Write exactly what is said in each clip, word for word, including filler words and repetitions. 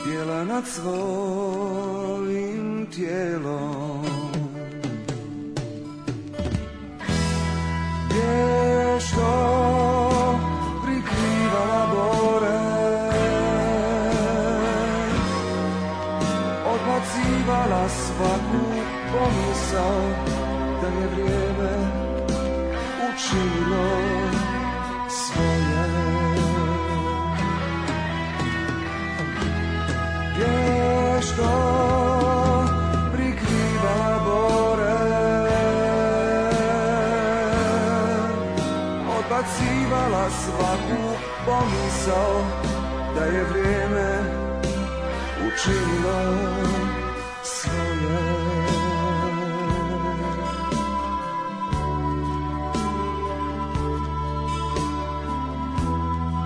Tijela nad svojim tijelom, vješto prikrivala bore, odbacivala svaku pomisao da je vrijeme učinilo svoje. Vješto prikrivala bore, odbacivala svaku pomisao da je vrijeme učinilo svoje.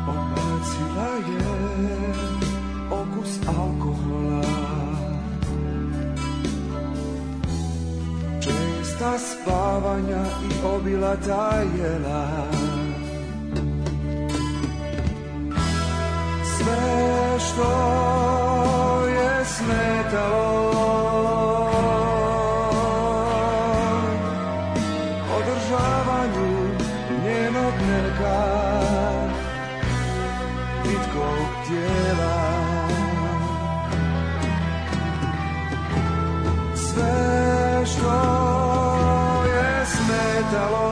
Odbacila je okus alkohola, česta spavanja i obilata jela. Sve što je smetalo održavanju njenog neka pitkog tijela. Sve što je smetalo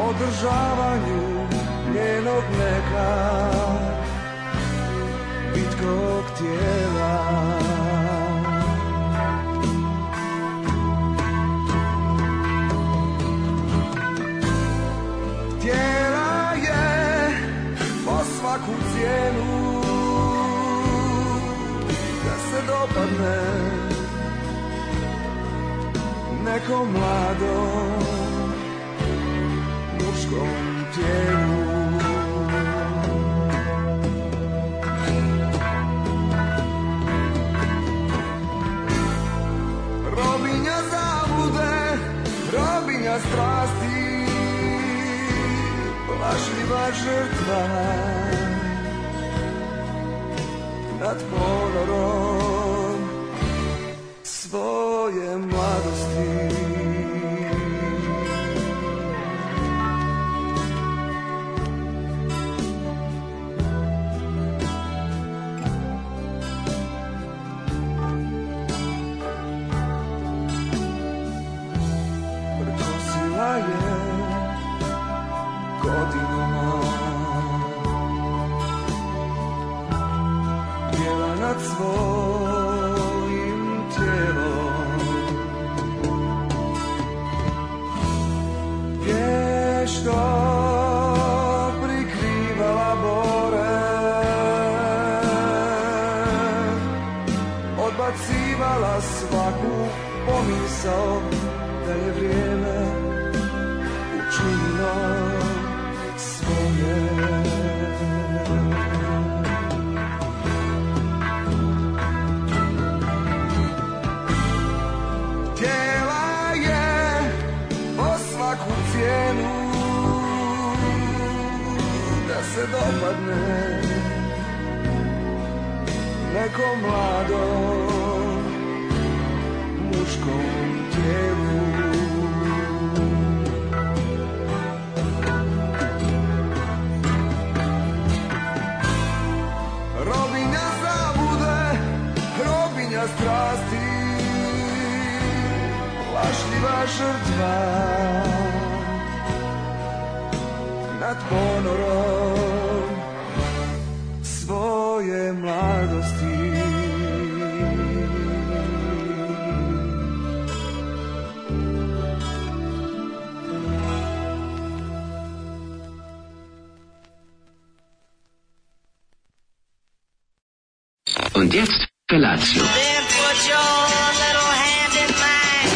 održavanju njenog neka pitkog tijela. Htjela je po svaku cijenu da se dopadne nekom mladom muškom tijelu. Robinja zablude, robinja strasti, plašljiva žrtva nad ponorom svoje mladosti. Prkosila je godinama, tijela nad svojim tijelom, vješto prikrivala bore, odbacivala svaku pomisao da je vrijeme učinilo svoje. Htjela je po svaku cijenu da se dopadne nekom mladom muškom tijelu. Robinja zabude, robinja strasti, plašljiva žrtva nad ponorom svoje mladosti. Und jetzt Felatio. Then put your little hand in mine.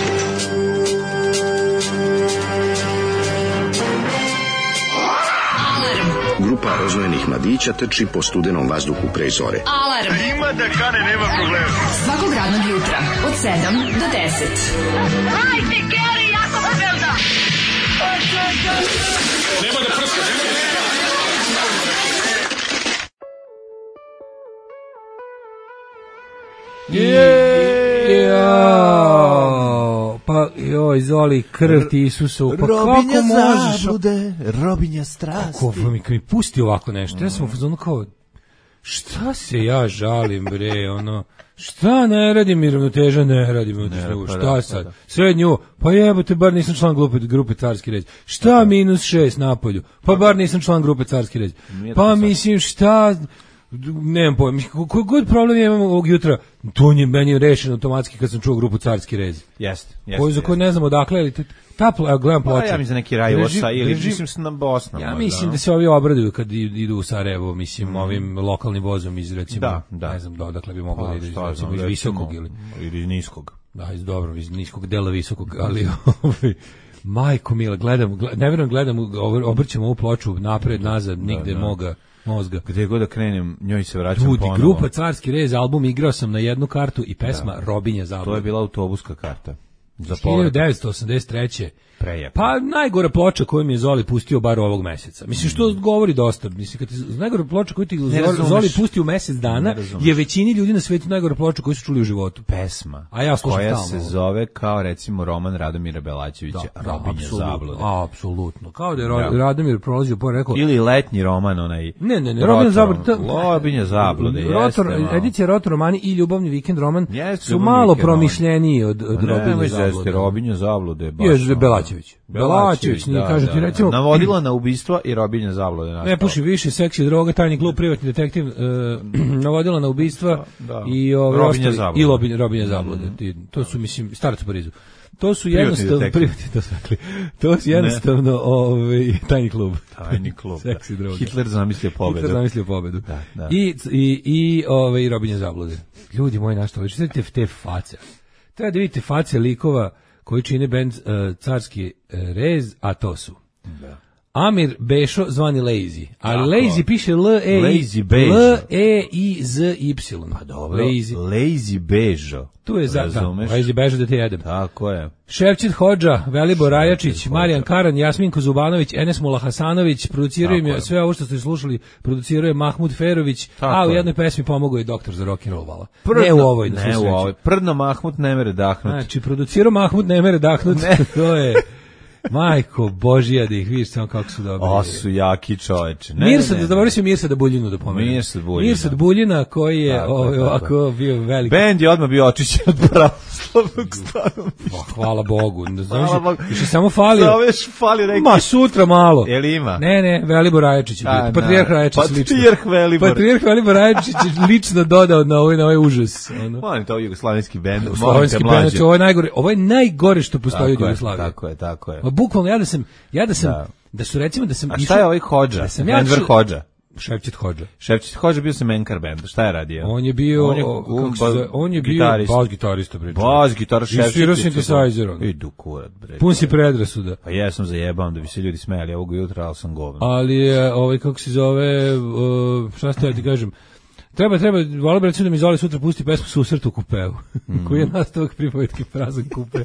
Grupa rozvojenih mladića trči po studenom vazduhu pre zore. Alarm. Ima da kane, nema problema. Svakog radnog jutra od sedam do deset. Hajde, Geri, jako se velda. Nema da prska, nema da prska. Jao, pa joj, Zoli, krv ti Isusu, pa Robinja kako možeš? zablude, robinja strasti. Kako mi, kad mi pusti ovako nešto, ja sam u fazonu kao, šta se ja žalim, bre, ono, šta ne radim mi ravnoteža, ne radim mi ravnoteža, šta da, sad, pa da. srednju, pa jebote, bar nisam član grupe, grupe Carski red, šta minus šest napolju, pa bar nisam član grupe Carski red, pa mislim šta, nemam pojma, koji god problem ja imam ovog jutra, to je meni rešeno automatski kad sam čuo grupu Carski rez. Jeste, jeste. Koju za koju ne znam odakle, ali ta pla, gledam ploče. Pa ja mislim za neki Rajosa ili mislim se na Bosna. Ja mislim da se ovi obraduju kad idu u Sarajevo, mislim mm. ovim lokalnim vozom iz recimo, da, da. ne znam da odakle bi moglo pa, da ide, šta, recimo, znam, iz visokog ili ili niskog. Da, iz dobro, iz niskog dela visokog, ali ovaj majko mila, gledam, gledam ne verujem gledam, obrćem ovu ploču napred, nazad, nigde da, da. moga mozga. Gde god da krenem, njoj se vraćam Ljudi, ponovo. grupa Carski rez, album igrao sam na jednu kartu i pesma da. Robinja zablude. To je bila autobuska karta. Za hiljadu devetsto osamdeset treće Prejepo. Pa najgora ploča koju mi je Zoli pustio bar ovog meseca. Mislim što govori dosta. Mislim kad ti najgora ploča koju ti Zoli pustio u mesec dana je većini ljudi na svetu najgora ploča koju su čuli u životu. Pesma. A ja koja se ovo. Zove kao recimo roman Radomira Belačevića da, Robinja da, zablude. Apsolutno. Kao da je da. Radomir prolazio po rekao ili letnji roman onaj. Ne, ne, ne, Robinja zablude. Robinja zablude. Rotor, edicija Rotor romani i Ljubavni vikend roman jeste, su malo promišljeniji od, od Robinja zablude. Robinja zablude. Je Belačević. Belačević, nije kaže ti recimo navodila na ubistva i Robinja zablude nastala. Ne puši više, seksi, droga, tajni klub, privatni detektiv, uh, navodila na ubistva da, da. i ove Robinja zablude. I Robinja, Robinja zablude. Mm. To su mislim starac u Parizu. To su jednostavno privatni to su rekli. To su jednostavno ovaj tajni klub. Tajni klub. Seksi, droga. Hitler zamislio pobedu. Hitler zamislio pobedu. Da, da. I i i ovaj Robinja zablude. Ljudi moji, na što vi čujete te face. Treba da vidite face likova koji čine bend uh, Carski uh, rez, a to su da. Amir Bešo, zvani Lazy, ali Lazy piše L E L E I Z Y. Pa dobro, Lazy, Lazy Bežo. Tu je za Lazy Bežo da te jedem. Tako je. Ševčit Hodža, Velibor Rajačić, Marijan Karan, Jasminko Zubanović, Enes Mula Hasanović, produciraju mi sve ovo što ste slušali, produciraju Mahmud Ferović, tako a u jednoj pesmi pomogao je doktor za rock and roll vala. Ne u ovoj, da ne u ovoj. Prdno Mahmud ne mere dahnut. Znači, producirao Mahmud ne mere dahnut, to je... Majko Božija da ih vidiš samo kako su dobri. O, su jaki čoveče. Mirsad, da zaboravio se Mirsada Buljinu da pomenem. Mirsad Buljina. Mirsad Buljina koji je tako, ovaj, tako. ovako bio veliki. Bend je odmah bio očišćen od pravoslavnog stanovništva. Oh, hvala Bogu. Hvala Bogu. Više samo falio. Zoveš fali neki. Ma sutra malo. Je li ima? Ne, ne, Velibor Rajačić. Patrijarh Rajačić lično. Patrijarh Velibor. Patrijarh Velibor Rajačić lično dodao na ovaj, na ovaj užas. Ono. Molim to jugoslovenski bend. Slovenski bend, ovo je najgore. Ovo je najgore što postoji u Jugoslaviji. Tako je, tako je. Bukvalno ja da sam Ja da sam, da, da su recimo da sam a šta je ovaj Hodža? Da Enver ja Hodža? Ševčit Hodža. Ševčit Hodža bio se Menkar band. Šta je radio? On je bio, on je, kako se zove, on je bio bas gitarista, bre. Bas gitar Ševčit. I svirao synthesizer. Idu kurat, bre. Pun si predrasuda. Pa ja sam zajebam da bi se ljudi smejali ovog jutra, al sam govno. Ali je, ovaj, kako se zove, uh, šta ste ja ti kažem, Treba, treba, volio bi recimo da mi Zoli sutra pusti pesmu Susret u kupeu, mm. koji je nastavak pripovetke Prazan kupe.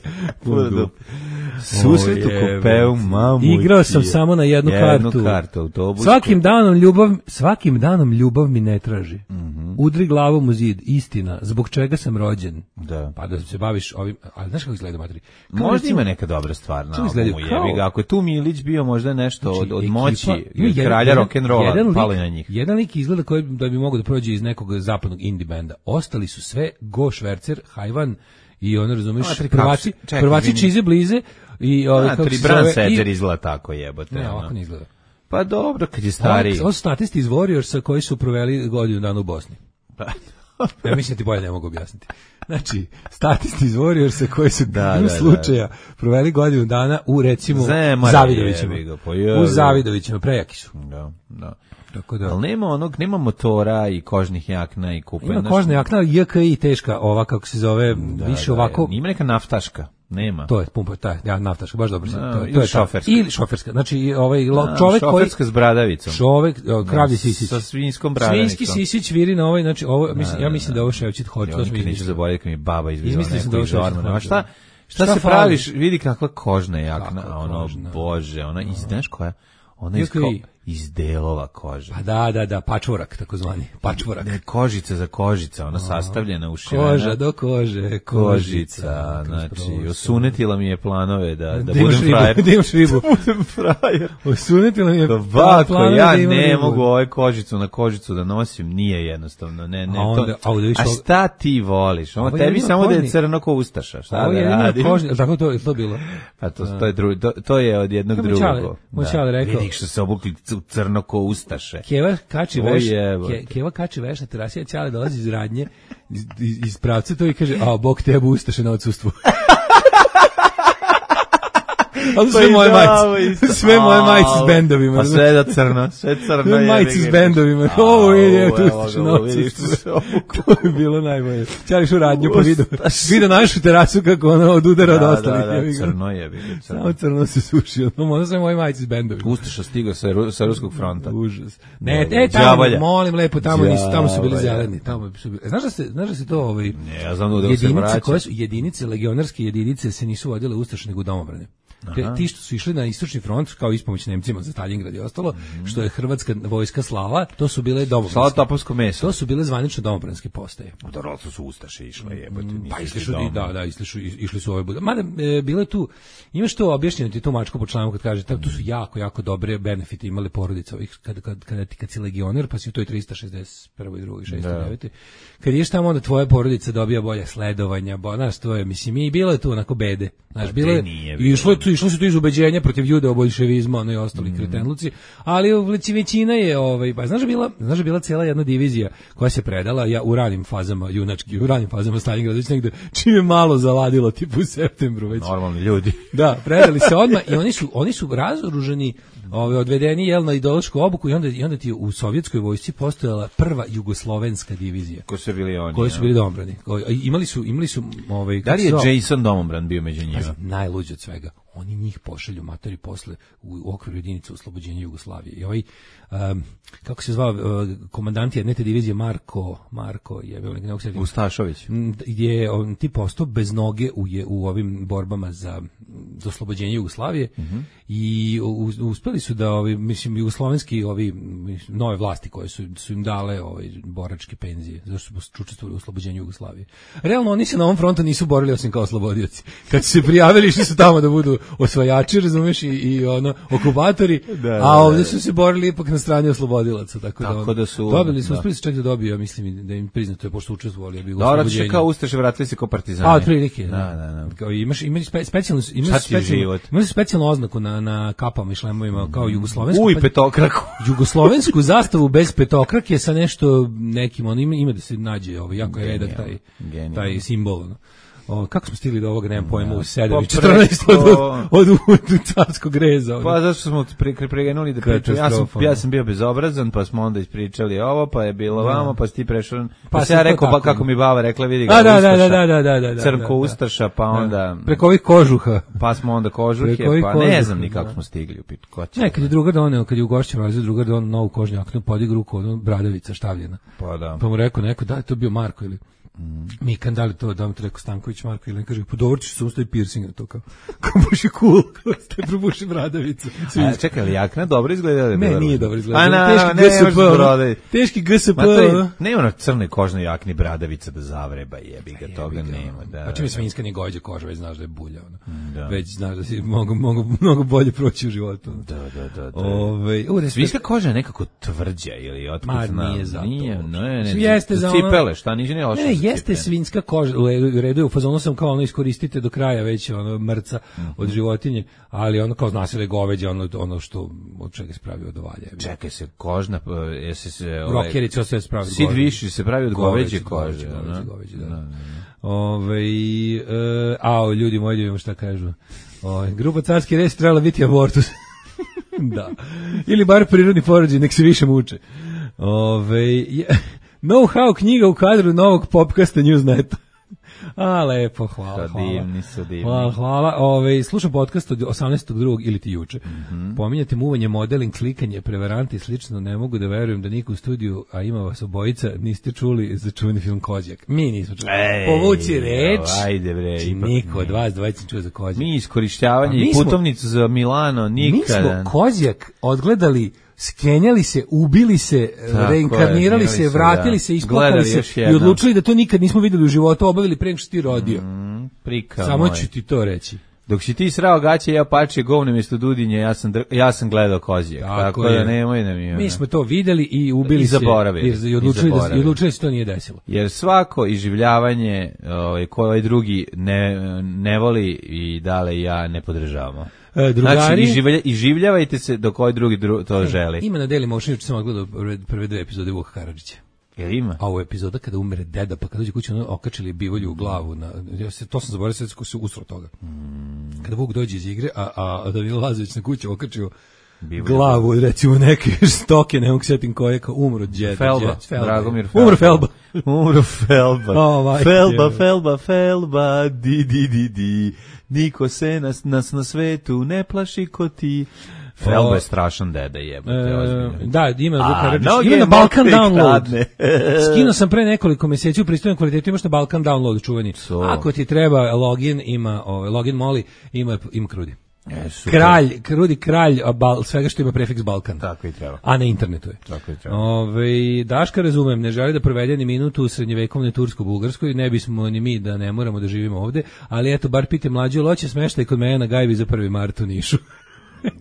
Susret u kupeu, mamu. Igrao sam samo na jednu, jednu kartu. kartu autobuske. Svakim danom ljubav, svakim danom ljubav mi ne traži. Mm -hmm. Udri glavom u zid, istina, zbog čega sam rođen. Da. Pa da se baviš ovim, ali znaš kako izgleda materi? Možda recimo, ima neka dobra stvar na albumu, jebi ga. Ako je tu Milić bio možda nešto znači, od, od moći, ekipa, kralja rock'n'rolla, pali na njih. Jedan lik izgleda koji da bi mogao da prođe iz nekog zapadnog indie benda. Ostali su sve Go Švercer, Hajvan i ono razumiješ, prvaci, prvaci Čize Blize i ove kako se zove. Sedzer izgleda tako jebote. Ne, ovako ne izgleda. Pa dobro, kad je stari. Ovo su statisti iz Warriorsa koji su proveli godinu dana u Bosni. Ja mislim da ti bolje ne mogu objasniti. Znači, statisti iz Warriorsa koji su da, da, slučaja da. proveli godinu dana u recimo Zavidovićima. U Zavidovićima, prejaki su. Da, da. Tako da. Ali nema onog, nema motora i kožnih jakna i kupe. Ima kožna jakna, J K I teška, ova kako se zove, da, više da, ovako. Ima neka naftaška, nema. To je pumpa, taj, ja naftaška, baš dobro. No, to, ili to je šoferska. Ili šoferska, znači ovaj no, čovjek koji... Šoferska s bradavicom. Čovjek, kravlji sisić. Sa svinjskom bradavicom. Svinjski sisić viri na ovaj, znači ovo, mislim, ja mislim da ovo Ševčit Hodža. Ja neću zaboraviti kad mi baba izvila neko da iz ormana. Šta, šta se praviš, vidi kakva kožna jakna, ono, bože, ona, i znaš koja? Ona iz, iz delova kože. Pa da, da, da, pačvorak, takozvani, pačvorak. Ne, kožica za kožica, ona sastavljena, ušivena. Koža do kože, kožica. Znači, osunetila mi je planove da, da budem frajer. Da imaš ribu. Da budem frajer. Osunetila mi je Ovako, ja ne mogu ovaj kožicu na kožicu da nosim, nije jednostavno. Ne, ne, a, onda, to, a, a šta ti voliš? Ovo tebi samo kožni, da je crno ko ustaša. Šta ovo da radi? Kožni, tako to je to bilo. Pa to, to, je, dru, to, to je od jednog drugog. Moj čale rekao. Vidi što se obukli crno ko ustaše. Keva kači veš, ke, Keva kači veš na terasi, a Ćale dolazi iz radnje, iz, iz pravca to i kaže, a bog tebe ustaše na odsustvu. Ali sve moje majice, sve moje majice s bendovima. Pa sve da crno, sve crno. Sve majice s bendovima. Ovo je, tu ustaše na odsustvu. To je bilo najbolje. Ćališ u radnju pa vidio, vidio našu terasu kako ona odudara od ostalih. Da, da, crno je. Samo crno se suši. Ono sve moje majice s bendovima. Ustaša stigao sa ruskog fronta. Užas. Ne, e, tamo, molim lepo, tamo nisu, tamo su bili zeleni. Tamo su bili. Znaš da se, znaš da se to ovaj ne, ja znam da se vraća. Koje su jedinice, legionarske jedinice se nisu vodile ustaše nego domobrane. Te, ti što su išli na istočni front kao ispomoć Nemcima za Stalingrad i ostalo, mm. što je hrvatska vojska slala, to su bile domobranske. Slala topovsko meso. To su bile zvanično domobranske postaje. Dobro, to su ustaše išle, jebote, nisu. Pa išli su i da, da, išli su išli su ove bude. Mada e, bilo je tu, imaš to objašnjeno ti to mačko po članu kad kaže, tako tu su jako jako dobre benefite imale porodice ovih kad kad kad ti kad si legioner, pa si u toj trista šezdeset prva i druga i šezdeset devete. Kad ješ tamo onda tvoja porodica dobija bolje sledovanja, bo, znaš, to je, mislim, i bilo je tu onako bede. Znaš, bilo je, i išlo je tu, išlo se tu iz ubeđenja protiv judeo-boljševizma, ono i ostali mm. kretenluci, ali većina je, ovaj, pa znaš bila, znaš bila cijela jedna divizija koja se predala, ja u ranim fazama, junački, u ranim fazama Stalingrada, već negde, čim je malo zaladilo, tipu u septembru već. Normalni ljudi. Da, predali se odmah i oni su, oni su razoruženi, ovaj, odvedeni, jel, na ideološku obuku i onda, i onda ti u sovjetskoj vojsci postojala prva jugoslovenska divizija. Ko su bili oni? Koji su bili domobrani. Imali su, imali su, ovaj, da li je so... Jason domobran bio među njima? Najluđe od svega. Oni njih pošalju matori posle u, u okviru jedinice oslobođenja Jugoslavije. I ovaj, um, kako se zvao, uh, komandant jedne te divizije Marko, Marko je bio nekako se Ustašović. Je on ti postao bez noge u, je, u ovim borbama za, za oslobođenje Jugoslavije uh-huh. i u, uspeli su da ovi, mislim, jugoslovenski ovi nove vlasti koje su, su im dale ovaj, boračke penzije, zašto su učestvovali u oslobođenju Jugoslavije. Realno oni se na ovom frontu nisu borili osim kao oslobodioci. Kad su se prijavili, išli su tamo da budu osvajači, razumeš, i, i ono, okupatori, da, da, a ovdje su se borili ipak na strani oslobodilaca, tako, tako da, ono, da su dobili su, uspeli su čak da dobiju, ja mislim, da im priznato je, pošto učestvovali, bi u oslobođenju. Dobro, kao ustaše, vratili se kao partizani. A, otprilike, da, da, da. Kao, imaš, imaš spe, specijalnu, imaš specijalnu, imaš specijalnu oznaku na, na kapama i šlemovima, kao jugoslovensku. Uj, petokraku. Jugoslovensku zastavu bez petokrake sa nešto nekim, ono, ima, ima da se nađe, ovo, jako je redak taj, taj simbol, ono. O, kako smo stigli do ovoga, nemam pojma, u sedam i četrnaest od, od, od, od carskog reza. Pa zašto smo pre, pregenuli da pričamo, ja sam, ja sam bio bezobrazan, pa smo onda ispričali ovo, pa je bilo da. Vamo, pa si ti prešao, pa, pa se ja rekao, ba, kako mi baba rekla, vidi ga, da, da, da, da, da, da, da, crnko ustaša, pa onda... Preko ovih kožuha. Pa smo onda kožuhe, pa kožuha, ne znam ni kako da. Smo stigli u pitu. Ne, kad je drugar doneo, kad je u gošćem razredu drugar doneo novu kožnjaknu, podig ruku, ono, bradavica štavljena. Pa da. Pa mu rekao neko, da, to bio Marko ili... Mm. Mikan, da li to, da vam to rekao Stanković Marko ili ne kaže, pa dobro ćeš se ustavi piercing na to, kao, kao baš je cool, kao ste probuši bradavicu. A čekaj, ali jakna dobro izgleda? Ne, nije dobro izgleda. A na, teški ne, G S P, ono, teški G S P. Ne ono crne kožne jakni bradavica da zavreba, jebi ga, toga nema. Da, pa čim je svinjska ni gođe koža, već znaš da je bulja. Ono. Da. Već znaš da si mogu, mogu, mnogo bolje proći u životu. Da, da, da. da. Ove, u, svinjska koža je nekako tvrđa ili otkud znam. Nije zato. Nije, ne, ne, jeste za cipele, šta niže ne ošao. Ne, jeste svinjska koža, u redu je, u fazonu sam kao ono iskoristite do kraja već ono mrca mm-hmm. od životinje, ali ono kao zna se da je goveđe ono, ono što od čega se pravi od ovalja. Čekaj se, kožna, jesi se... Rokerica se pravi od Sid viši se pravi od goveđe kože. Goveđe, goveđe, da. Ove, e, a, ljudi moji, vidimo šta kažu. Ove, grupa Carski res trebala biti abortus. Da. Ili bar prirodni porođaj, nek se više muče. Ove, je, know-how knjiga u kadru novog popkasta Newsneta. A, lepo, hvala, hvala. Divni su, divni. Hvala, hvala. Ove, slušam podcast od osamnaestog drugog ili ti juče. Mm-hmm. Pominjate muvanje, modeling, klikanje, prevaranti i slično. Ne mogu da verujem da niko u studiju, a ima vas obojica, niste čuli za čuveni film Kozjak. Mi nismo čuli. Ej, povuci reč. Ajde bre. Či niko od vas dvojica čuo za Kozjak. Mi iskorištavanje i putovnicu za Milano nikada. Mi smo Kozjak odgledali skenjali se, ubili se, Tako reinkarnirali je, se, se, vratili da. se, isplakali se i odlučili da to nikad nismo videli u životu, obavili pre nego što ti rodio. Mm, prika Samo moj. ću ti to reći. Dok si ti srao gaće, ja pače govne mjesto Dudinje, ja sam, dr... ja sam gledao kozijek. Tako, tako da nemoj da mi... Mi smo to videli i ubili I se. zaboravili. I, i odlučili, da, i odlučili da se to nije desilo. Jer svako iživljavanje ovaj, koje ovaj drugi ne, ne voli i dale ja ne podržavamo. E, drugari, znači, iživlja, iživljavajte se dok ovaj drugi dru, to e, želi. Ima na Daily Motion, juče sam odgledao prve, prve dve epizode Vuka Karadžića. Jel ima? A ovo epizoda kada umre deda, pa kada dođe kući, ono okačili bivolju u glavu. Na, ja se, to sam zaboravio, sad se usro toga. Mm. Kada Vuk dođe iz igre, a, a, a Danilo Lazović na kući okačio bivolju. Glavu, recimo neke stoke, ne mogu setim koje, kao umro djeda. Felba, Felba. Dragomir Felba. Umro Felba. Umro Felba. Oh, Felba, Felba, Felba, di, di, di, di. Niko se nas, nas na svetu ne plaši ko ti. Felba je strašan deda, jebate, ozbiljno. Da, ima Vuk Karadžić. Ima na Balkan Download. Skino sam pre nekoliko mjeseci u pristojnom kvalitetu, imaš na Balkan Download čuveni. So. Ako ti treba login, ima ovaj login Moli, ima ima Krudi. E, kralj, Krudi kralj bal, svega što ima prefiks Balkan. Tako i treba. A na internetu je. Tako i treba. Ove, Daška razumem, ne želi da provede ni minutu u srednjevekovnoj Tursko-Bugarskoj, ne bismo ni mi da ne moramo da živimo ovde, ali eto, bar pite mlađu, loće smeštaj kod mene na Gajbi za prvi mart u Nišu.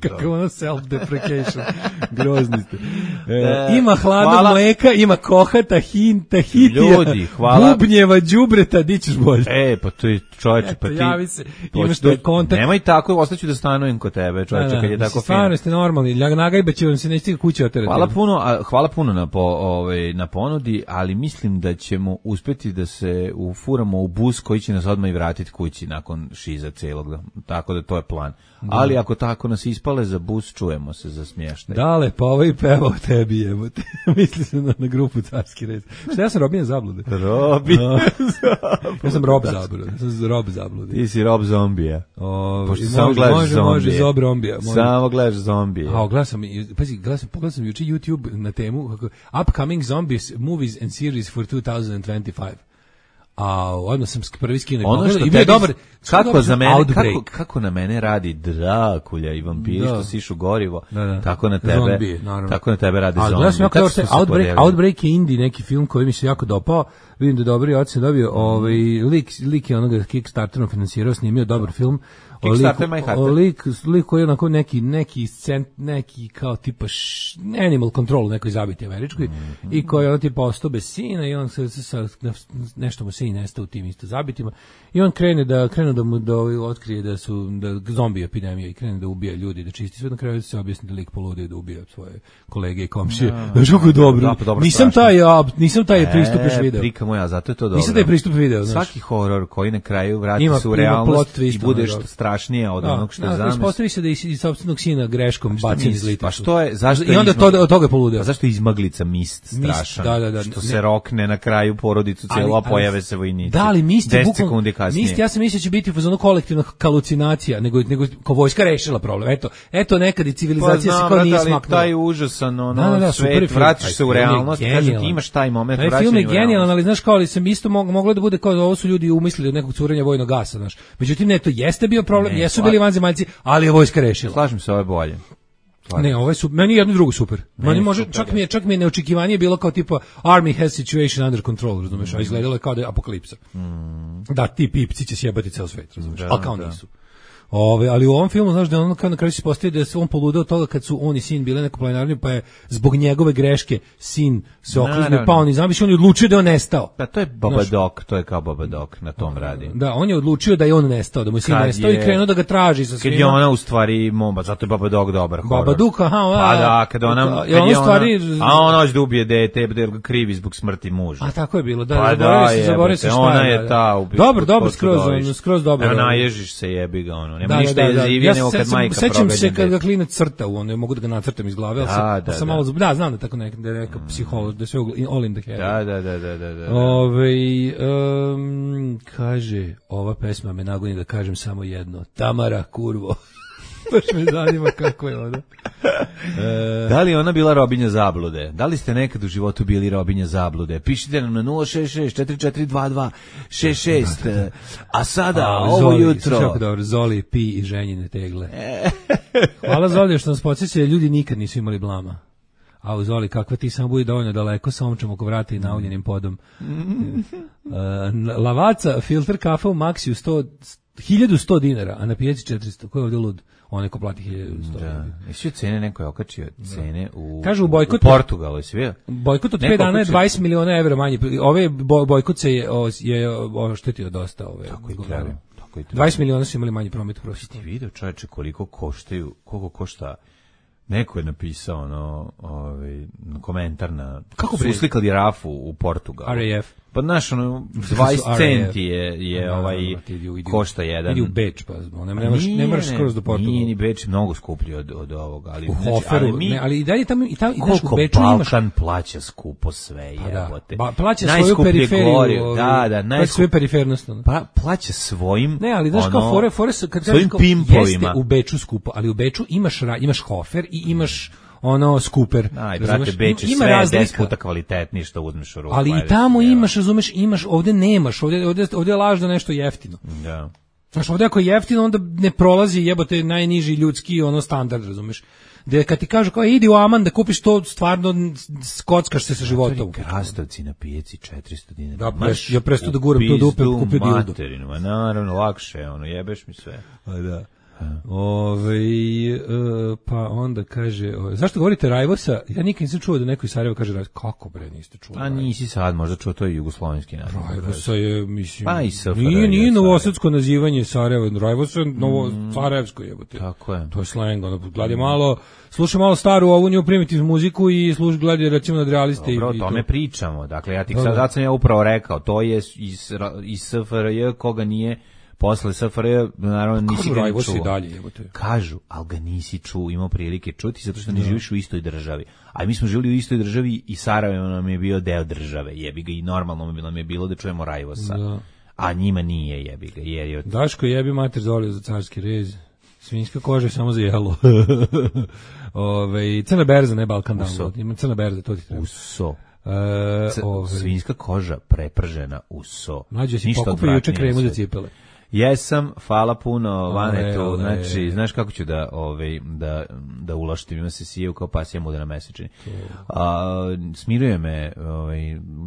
Kako ono self-deprecation. Grozni ste. E, ima hladnog hvala. Mleka, ima kohata, hinta, hitija, ljudi, hvala. Bubnjeva, đubreta, di ćeš bolje. E, pa to je čovječe, pa ti... Javi se, imaš taj kontakt. Nemoj tako, ostaću da stanujem kod tebe, čovječe, da, kad je tako fino. Stvarno ste normalni, nagajbe će vam se neći kuće oterati. Hvala puno, a, hvala puno na, po, ovaj, na ponudi, ali mislim da ćemo uspeti da se ufuramo u bus koji će nas odmah i vratiti kući nakon šiza celog, tako da to je plan. Da. Ali ako tako nas ispale za bus, čujemo se za smještaj. Dale, pa ovaj pevao tebi, jebote. Misli se na, na grupu Carski red. Šta ja sam Robin Zablude? Robin no. Ja sam Rob Zablude. Ja sam Rob Zablude. Ti si Rob Zombija. O, Pošto može, samo gledaš može, zombije. Može, Zob Rombija. Može. Samo gledaš zombije. A, gledam sam, pazi, gledam sam, pogledam sam juče YouTube na temu kako, Upcoming Zombies Movies and Series for two thousand twenty-five. A odmah sam prvi skinuo. Ono što tebi, dobar, kako dobar za mene, kako, kako na mene radi Drakulja i vampiri da. Što sišu gorivo, da, da. Tako na tebe, zombije, tako na tebe radi zombije. Gledam jako dobro, Outbreak, Outbreak je indie neki film koji mi se jako dopao. Vidim da dobri ocene dobio, ovaj lik lik je onoga Kickstarterom finansirao, snimio dobar film. Kickstarter My Heart. Lik, lik koji je onako neki, neki, cent, neki kao tipa š, Animal Control, nekoj zabiti američkoj, mm-hmm. i koji je on tipa ostao bez sina i on se, se, se nešto mu sin nestao u tim isto zabitima i on krene da krene da mu da otkrije da su da zombi epidemija i krene da ubija ljudi, da čisti sve, na kraju se objasni da lik poludio da ubija svoje kolege i komšije. Znaš kako je dobro. Da, dobro nisam taj ja, nisam taj e, pristup još video. Prika moja, zato je to dobro. Nisam taj pristup video, znaš. Svaki horor koji na kraju vrati se u realnost i budeš strašnije od onog što je zamisli. Ispostavi se da je iz sopstvenog sina greškom bacen iz lita. Pa što je, zašto I onda to od toga je poludeo. Pa zašto je izmaglica mist strašan? Da, da, da, što ne, se rokne na kraju porodicu cijelo, a pojave se vojnici. Da, ali mist je bukvalno, mist, ja sam mislio će biti fazonu kolektivna halucinacija, nego, nego ko vojska rešila problem. Eto, eto nekad i civilizacija pa, se kao nije smaknula. Taj užasan, ono, da, da, da, svet, vratiš se u realnost, kaže ti imaš taj moment vraćanja u realnost. Film je genijalan, ali znaš kao, ali sam isto moglo da bude kao da ovo su ljudi umislili od nekog curenja vojnog gasa, znaš. Međutim, ne, to jeste bio problem, jesu bili vanzemaljci, ali je vojska rešila. Slažem se, ovo je bolje. Slažem. Ne, ovo je super. Meni je jedno drugo super. Meni, Meni može, super, čak mi je, čak mi je neočekivanje bilo kao tipa Army has situation under control, razumeš, a izgledalo je kao da je apokalipsa. Mm. Da, ti pipci će sjebati ceo svet, razumeš, a kao da. Nisu. Ove, ali u ovom filmu, znaš, da on kao na kraju se postavi da se on poludeo toga kad su on i sin bile neko planinarnju, pa je zbog njegove greške sin se okliznuo, pa on i zamiš, on je odlučio da je on nestao. Pa to je Babadook, to je kao Babadook, na tom radi. Da, on je odlučio da je on nestao, da mu je sin kad nestao je, i krenuo da ga traži sa svima. Kad je ona u stvari momba, zato je Babadook dobar horor. Babadook, aha, a, pa da, kad ona, kad je ona, stvari, a ona hoće da ubije dete, da ga krivi zbog smrti muža. A tako je bilo, da, pa zaboravio se, zaboravio se šta ona je ta. Dobro, dobro, skroz, skroz dobro. Evo naježiš se, jebi ga ono, nema ništa jezivije nego kad majka progađa. Sećam se kad ga klinac crta, on ne mogu da ga nacrtam iz glave, al sam, da, sam malo da znam da tako neka da je neka psiholog, da sve all in the head. Da, da, da, da, da, da. Ovaj um, kaže, ova pesma me nagoni da kažem samo jedno. Tamara, kurvo. Baš me zanima kako je ona. E, da li ona bila Robinja Zablude? Da li ste nekad u životu bili Robinja Zablude? Pišite nam na nula šest šest četiri četiri dva dva šest šest. A sada, a, ovo Zoli, jutro... Kako dobro, Zoli, pi i ženjine tegle. Hvala Zoli što nas podsjeća, ljudi nikad nisu imali blama. A uzvoli, kakva ti samo budi dovoljno daleko sa omčom oko vrata i nauljenim podom. uh, Lavaca, filter kafa u Maxiju sto, hiljadu sto dinara, a na pijaci četiristo. Ko je ovdje lud? Onaj ko plati hiljadu sto. Da. Jesi cene, neko je okačio cene u, Kažu u bojkot, u Portugalu, jesi vidio? Bojkot od pet dana je dvadeset miliona evra manje. Ove bojkot se je, je oštetio dosta. Ove, tako i treba. dvadeset miliona su imali manji promet prosječno. Ti vidio, čovječe, koliko koštaju, koliko košta. Neko je napisao ono, ovaj komentar na kako su uslikali rafu u Portugalu. R A F. Pa znaš, ono, dvadeset centi je, je no, ovaj, no, košta jedan. Idi u Beč, pa ne, ne, moraš, ne moraš skroz do Portugala. Nije ni Beč mnogo skuplji od, od ovoga. Ali, u znači, Hoferu, ali, mi, ne, ali i dalje tamo, i tamo koliko u Beču imaš... Balkan plaća skupo sve, pa jebote. Da. Plaća svoju periferiju. Goriv, da, da, plaća svoju perifernost. Pa, plaća svojim... Ne, ali znaš ono, kao fore, fore su, kad svojim kao, pimpovima. Jeste u Beču skupo, ali u Beču imaš, imaš Hofer i imaš... ono skuper. Aj, brate, Beč je sve deset puta kvalitetniji što uzmeš u ruku. Ali i tamo imaš, razumeš, imaš, ovde nemaš, ovde, ovde, ovde je lažno nešto jeftino. Da. Znaš, ovde ako je jeftino, onda ne prolazi jebote najniži ljudski ono standard, razumeš. Da kad ti kažu kao idi u Aman da kupiš to, stvarno skockaš se sa životom. Krastavci na pijaci četiristo dinara. Da, preš, ja presto da guram to dupe, kupio dildo. Materinu, a naravno, lakše, ono, jebeš mi sve. A da. Ove, e, pa onda kaže, o, zašto govorite Rajvosa? Ja nikad nisam čuo da neko iz Sarajeva kaže Rajvosa. Kako bre niste čuli? A nisi sad možda čuo, to je jugoslovenski naziv. Rajvosa je, mislim, pa i S F R J, nije, nije novosadsko nazivanje Sarajeva, Rajvosa je novo mm, sarajevsko jebote. Tako je. To je slang, ono, gledaj malo, slušaj malo staru ovu nju primitivnu muziku i slušaj, gledaj recimo nadrealiste. Dobro, i, o tome to. Pričamo, dakle ja ti sad, sad sam ja upravo rekao, to je iz, iz S F R J koga nije posle S F R J, naravno nisi ga ni čuo. Dalje, jebote. Kažu, ali ga nisi čuo, imao prilike čuti zato što ne živiš u istoj državi. A mi smo živjeli u istoj državi i Sarajevo nam je bio deo države. Jebi ga i normalno nam je bilo da čujemo Rajvosa. Da. A njima nije, jebi ga. Jer je od... Daško jebi mater zolio za carski rez. Svinjska koža je samo za jelo. Ove, crna berza, ne Balkan download. Ima crna berza, to ti treba. Uso. E, C- svinjska koža prepržena u so. Mlađe si pokupio juče kremu za cipele. Jesam, hvala puno Vanetu, znači, znaš kako ću da, ovaj, da, da ulaštim, ima se sije kao pasija muda na mesečini. A, smiruje me ovaj,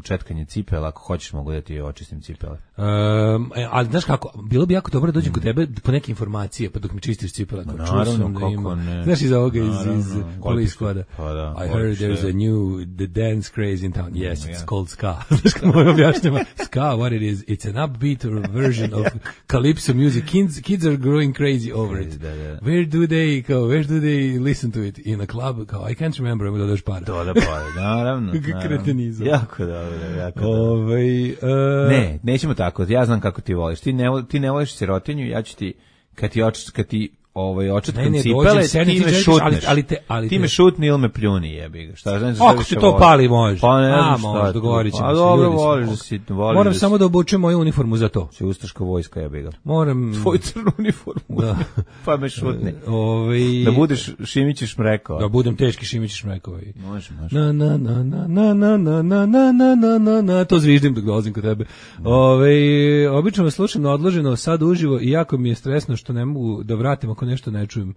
četkanje cipela, ako hoćeš mogu da ti očistim cipele. Um, ali znaš kako, bilo bi jako dobro da dođem kod tebe po neke informacije, pa dok mi čistiš cipela. No, naravno, kako ima, ne. Znaš iz ovoga, iz, iz Police Squada. Pa da, I heard there's a new the dance craze in town. Yes, it's yeah. called ska. Znaš kako moj objašnjava? Ska, what it is, it's an upbeat version of calypso music. Kids, kids are growing crazy over it. Da, da. Where do they go? Where do they listen to it? In a club? Kao, I can't remember. Ima dodaš para. Doda para, naravno. Kretenizam. Jako dobro, jako dobro. Ove, uh... Ne, nećemo tako. Ja znam kako ti voliš. Ti ne, ti ne voliš sirotinju, ja ću ti, kad ti, oč, kad ti ovaj, očetkam cipele, ti me šutneš. Ali, ali te, ali te... Ti me šutni ili me pljuni, jebi ga. Šta znači? Ako ti to pali, može. Pa ne znam šta. A, dogovorit ćemo se. A dobro, voliš da si... Voliš Moram da samo da obučem moju uniformu za to. Si ustaška vojska, jebi ga. Moram... Tvoju crnu uniformu. Da. Pa me šutni. Ove... Da budeš Šimić Šmrekova. Da budem teški Šimić Šmrekova. Može, može. Na, na, na, na, na, na, na, na, na, na, na, na, to zviždim dok dolazim kod tebe. Ove, obično me slušam na odloženo, sad uživo i jako mi je stresno što ne mogu da vratim ako nešto ne čujem.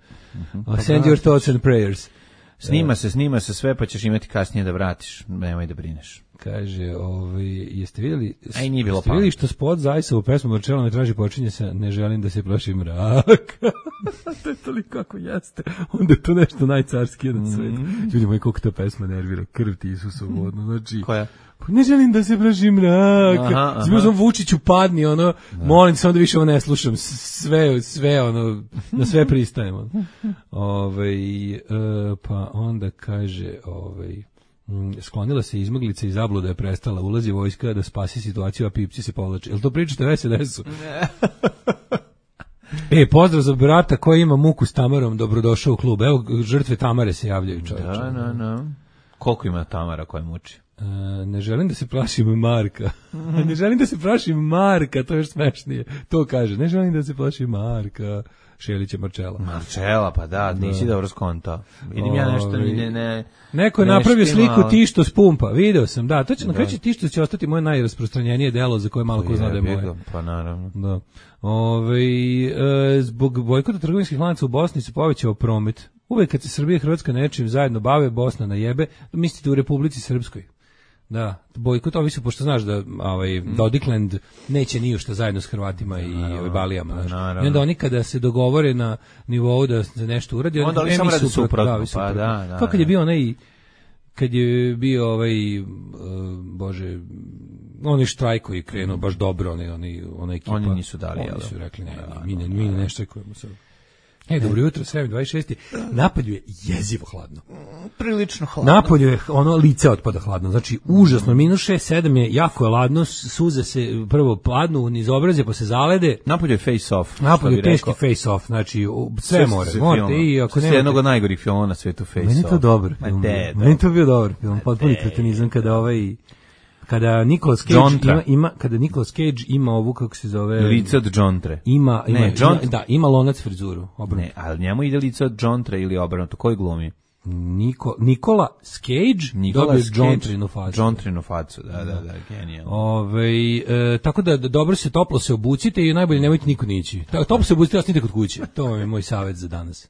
Uh, send your thoughts and prayers. Snima se, snima se sve, pa ćeš imati kasnije da vratiš. Nemoj da brineš. Kaže, ovaj, jeste vidjeli, Aj, nije bilo jeste vidjeli što spot Zajsa u pesmu Marčela me traži počinje sa ne želim da se plašim mraka. To je toliko kako jeste. Onda je to nešto najcarskije na svetu. Mm. Ljudi moji, koliko ta pesma nervira. Krv ti Isusovu, odno. Znači, koja? Ne želim da se plašim mraka. Zbog sam Vučiću padni, ono, da. Molim se onda više ovo ne slušam. Sve, sve, ono, na sve pristajem. Ono. Ove, e, pa onda kaže, ovaj, sklonila se izmaglica i zabluda je prestala, ulazi vojska da spasi situaciju, a pipci se povlače. Jel to pričate na S N S-u? E, pozdrav za brata koji ima muku s Tamarom, dobrodošao u klub. Evo, žrtve Tamare se javljaju, čovječe. Da, da, da. Koliko ima Tamara koja muči? Uh, ne želim da se plašim Marka. Ne želim da se plašim Marka, to je još smešnije. To kaže, ne želim da se plašim Marka. Šelića Marčela. Marčela, pa da, nisi dobro skontao. Vidim ja nešto, ne, ne... Neko je napravio sliku Tišto s pumpa, video sam, da, to će na kraju Tišto će ostati moje najrasprostranjenije delo za koje malo ko zna da je moje. Pa naravno. Da. Ove, e, zbog bojkota trgovinskih lanaca u Bosni se povećao promet. uvek kad se Srbija i Hrvatska nečim zajedno bave, Bosna na jebe, mislite u Republici Srpskoj. Da, bojkot, ovi su, pošto znaš da ovaj, Dodikland neće ni ušta zajedno s Hrvatima i ovaj, Balijama. Znaš. I onda oni kada se dogovore na nivou da se nešto uradi, onda oni samo radi suprotno. Da, pa da, da. To kad je bio onaj, kad je bio ovaj, uh, bože, oni štrajk koji je krenuo baš dobro, oni, oni, ona ekipa. Oni nisu dali, oni jel? su rekli, ne, da, mi ne, mi ne štrajkujemo sad. E, dobro jutro, sedam dvadeset šest. Napolju je jezivo hladno. Prilično hladno. Napolju je ono lice otpada hladno. Znači, užasno. minus šest sedam je jako je hladno. Suze se prvo pladnu niz obraze, pa se zalede. Napolju je face off. Napolju je teški face off. Znači, sve, sve more. Morate i ako nemate... jednog od najgorih filmova na svetu face meni off. Meni je to dobar film. Meni to bio dobar film. Potpuni kretenizam kada ovaj... Kada Nicolas Cage ima, ima kada Nicolas Cage ima ovu kako se zove lice od Džontre. Ima ima, ne, John... ima da, ima lonac frizuru, obrnuto. Ne, ali njemu ide lice od Džontre ili obrnuto. Koji glumi? Niko, Nikola Cage dobio Džontrinu facu. Džontrinu facu, da, da, da, genijalno. Ove, e, tako da dobro se toplo se obucite i najbolje nemojte niko nići. Toplo se obucite, ostanite kod kuće. To je moj savjet za danas.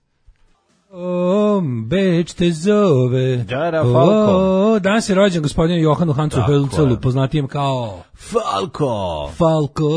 O, Beč te zove. Dara Falko. O, danas je rođen gospodinu Johanu Hansu Hölzelu, poznatijem kao Falko. Falko.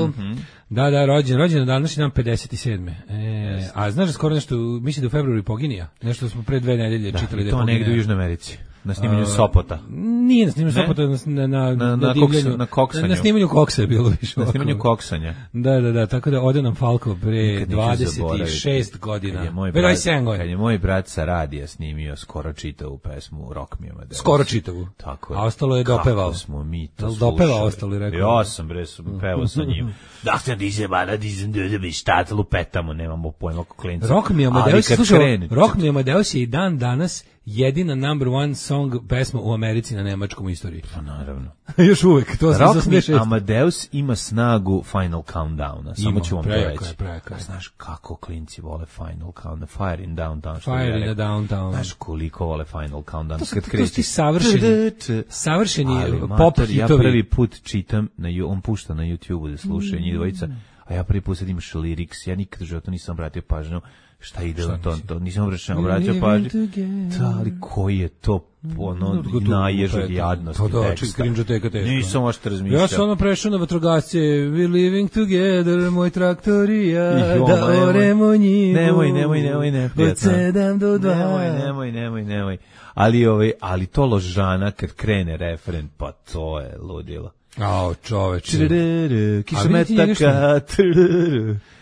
Mm-hmm. Da, da, rođen, rođen na današnji dan pedeset sedme. E, a znaš da skoro nešto, mislim da u februari poginija. Nešto smo pre dve nedelje da, čitali da je to poginija. negdje u Južnoj Americi. Na snimanju Sopota. Nije na snimanju Sopota, na, na, na, na, na, koksa, na koksanju. Na snimanju koksa je bilo više. Na snimanju koksanja. Da, da, da, tako da ode nam Falko pre dvadeset šest godina. Kad je moj brat, kad je moj brat sa radija snimio skoro čitavu pesmu Rock Me Amadeus. Skoro čitavu. Tako je. A ostalo je dopevao. Kako smo mi to slušali. Dopevao ostalo i rekao. Ja sam bre, pevao sa njim. Da se diže bada, dizem da bi šta lupetamo, nemamo pojma kako klinci. Rock Me Amadeus, slušaj, Rock Me Amadeus je i dan danas jedina number one song pesma u Americi na nemačkom istoriji. Pa naravno. Još uvek. To Rock Me Amadeus ima snagu Final Countdowna. Samo ću vam to reći. Prejaka, znaš kako klinci vole Final Countdown. Fire in Downtown. Fire in the Downtown. Znaš koliko vole Final Countdown. To su, to su ti savršeni, savršeni pop hitovi. Ja prvi put čitam, na, on pušta na YouTube da slušaju njih dvojica, a ja prvi put sad imaš lyrics. Ja nikad u životu nisam obratio pažnju šta ide na to, to nisam obratio, obratio pažnju. Da, ali koji je to ono naježog jadnosti teksta. Nisam ošte razmišljao. Ja sam ono prešao na vatrogasce, we living together, moj traktorija, da oremo njivu. Nemoj, nemoj, nemoj, neprijatno. Od sedam do dva. Nemoj, nemoj, nemoj, nemoj. Ali, ovaj, ali to ložana kad krene refren, pa to je ludilo. Ao, čoveče. Kišometaka.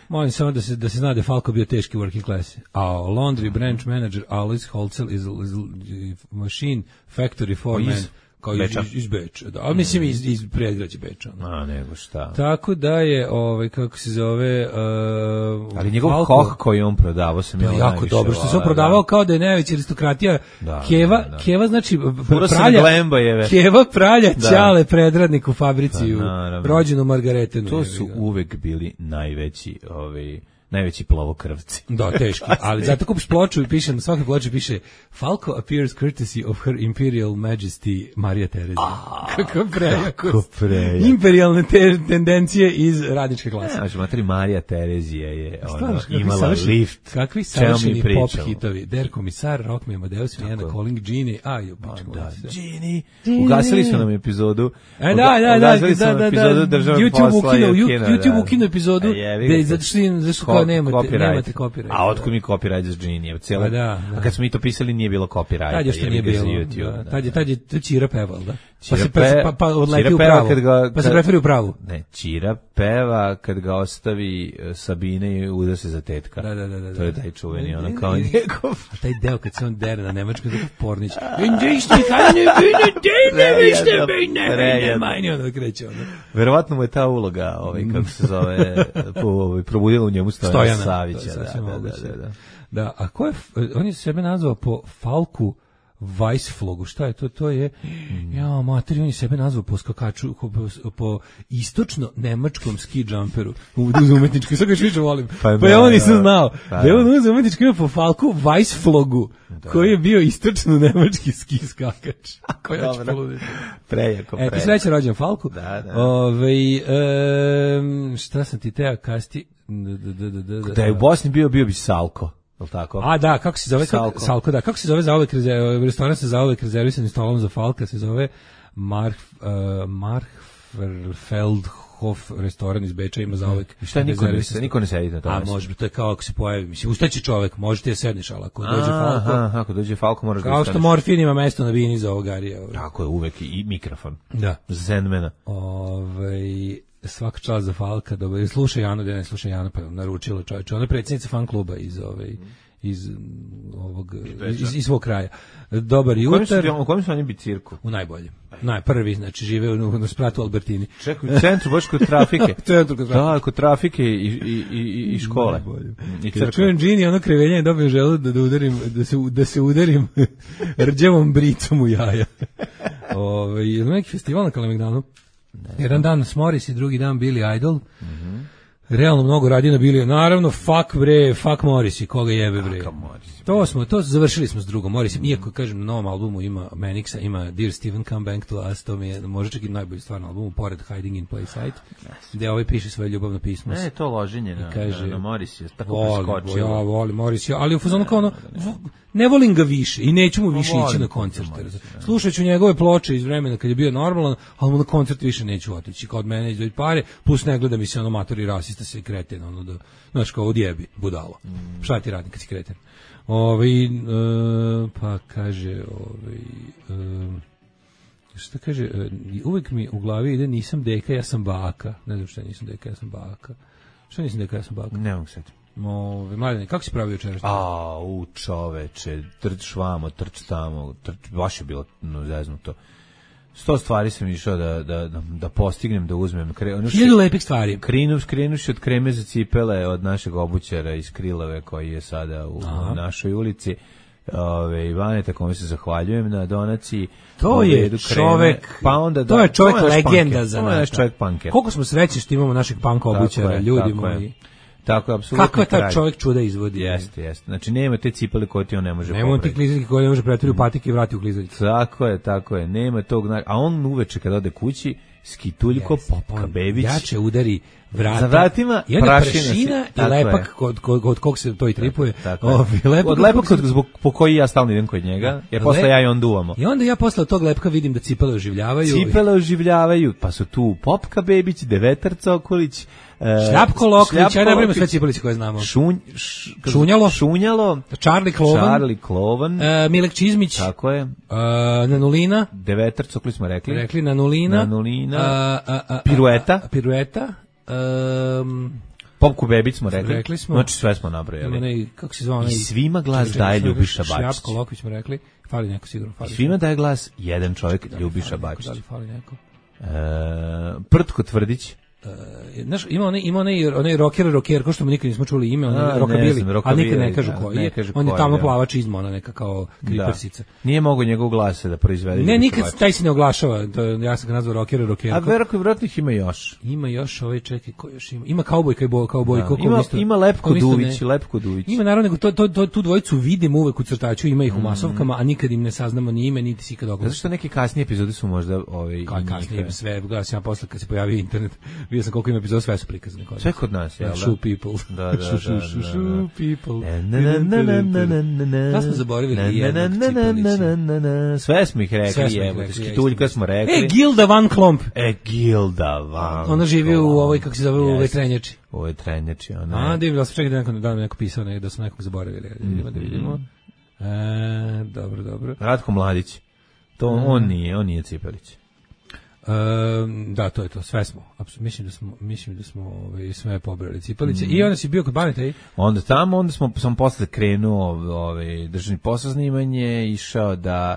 Molim samo da se, da se zna da je Falko bio teški working class. A laundry branch manager Alois Holzel is, is machine factory foreman. Kao iz, iz, iz Beča, da. Ali mislim iz, iz predgrađa Beča. No. A, nego šta. Tako da je, ovaj, kako se zove... Uh, ali njegov Falko, hoh koji on prodavao sam ja jako dobro, što se on prodavao da. Kao da je najveća aristokratija. Da, Keva, da, da. Keva znači pralja, Keva pralja da. Ćale predradnik u fabrici, pa, u rođenu Margaretenu. To su uvek bili najveći, ovaj... najveći plavokrvci. Da, teški. Ali zato kupiš ploču i piše, na svakoj ploči piše Falco appears courtesy of her imperial majesty Marija Terezija. Kako prejako. Kako prejako. Imperialne te, tendencije iz radničke klase. Ne, materi Marija Terezija je ono, imala savršen, lift. Kakvi savršeni pop hitovi. Der komisar, Rock Me Amadeus, Vienna Calling, Genie. Aj, jo, pičko. Da, Genie. Ugasili su nam epizodu. E, da, da, da. Ugasili su nam epizodu državnog posla. YouTube ukinu epizodu. Zato što nemate, nemate copyright. A otkud mi copyright za Genie? Cijela, da, da. A kad smo mi to pisali nije bilo copyright. Tad je što nije bilo. YouTube, da, tad je, tad je Čira peval, da. Pa se, pa, pa, pa odleti u pravu. Ga, pa se preferi u pravu. Ne, Čira peva kad ga ostavi Sabine i uda se za tetka. Da, da, da, da. To je taj čuveni, ono kao njegov. A taj deo kad se on dere na nemačkom, tako Pornić. Indijski kane bine dene, vište bine, bine, majni, ono kreće, ono. Verovatno mu je ta uloga, ovaj, kako se zove, ovaj, probudila u njemu Stojana Savića. Da, da, da, da. Da, a ko je, on je sebe nazvao po Falku Weissflogu, šta je to? To je, mm. ja, materi, on je sebe nazvao po skakaču, po, po istočno-nemačkom ski jumperu, uz umetnički, sad ga još više volim. Pa, pa ja on nisam znao. Pa, da je on uz umetnički ima po Falku Weissflogu, da. Koji je bio istočno-nemački ski skakač. Ako ja ću poluditi. Prejako, prejako. E, ti sreće rođen Falku. Da, da. Ove, e, šta sam ti teo kasti? Da je u Bosni bio, bio bi Salko. je li tako? A da, kako se zove Salko. Kako, Salko, da, kako se zove zauvek rezerv, restoran sa zauvek rezervisanim stolom za Falka, se zove Mark uh, Markfeldhof restoran iz Beča, ima zauvek. I šta niko ne, niko ne sedi na tome? A može, to je kao ako se pojavi, mislim, ustaći čovek, možete da sedneš, ali ako dođe Falko, aha, ako dođe Falko moraš da kao ustaneš. što morfin ima mesto na bini za ogarija. Tako je, uvek i mikrofon. Da. Za Sandmana. Ovaj svaka čast za Falka, dobro, slušaj Janu, da ne slušaj Janu, pa naručila čoveče. Ona je predsjednica fan kluba iz ovaj iz ovog iz, iz svog kraja. Dobar jutar. U kojem su oni bi cirku? U najboljem. Najprvi, znači žive u, na spratu Albertini. Čekaj, u centru, baš kod trafike. centru kod trafike. Da, kod trafike i, i, i, i škole. I crkve. Čujem Gini, ono krevenje, dobijem želu da, da udarim, da se, da se udarim rđevom bricom u jaja. Ove, je li neki festival na Kalemegdanu? Jedan dan Smoris i drugi dan Billy Idol. Mhm. Realno mnogo radi na Billy. Naravno, fuck bre, fuck Morris i koga jebe bre. To smo, to završili smo s drugom Morrisom. Iako, kažem, na novom albumu ima Manixa, ima Dear Steven Come Back to Us, to mi je možda čak i najbolji stvar na albumu, pored Hiding in Plain Sight, gde ovaj piše svoje ljubavno pismo. Ne, to loženje na, kaže, na Morris je tako volim, preskočilo. Ja volim Morris, ja, ali u fazonu kao ono, ne volim ga više i neću mu više ići na koncerte. Slušat ću njegove ploče iz vremena kad je bio normalan, ali mu na koncert više neću otići. Kao od mene izdvoji pare, plus ne gleda mi se ono matori rasista se kreten, ono da, znaš kao odjebi, budalo. Mm. Šta ti radi kad si kreten? Ovaj, uh, pa kaže, ovaj, uh, šta kaže, uh, uvek mi u glavi ide nisam deka, ja sam baka. Ne znam šta nisam deka, ja sam baka. Šta nisam deka, ja sam baka? Ne mogu sad. Ove, Mladene, kako si pravio večeras? A, u čoveče, trč vamo, trč tamo, trč, baš je bilo no, zeznuto. Sto stvari sam išao da, da, da, da postignem, da uzmem. Hiljadu lepih stvari. Krinu, krenuši od kreme za cipele od našeg obućara iz Krilove koji je sada u, u našoj ulici. Ove, Ivaneta, kome se zahvaljujem na donaciji. To je čovek, pa onda da, to je čovek to je legenda punker, za to je naš čovek punker. Koliko smo srećni što imamo našeg panka obućara, je, ljudi tako moji. Je. Tako je, apsolutno. Kako je taj čovjek čuda izvodi? Jeste, jeste. Znači, nema te cipele koje ti on ne može popraviti. Nema ti klizaljke koje ne može pretvoriti u patike i vrati u klizaljke. Tako je, tako je. Nema tog, a on uveče kad ode kući, skituljko, yes, Popka Bebić. Jače udari vrata. Za vratima i prašina i lepak kod, kod, kod kog se to i tripuje. Tako, tako o, lepak od lepak kod, zbog, po koji ja stalno idem kod njega, jer posle ja i on duvamo. I onda ja posle tog lepka vidim da cipele oživljavaju. Cipele oživljavaju, pa su tu Popka Bebić, Devetar Cokolić, Šljapko Lokvić, ja ne brimo sve cipelice koje znamo. Šunj, š, šunjalo, šunjalo, Charlie Klovan, Charlie Klovan, e, Milek Čizmić, tako je, e, Nanulina, Devetar Cokolić smo rekli, rekli Nanulina, Nanulina, a, a, a, Pirueta, a, Pirueta, um, Popku Bebić smo rekli, rekli smo, znači sve smo nabrojali. Ne, kako se zvao, i svima glas čekaj, daje Ljubiša Bačić. Šljapko Lokvić smo rekli, fali neko sigurno. Fali I svima daje glas jedan čovjek, Ljubiša Bačić. Da li fali neko? E, Prtko Tvrdić. Uh, znaš, ima onaj, ima onaj, onaj rocker, rocker, ko što mu nikad nismo čuli ime, onaj rockabilly, a nikad ne kažu koji je, on je tamo plavač izma, ona neka kao kripersica. Nije mogo njegov glas da proizvede. Ne, nikad taj se ne oglašava, to, ja sam ga nazvao rocker, rocker. A verovatno, verovatno ih ima još. Ima još, ovaj, čekaj, ko još ima? Ima kaubojka i bo, kaubojko. Da, ima, isto, ima Lepko Duvić, Lepko Duvić. Ima naravno, nego to, to, to, tu dvojicu vidimo uvek u crtaču, ima ih u masovkama, a nikad im ne saznamo ni ime, niti si ikad oglašava. Zato što neke kasnije epizode su možda ovaj, kasnije sve, gledao sam ja posle kad se pojavio internet, vidio sam koliko ima epizoda, sve su prikazane kod nas. Sve kod nas, jel da? Shoe people. Da, da, da. Shoe people. Da smo zaboravili jednog cipelića. Sve smo ih rekli, evo, skituljka smo rekli. E, Gilda Van Klomp. E, Gilda Van Klomp. Ona živi u ovoj, kako se zove, u vetrenjači. U ovoj trenjači, ona. A, da im da se čekaj da neko, da neko pisao, da smo nekog zaboravili. Vidimo da vidimo. E, dobro, dobro. Ratko Mladić. To on nije, on nije Cipelić. Um, da, to je to, sve smo. Apsolutno mislim da smo, mislim da smo ovaj sve pobrali cipelice. Mm. I onda si bio kod Baneta i onda tamo, onda smo sam posle krenuo ovaj državni posao snimanje, išao da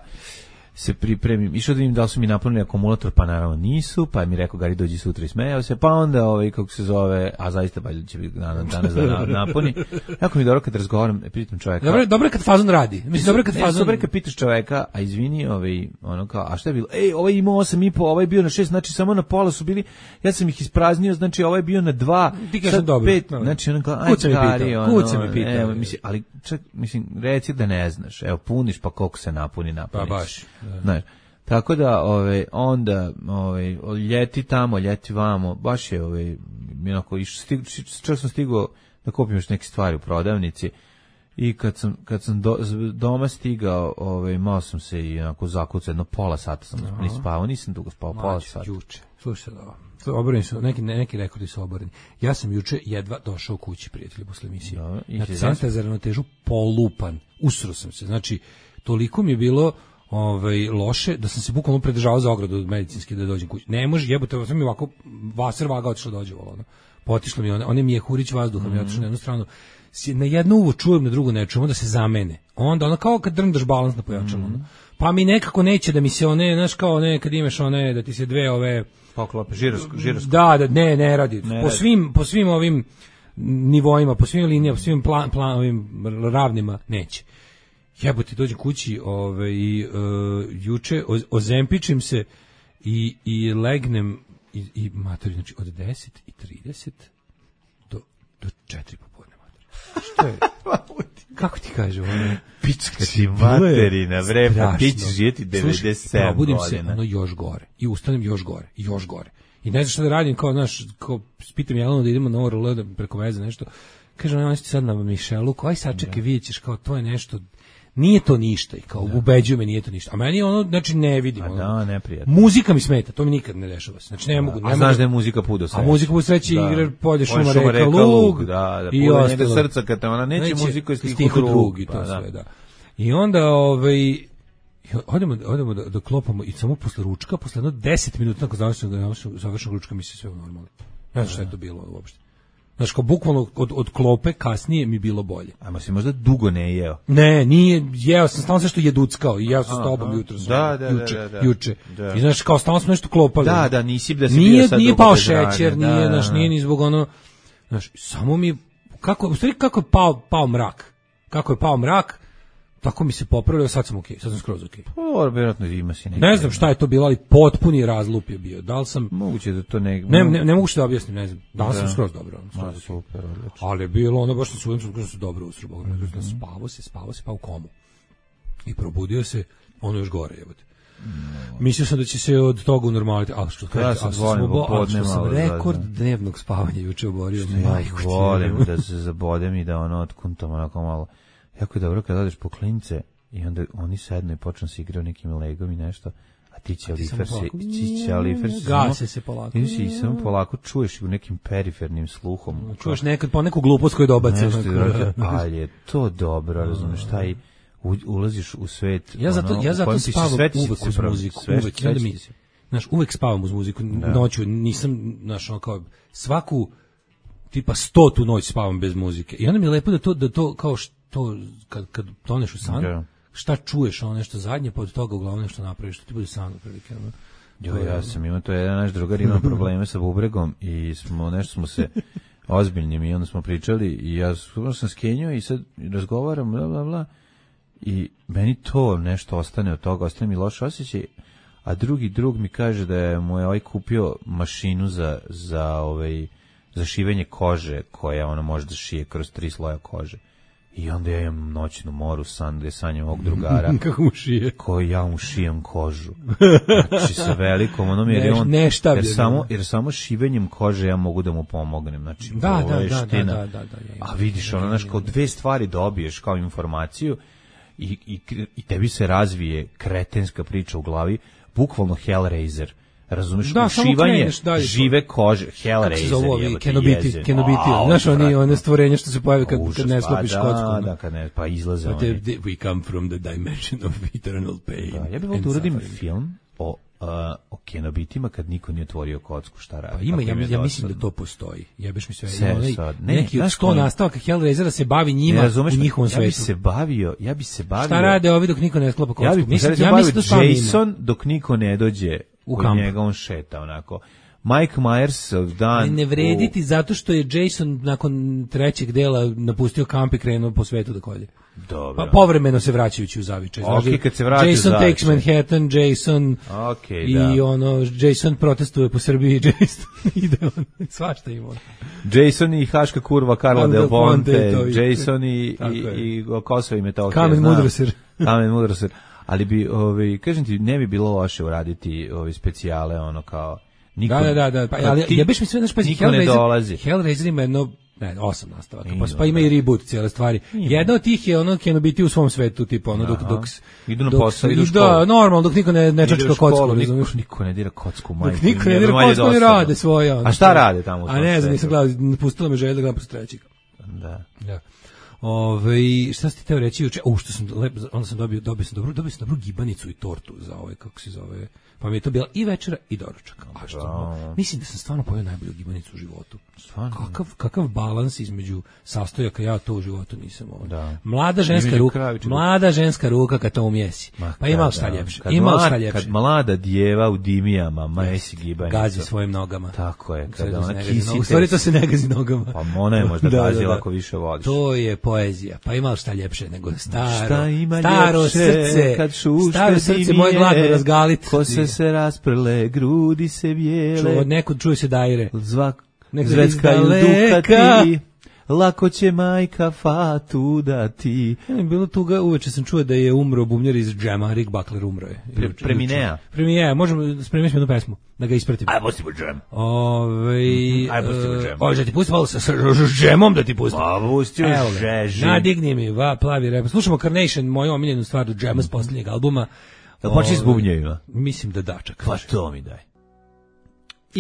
se pripremim, išao da vidim da li su mi napunili akumulator, pa naravno nisu, pa mi rekao Gari dođi sutra i smejao se, pa onda ovaj kako se zove, a zaista valjda će biti danas da napuni. Jako mi dobro kad razgovaram, pitam čoveka. Dobro, dobro kad fazon radi. Mislim dobro kad fazon. Dobro kad pitaš čoveka, a izvini, ovaj ono kao, a šta je bilo? Ej, ovaj imao osam i po, ovaj je bio na šest, znači samo na pola su bili. Ja sam ih ispraznio, znači ovaj je bio na dva, sad pet, znači on kao, aj Gari, ono. Kuca mi pitao. Evo, mislim, ali čak, mislim, reci da ne znaš. Evo, puniš pa koliko se napuni, napuni. Pa baš. Znaš, tako da ove, onda ove, ljeti tamo, ljeti vamo, baš je ove, onako, čak sam stigao da kupim još neke stvari u prodavnici I kad sam, kad sam do, doma stigao, ovaj, malo sam se i onako zakucao, jedno pola sata sam ni spavao, nisam dugo spavao, pola sata. Juče, slušaj da ovo. Oboreni su, neki, neki rekordi su oboreni. Ja sam juče jedva došao kući, prijatelji, posle emisije. Da, na centar za ravnotežu polupan. Usro sam se. Znači, toliko mi je bilo ovaj, loše da sam se bukvalno predržavao za ogradu medicinski da dođem kući. Ne može, jebote, sam mi ovako vaser vaga otišla dođe volano. Potišlo mi one, one mi je hurić vazduha, mm-hmm. mi je otišlo na jednu stranu. Na jednu uvo čujem, na drugu ne čujem, onda se zamene. Onda ono kao kad drndaš balans na pojačalu. Mm-hmm. Pa mi nekako neće da mi se one, znaš kao one, kad imaš one, da ti se dve ove... Poklope, žirosko, žirosko. Da, da, ne, ne radi. Ne po radi. svim, po svim ovim nivoima, po svim linijama, po svim plan, plan, ovim ravnima neće. Jebote, dođem kući, ovaj, uh, juče ozempičim se i, i legnem i, i matori, znači od deset i trideset do, do četiri popodne matori. Što je? Kako ti kaže ono? Pička ti materina, vrepa, ti ćeš žijeti devedeset sedam probudim godina. se, ono još gore. I ustanem još gore, i još gore. I ne znam šta da radim, kao, znaš, kao, spitam Jelenu da idemo na O R L, da preko veze nešto. Kaže, ono, ti sad na Mišelu, kao, aj sad čekaj, vidjet ćeš, kao, to je nešto, nije to ništa, i kao, da. Ubeđuju me, nije to ništa. A meni je ono, znači, ne vidim. A ono, da, neprijatno. Muzika mi smeta, to mi nikad ne dešava se. Znači, ne da. mogu. Ne a mogu, znaš da je muzika pudo sreće. A muzika pudo sreće da. Igra polje šuma, šuma reka, reka lug, lug, da, da, i pudo ostalo. srca kad te ona neće, neće muziku i stihu, stihu drug, drug, i to pa, sve, da. da. I onda, ovaj, odemo, odemo da, da klopamo i samo posle ručka, posle jedno deset minuta nakon završenog, završenog ručka mi se sve normalno. Ne znam šta je to bilo uopšte. Znaš, kao bukvalno od, od klope kasnije mi bilo bolje. Ajmo si možda dugo ne jeo. Ne, nije, jeo sam, stalno sve što jeduckao i jeo sam s tobom jutro. Da, da, juče, da, da, juče. da. I znaš, kao stalno smo nešto klopali. Da, da, nisi da si nije, bio sad nije dugo pao bez šećer, rane. nije, Da, znaš, da. nije ni zbog ono, znaš, samo mi, kako, u stvari kako je pao, pao mrak. Kako je pao mrak, tako mi se popravljao, sad sam okej, okay, sad sam skroz okej. Okay. Pa, vjerojatno ima si neki. Ne znam šta je to bilo, ali potpuni razlup je bio. Da li sam... Moguće da to ne... Ne, ne, ne mogu što da objasnim, ne znam. Da li da. sam skroz dobro. Ma, super, odlično. Ali je bilo ono baš na sujem, sam se dobro usro, Bog me, mm-hmm. spavo se, spavo se, pa u komu. I probudio se, ono još gore, jebote. No. Mislio sam da će se od toga unormaliti, ali što, ja ali sam, što, sam, obo, ali što sam rekord da, dnevnog spavanja juče oborio. Ja volim da se zabodem i da ono otkuntam onako malo. Jako je dobro kada odeš po klince i onda oni sednu i počnu se igrati nekim legom i nešto, a ti će alifer se, ti će alifer se, gase se polako. Ti si samo polako čuješ u nekim perifernim sluhom. Čuješ nekad po neku glupost koju dobace. Ali je to dobro, razumiješ, taj ulaziš u svet. Ja zato, ja zato spavam uvek uz muziku, uvek, i onda mi, znaš, uvek spavam uz muziku, noću, nisam, znaš, ono kao, svaku, tipa stotu noć spavam bez muzike. I onda mi je lepo da to, da to kao što, kad, kad toneš u san, da. Šta čuješ, ono nešto zadnje, pa od toga uglavnom nešto napraviš, što ti bude san, prilike, ono. Jo, ja sam imao, to je jedan naš drugar, imao probleme sa bubregom i smo, nešto smo se ozbiljnim i onda smo pričali i ja sam skenio i sad razgovaram, bla, bla, bla, i meni to nešto ostane od toga, ostane mi loš osjećaj, a drugi drug mi kaže da je mu je ovaj kupio mašinu za, za, ovaj, za šivenje kože, koja ona može da šije kroz tri sloja kože. I onda ja imam noćnu moru san gde sanjam ovog drugara. Kako mu šije? Koji ja mu šijem kožu. Znači sa velikom onom jer, on, ne, jer, samo, jer samo šivenjem kože ja mogu da mu pomognem. Znači, da, ovo je da, ština. da, da, da, da, ja, a vidiš, ono, znaš, kao dve stvari dobiješ kao informaciju i, i, i tebi se razvije kretenska priča u glavi, bukvalno Hellraiser. Razumeš, da, ušivanje žive kože, Hellraiser, je Kenobiti, Kenobiti, znaš, oni one stvorenja što se pojave kad, kad ne sklopiš pa, kocku. Da, da, kad ne, pa izlaze But oni. They, we come from the dimension of eternal pain. Da, ja bih volio da uradim film o, uh, o Kenobitima kad niko nije otvorio kocku, šta radi. Pa ima, ja, ja mislim da to postoji. Jebeš mi sve. sve onaj, sad. Ne, neki od sto nastavaka Hellraisera se bavi njima ne, u njihovom svetu. Ja bi se bavio, ja bi se bavio. Šta rade ovi dok niko ne sklopa kocku? Ja bih mislim, ja ja mislim da Jason dok niko ne dođe u kamp. Njega on šeta onako. Mike Myers dan... Ali ne vrediti u... zato što je Jason nakon trećeg dela napustio kamp i krenuo po svetu da kolje. Dobro. Pa povremeno se vraćajući u zavičaj. Okay, kad se vraća Jason takes Manhattan, Jason okay, i da. ono, Jason protestuje po Srbiji, Jason ide on, svašta ima. Jason i Haška kurva Karla Del Ponte, Jason i, i, i Kosovo i Metohija. Kamen Mudroser. Kamen Mudroser. Ali bi, ovaj, kažem ti, ne bi bilo loše uraditi ove specijale, ono kao... Niko, da, da, da, pa, ali ti, ja biš mi sve, znaš, pa niko ne dolazi. Hellraiser ima jedno Ne, osam nastavaka. Pa, pa ima i reboot cijele stvari. Jedna od tih je ono Keno biti u svom svetu, tipa ono dok dok idu na dok, posao, idu u školu. Da, normalno, dok niko ne ne čačka kocku, niko, niko ne dira kocku, majku. Dok niko ne dira kocku, ne rade svoje. A šta rade tamo? A ne znam, nisam gledao, pustila me želja da gledam posle trećeg. Da. Da. Ove, šta ste teo reći juče? O, što sam lepo, onda sam dobio, dobio sam dobru, dobio sam dobru gibanicu i tortu za ovaj, kako se zove. Pa mi je to bila i večera i doručak. A što? Mislim da sam stvarno pojeo najbolju gibanicu u životu. Stvarno? Kakav, kakav balans između sastojaka, ja to u životu nisam ovo. Da. Mlada ženska ruka, mlada ženska ruka kad to umjesi. Pa ima šta ljepše. Ima šta ljepše. Kad mlada djeva u dimijama mesi gibanicu. Gazi svojim nogama. Tako je. Kada ona kisi. U stvari to se ne gazi nogama. Pa ona je možda gazila ako više voliš. To je poezija. Pa ima šta ljepše nego staro. Šta ima staro ljepše srce. Kad šušte staro srce moje gladno razgalit. Kose se rasprle, grudi se bijele. Čuo, nekud čuje se dajre. Zvak, zveckaju dukati, lako će majka fatu dati. Bilo tuga, uveče sam čuo da je umro bubnjar iz Džema, Rick Buckler umro je. Pre, Preminea. Preminea, možemo spremiti smo jednu pesmu, da ga ispratim. Aj, pustimo Džem. Ove, Aj, pustimo Džem. Ove, da ti pustim, ali sa Džemom da ti pustim. Pa, pustimo Džem. Nadigni mi, va, plavi rep. Slušamo Carnation, moju omiljenu stvar do Džema s posljednjeg albuma. Da počni s bubnjevima? Mislim da da, čak. Pa to mi daj.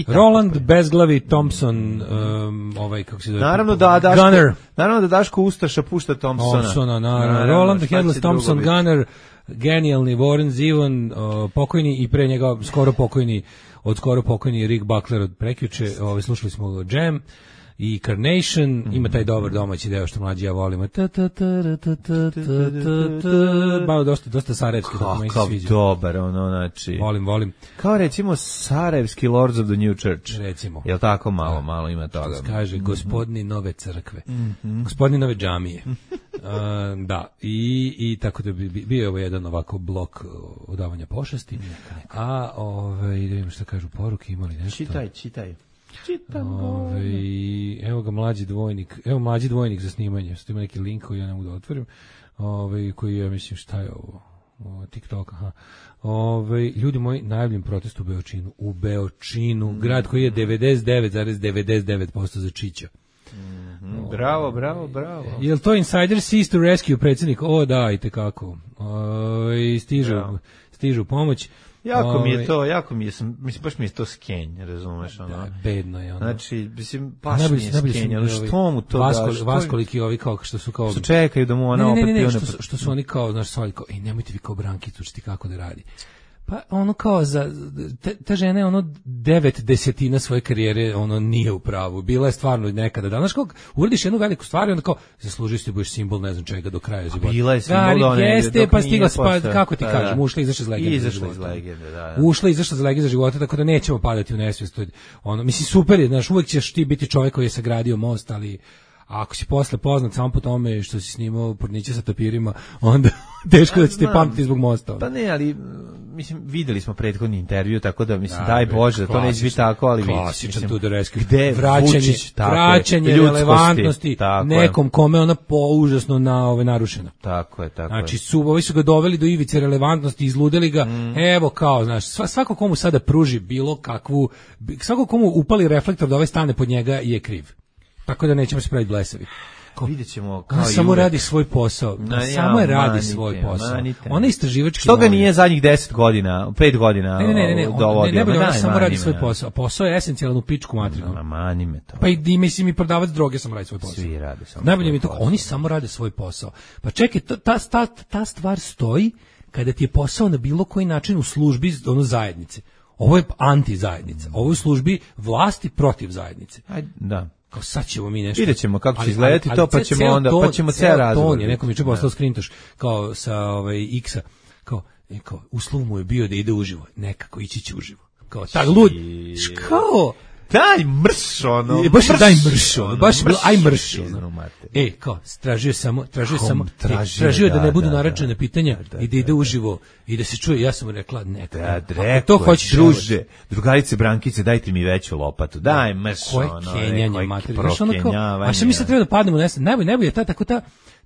Roland Bezglavi Thompson, um, ovaj, kako se zove? Naravno da Daško, Gunner. naravno da Daško Ustaša pušta Thompsona. Thompsona, naravno. Roland Headless Thompson, Gunner, genijalni Warren Zevon, uh, pokojni i pre njega skoro pokojni, od skoro pokojni Rick Buckler od prekjuče. Ovaj, slušali smo Jam i Carnation, mm-hmm. Ima taj dobar domaći deo što mlađi ja volimo. Malo dosta, dosta sarajevski. Kakav dobar, ono, znači. Volim, volim. Kao recimo sarajevski Lords of the New Church. Recimo. Jel tako malo, malo ima toga. Što kaže, gospodni nove crkve, mm-hmm. gospodni nove džamije. uh, da, i, i tako da bi bio je ovo jedan ovako blok odavanja pošasti. Neka, neka. A, ovaj, da vidim šta kažu poruke, imali nešto. Čitaj, čitaj. Ove, evo ga mlađi dvojnik, evo mlađi dvojnik za snimanje, što ima neki link koji ja ne mogu da otvorim, ove, koji ja mislim šta je ovo, o, TikTok, aha. Ove, ljudi moji, najavljen protest u Beočinu, u Beočinu, mm. grad koji je devedeset devet zarez devedeset devet posto za Čića. Mm-hmm. Bravo, bravo, bravo. Jel to Insider Sees to Rescue predsjednik? O, da, i tekako. Ove, stižu, bravo. Stižu pomoć. Jako mi je to, jako mi je, mislim, baš mi je to skenj, razumeš, ono. Da, bedno je ono. Znači, mislim, baš mi je skenj, ali što mu to Vasko, daš? Vaskoliki ovi kao, što su kao... Što čekaju da mu ona opet... Ne, ne, ne, što, su, što su oni kao, znaš, svali kao, ej, nemojte vi kao Brankicu, što ti kako da radi. Pa ono kao za te, ta žena je ono devet desetina svoje karijere ono nije u pravu. Bila je stvarno nekada. Danas kako uradiš jednu veliku stvar i onda kao zaslužiš se budeš simbol ne znam čega do kraja života. Bila je simbol da ne. Jeste pa stigla pa kako ti kažem, ušla izašla iz legende. Izašla iz legende, da. Ušla izašla iz legende života, tako da nećemo padati u nesvijest. Ono mislim super je, znaš, uvek ćeš ti biti čovjek koji je sagradio most, ali a ako si posle poznat samo po tome što si snimao porniće sa tapirima, onda teško da će te pamtiti zbog mosta. Pa ne, ali mislim, videli smo prethodni intervju, tako da, mislim, da, daj Bože, da to neće biti tako, ali vidimo. Klasičan tu do rescue. Gde vraćanje, Vučić, vraćanje relevantnosti nekom kome ona po užasno na ove narušena. Tako je, tako znači, je. Su, ovi su ga doveli do ivice relevantnosti, izludeli ga, mm. evo kao, znaš, svako komu sada pruži bilo kakvu, svako komu upali reflektor da ovaj stane pod njega je kriv. Tako da nećemo se praviti blesavi. Ko, vidjet ćemo kao i samo radi svoj posao. Na, samo je ja, radi manite, svoj posao. Manite. Ona je istraživački. Što ga nije zadnjih deset godina, pet godina ne, ne, ne, ne, dovodio? Ne, ne, ne, ona samo radi svoj posao. Posao je esencijalan u pičku materinu. Mani me to. Pa i, i mislim i prodavac droge samo radi svoj posao. Svi rade samo najbolje mi to, oni samo rade svoj posao. Pa čekaj, ta, ta, ta stvar stoji kada ti je posao na bilo koji način u službi ono zajednice. Ovo je anti-zajednica. Ovo je u službi vlasti protiv zajednice. Ajde, da. Kao sad ćemo mi nešto. Vidjet ćemo kako će izgledati to, pa ćemo onda, pa ćemo ceo razgovor. Je nekom juče poslao skrintoš kao sa ovaj X-a, kao, e, kao uslov mu je bio da ide uživo, nekako ići će uživo. Kao tak lud. Kao daj mrš ono. E, baš mrš, daj mrš ono. Baš mrš, aj mrš ono. E, kao, tražio samo, tražio Kom, samo, tražio, e, tražio da, da ne budu da, naračene pitanja da, da, i da ide uživo i da se čuje. Ja sam mu rekla, neka. Da, rekao, to hoćeš, druže, drugarice Brankice, dajte mi veću lopatu. Daj mrš ono. Koje kenjanje, mater. Znaš ono kao, a što mi sad treba da padnemo nesam? Najbolje, najbolje je ta, tako ta,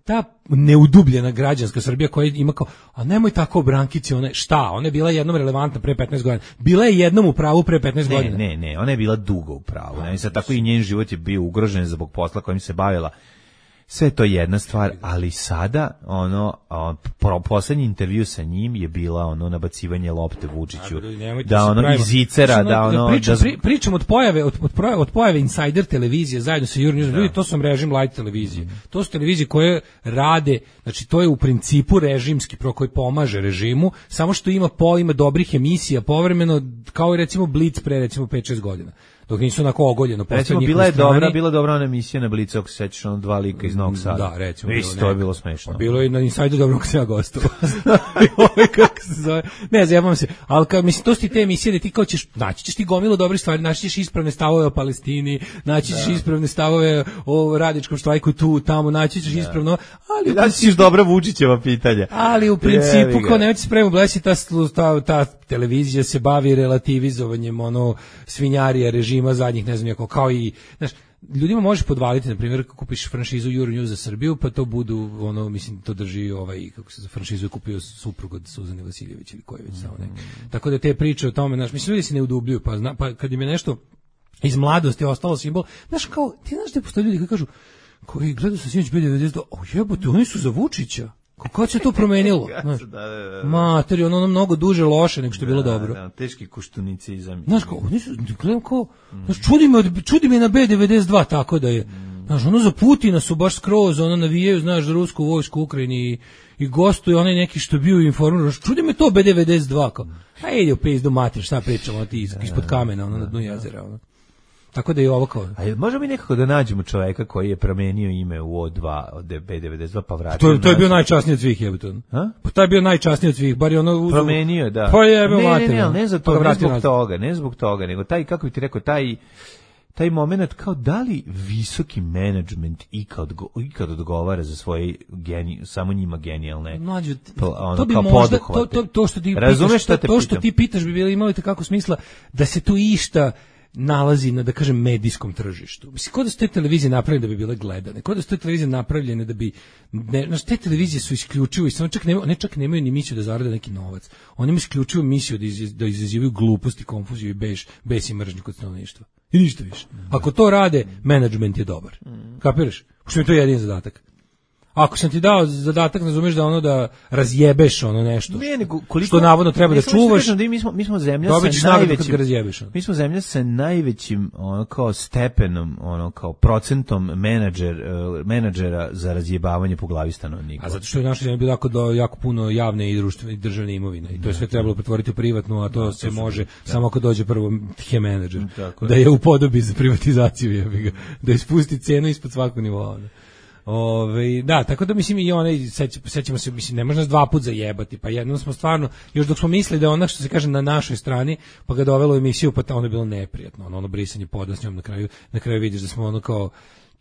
ta neudubljena građanska Srbija koja ima kao, a nemoj tako brankici, one, šta, ona je bila jednom relevantna pre petnaest godina. Bila je jednom u pravu pre petnaest ne, godina. Ne, ne, ona je bila dugo u pravu. Ne, sad tako i njen život je bio ugrožen zbog posla kojim se bavila. Sve to je jedna stvar, ali sada ono on, pro, poslednji intervju sa njim je bila ono nabacivanje lopte Vučiću, da ono iz Zicera, da ono pričam, da pri, pričam od pojave od, od, od pojave Insider televizije zajedno sa Euronews, ljudi, to su režim light televizije. Mm. To su televizije koje rade, znači to je u principu režimski pro koji pomaže režimu, samo što ima po ima dobrih emisija povremeno, kao i recimo Blitz pre recimo pet šest godina. Dok nisu onako ogoljeno. Recimo, bila je strani. dobra, bila dobra ona emisija na Blicu, ako se sećaš, ono dva lika iz Novog Sada. Da, recimo. Isto, to je bilo smešno. Bilo je na Insideru dobro kako se ja gostovao. Kako se zove? Ne, zajebam se. Ali kao, mislim, to su ti te emisije da ti kao ćeš, naći ćeš ti gomilu dobrih stvari, naći ćeš ispravne stavove o Palestini, naći ćeš da. ispravne stavove o radničkom štrajku tu, tamo, naći ćeš da. ispravno, ali... Naći ćeš dobra Vučićeva pitanja. Ali u principu, kao nemojte se prema blesi, ta, ta, ta televizija se bavi relativizovanjem, ono, svinjarija režima zadnjih, ne znam, kao i, znaš, ljudima možeš podvaliti, na primjer, kako kupiš franšizu Euronews za Srbiju, pa to budu, ono, mislim, to drži ovaj, kako se za franšizu je kupio suprug od Suzane Vasiljević ili koji već samo ne. Mm. Tako da te priče o tome, znaš, mislim, ljudi se ne udubljuju, pa, zna, pa kad im je nešto iz mladosti ostalo simbol, znaš, kao, ti znaš da postoje ljudi koji kažu, koji gledaju sa sinoć B devedeset dva, o jebote, oni su za Vučića. Kako se to promenilo? Znaš, da, da, da. Materi, ono, ono mnogo duže loše nego što je bilo da, dobro. Da, teški kuštunicizam. Znaš, kao, oni su, gledam kao, mm. znaš, čudi me, čudi me na B devedeset dva tako da je, mm. znaš, ono za Putina su baš skroz, ono navijaju, znaš, za rusku vojsku u Ukrajini i, i gostuje onaj neki što je bio informiran, čudi me to B devedeset dva, kao, a ide u pizdu mater, šta pričamo, ti iz, ispod kamena, ono, na dnu jezera, ono. Tako da je ovo kao... A možemo mi nekako da nađemo čoveka koji je promenio ime u O dva, od B devedeset dva, pa vratio... To, to je bio najčasniji od svih, jebote. Pa taj je bio najčasniji od svih, bar je ono... Uzu... Promenio, da. Pa je, ne, ne, ne, ne, ne, za to, pa ne zbog nazad. toga, ne zbog toga, nego taj, kako bi ti rekao, taj... taj moment kao da li visoki menadžment ikad, ikad odgovara za svoje geni, samo njima genijalne Mlađu, ono, to bi kao možda, to, to, to što ti Razumeš pitaš, to, to što ti pitaš bi bilo imalo kako smisla da se tu išta nalazi na, da kažem, medijskom tržištu. Mislim, kod da su te televizije napravljene da bi bile gledane, kod da su te televizije napravljene da bi, ne, znači, te televizije su isključivo, i samo čak nemaju, ne čak nemaju ni misiju da zarade neki novac, oni imaju isključivo misiju da, iz, da izazivaju gluposti, konfuziju i beš, bes i mržnju kod stanovništva. I ništa više. Ako to rade, menadžment je dobar. Kapiraš? Što mi je to jedin zadatak. Ako sam ti dao zadatak, razumeš da ono da razjebeš ono nešto. Ne, nego koliko, što navodno treba da čuvaš. Da mi smo mi smo zemlja sa najvećim razjebeš. Mi smo zemlja sa najvećim ono kao stepenom, ono kao procentom menadžer uh, menadžera za razjebavanje po glavi stanovnika. A zato što je naša zemlja bila jako do jako puno javne i društvene i državne imovine i to je sve trebalo pretvoriti u privatnu, a to da, se to može da. samo ako dođe prvo he menadžer da je upodobi za privatizaciju, jebi ga, da ispusti cenu ispod svakog nivoa. Ove, da, tako da mislim i onaj, sećamo se, mislim, ne može nas dva put zajebati, pa jednom smo stvarno, još dok smo mislili da je ona, što se kaže, na našoj strani, pa ga dovelo u emisiju, pa ono je bilo neprijatno, ono, ono brisanje poda s njom na kraju, na kraju vidiš da smo ono kao,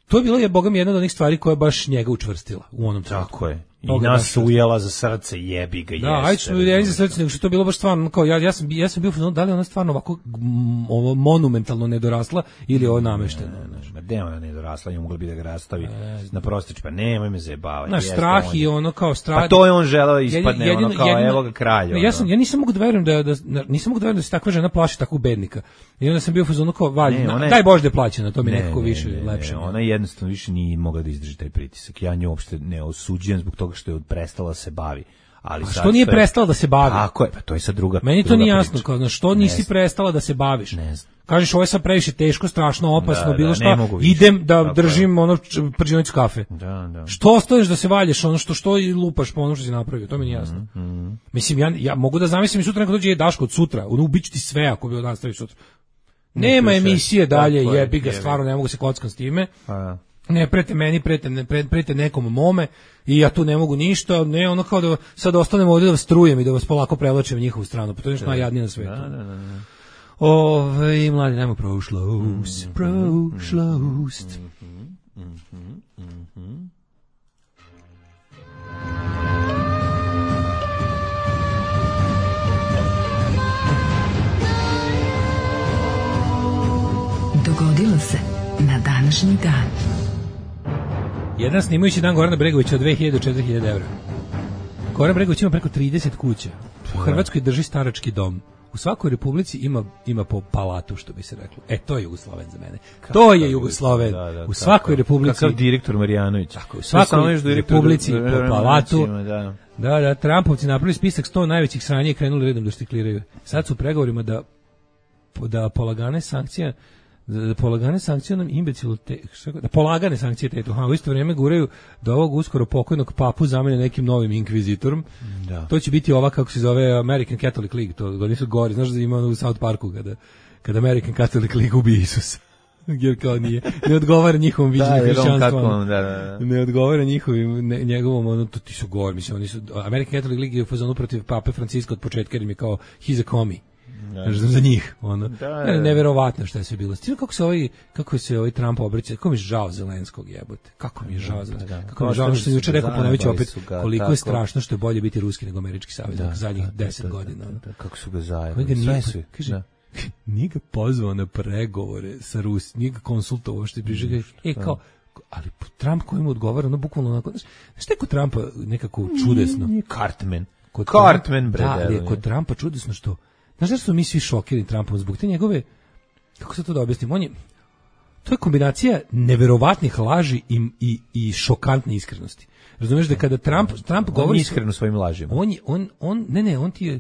to je bilo, je, boga mi, jedna od onih stvari koja je baš njega učvrstila u onom trenutku. Tako je. I Toga nas ujela za srce, jebi ga, jeste. Da, ajde smo ujeli za srce, nego što to bilo baš stvarno, kao ja, ja sam, ja sam bio, da li ona stvarno ovako m, ovo monumentalno nedorasla ili je ovo namešteno? Ne, ne, ne, ne, ona nedorasla, nju mogla bi da ga rastavi e, na prostić, pa nemoj me zajebavati. Naš strah on, i ono kao strah. Pa to je on želeo ispadne, jedino, ono kao jedino, evo ga kralj. Ja, sam, ja nisam mogu da verujem da, da, nisam mogu da verujem da se takva žena plaši takvog bednika. I onda sam bio u fazonu kao, valj, ne, daj Bože da je plaćena, to mi ne, nekako ne, više ne, lepše. Ne, ona jednostavno više nije mogla da izdrži taj pritisak. Ja nju uopšte ne osuđujem zbog toga što je prestala se bavi. Ali a što nije je... prestala da se bavi? Tako je, pa to je sad druga. Meni to nije jasno, kao, znaš, što nisi prestala da se baviš? Ne znam. Kažeš, ovo je sad previše teško, strašno, opasno, da, bilo da, šta, idem da tako držim je. ono prđenicu kafe. Da, da. Što ostaješ da se valješ, ono što što i lupaš po ono što si napravio, to mi nije jasno. Mm, mm. Mislim, ja, ja mogu da zamislim i sutra neko dođe je Daško od sutra, ono ubići ti sve ako bi od nastavi sutra. Nema emisije dalje, jebi ga, stvarno ne mogu se kockam s time. A, ne prete meni, prete, ne, prete nekom mome i ja tu ne mogu ništa, ne ono kao da sad ostanemo ovdje da vas strujem i da vas polako prevlačim njihovu stranu, pa to je nešto najjadnije na svetu. Da, da, da, da. Ove, mladi, najmo prošlost, prošlost. Mm-hmm, mm-hmm, mm-hmm. Dogodilo se na današnji dan. Jedan snimajući dan Gorana Bregovića od dve hiljade do četiri hiljade evra. Goran Bregović ima preko trideset kuća. U Hrvatskoj drži starački dom. U svakoj republici ima ima po palatu, što bi se reklo. E, to je Jugosloven za mene. To je Jugosloven. Da, da, u svakoj tako, republici. Kakav direktor Marijanović. Tako, u svakoj republici po palatu. Da. da, da, Trumpovci napravili spisak sto najvećih sranja i krenuli redom da štikliraju. Sad su u pregovorima da da polagane sankcije da polagane sankcije nam imbecilu te, da polagane sankcije tetu, a u isto vrijeme guraju da ovog uskoro pokojnog papu zamene nekim novim inkvizitorom. Da. To će biti ova, kako se zove, American Catholic League, to oni su gori, znaš da ima u South Parku kada, kada American Catholic League ubije Isusa. Jer kao nije, ne odgovara njihovom viđenju hrišćanstva. Da, da, da. Ne odgovara njihovim, ne, njegovom, ono, to ti su gori, mislim, oni su, American Catholic League je u fazonu protiv pape Franciska od početka, jer im je kao, he's a commie. Da, za njih, ono. Da, da, da. Neverovatno šta je sve bilo. Stil kako se ovaj kako se ovaj Trump obraća, kako mi je žao Zelenskog, jebote. Kako mi je žao Zelenskog. Kako mi je žao što je juče rekao, ponoviću opet, koliko tako je strašno što je bolje biti ruski nego američki saveznik zadnjih deset godina. Da, da, kako su ga zajebali. Sve kaže, da. Nije ga pozvao na pregovore sa Rus, nije ga konsultovao što je prižega. E kao, ali Trump koji mu odgovara, ono bukvalno onako, znaš, šta je kod Trumpa nekako čudesno? Cartman. Kod Cartman, bre. Da, ali je kod Trumpa čudesno što znaš da su mi svi šokirani Trumpom zbog te njegove, kako se to da objasnim, on je, to je kombinacija neverovatnih laži i, i, i šokantne iskrenosti. Razumeš da kada Trump, Trump govori... On je iskren u svojim lažima. On, je, on, on, ne, ne, on ti je,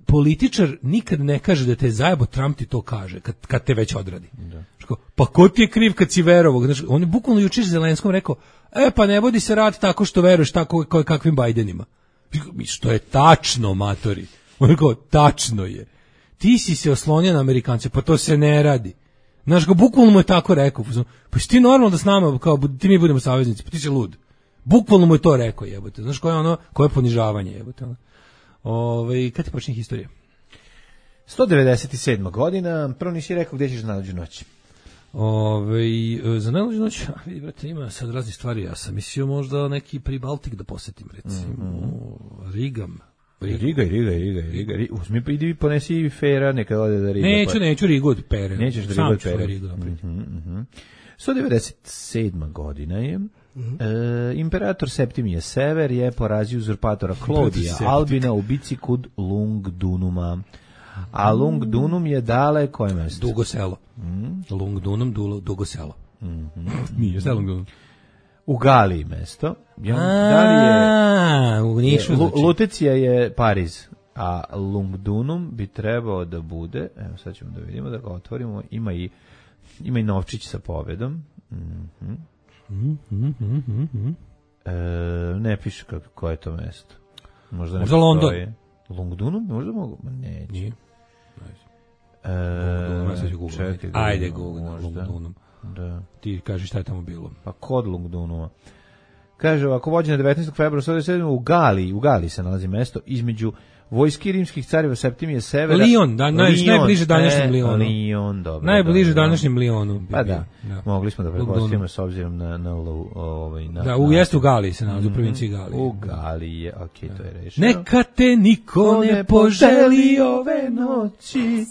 političar nikad ne kaže da te zajebo, Trump ti to kaže, kad, kad te već odradi. Da. Ško, pa ko ti je kriv kad si verovao? Znaš, on je bukvalno jučer Zelenskom rekao, e pa ne vodi se rat tako što veruješ tako kao kakvim Bajdenima. Što je tačno, matori. On je kao, tačno je. Ti si se oslonio na Amerikance, pa to se ne radi. Znaš, ga bukvalno mu je tako rekao. Pa si ti normalno da s nama, kao, ti mi budemo saveznici, pa ti si lud. Bukvalno mu je to rekao, jebote. Znaš, koje je ono, koje je ponižavanje, jebote. Ove, kad ti počne historija? sto devedeset sedma godina, prvo nisi rekao gdje ćeš za najluđu noć. Ove, za najluđu noć, vidi, brate, ima sad raznih stvari. Ja sam mislio možda neki Pribaltik da posetim, recimo. Mm-hmm. Rigam. Riga, Riga, Riga, Riga, Riga. Uzmi pa idi ponesi Fera, neka ode da Riga. Neću, pa... neću Rigu od Pere. Nećeš da Riga od Pere. Rigu napraviti. Mm -hmm. sto devedeset sedma godina je. Mm -hmm. e, imperator Septimije Sever je porazio uzurpatora Klodija Albina u bici kod Lungdunuma. A Lungdunum je dale koje mesto? Dugo selo. Mm. Lungdunum, dulo, dugo selo. Mm -hmm. Nije se Lungdunum. U Galiji mesto. Ja, da li je, u Nišu, znači. Lutecija je Pariz, a Lungdunum bi trebao da bude, evo sad ćemo da vidimo, da ga otvorimo, ima i, ima i novčić sa pobedom. Mm-hmm. Mm-hmm. E, ne piše kako, koje je to mesto. Možda, možda London. Lungdunum, možda mogu, ma neće. Nije. E, čekaj, ajde Google, Lungdunum. Da. Ti kažeš šta je tamo bilo. Pa kod Lungdunuma. Kaže, ako vođena devetnaestog februara sto devedeset sedme u Galiji, u Galiji se nalazi mesto između vojski rimskih careva Septimije Severa. Lion, da, naj, Lion, najbliže današnjem e, Lionu. Lion, dobro. Najbliže dobro, današnjem Lionu. Bi pa da, da, mogli smo da pretpostavimo s obzirom na... na, ovaj, na da, u jeste u Galiji se nalazi, mm -hmm. u provinciji Galiji. U Galiji je, okej, okay, to je rešeno. Neka te niko ne poželi ove noći.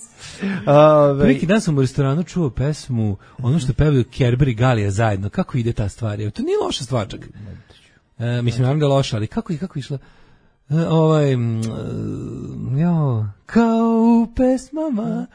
Ove... Preki dan sam u restoranu čuo pesmu, ono što pevaju Kerber i Galija zajedno. Kako ide ta stvar? To nije loša stvar čak. E, mislim, naravno da je loša, ali kako je, kako je išla? E, ovaj, jo, kao u pesmama,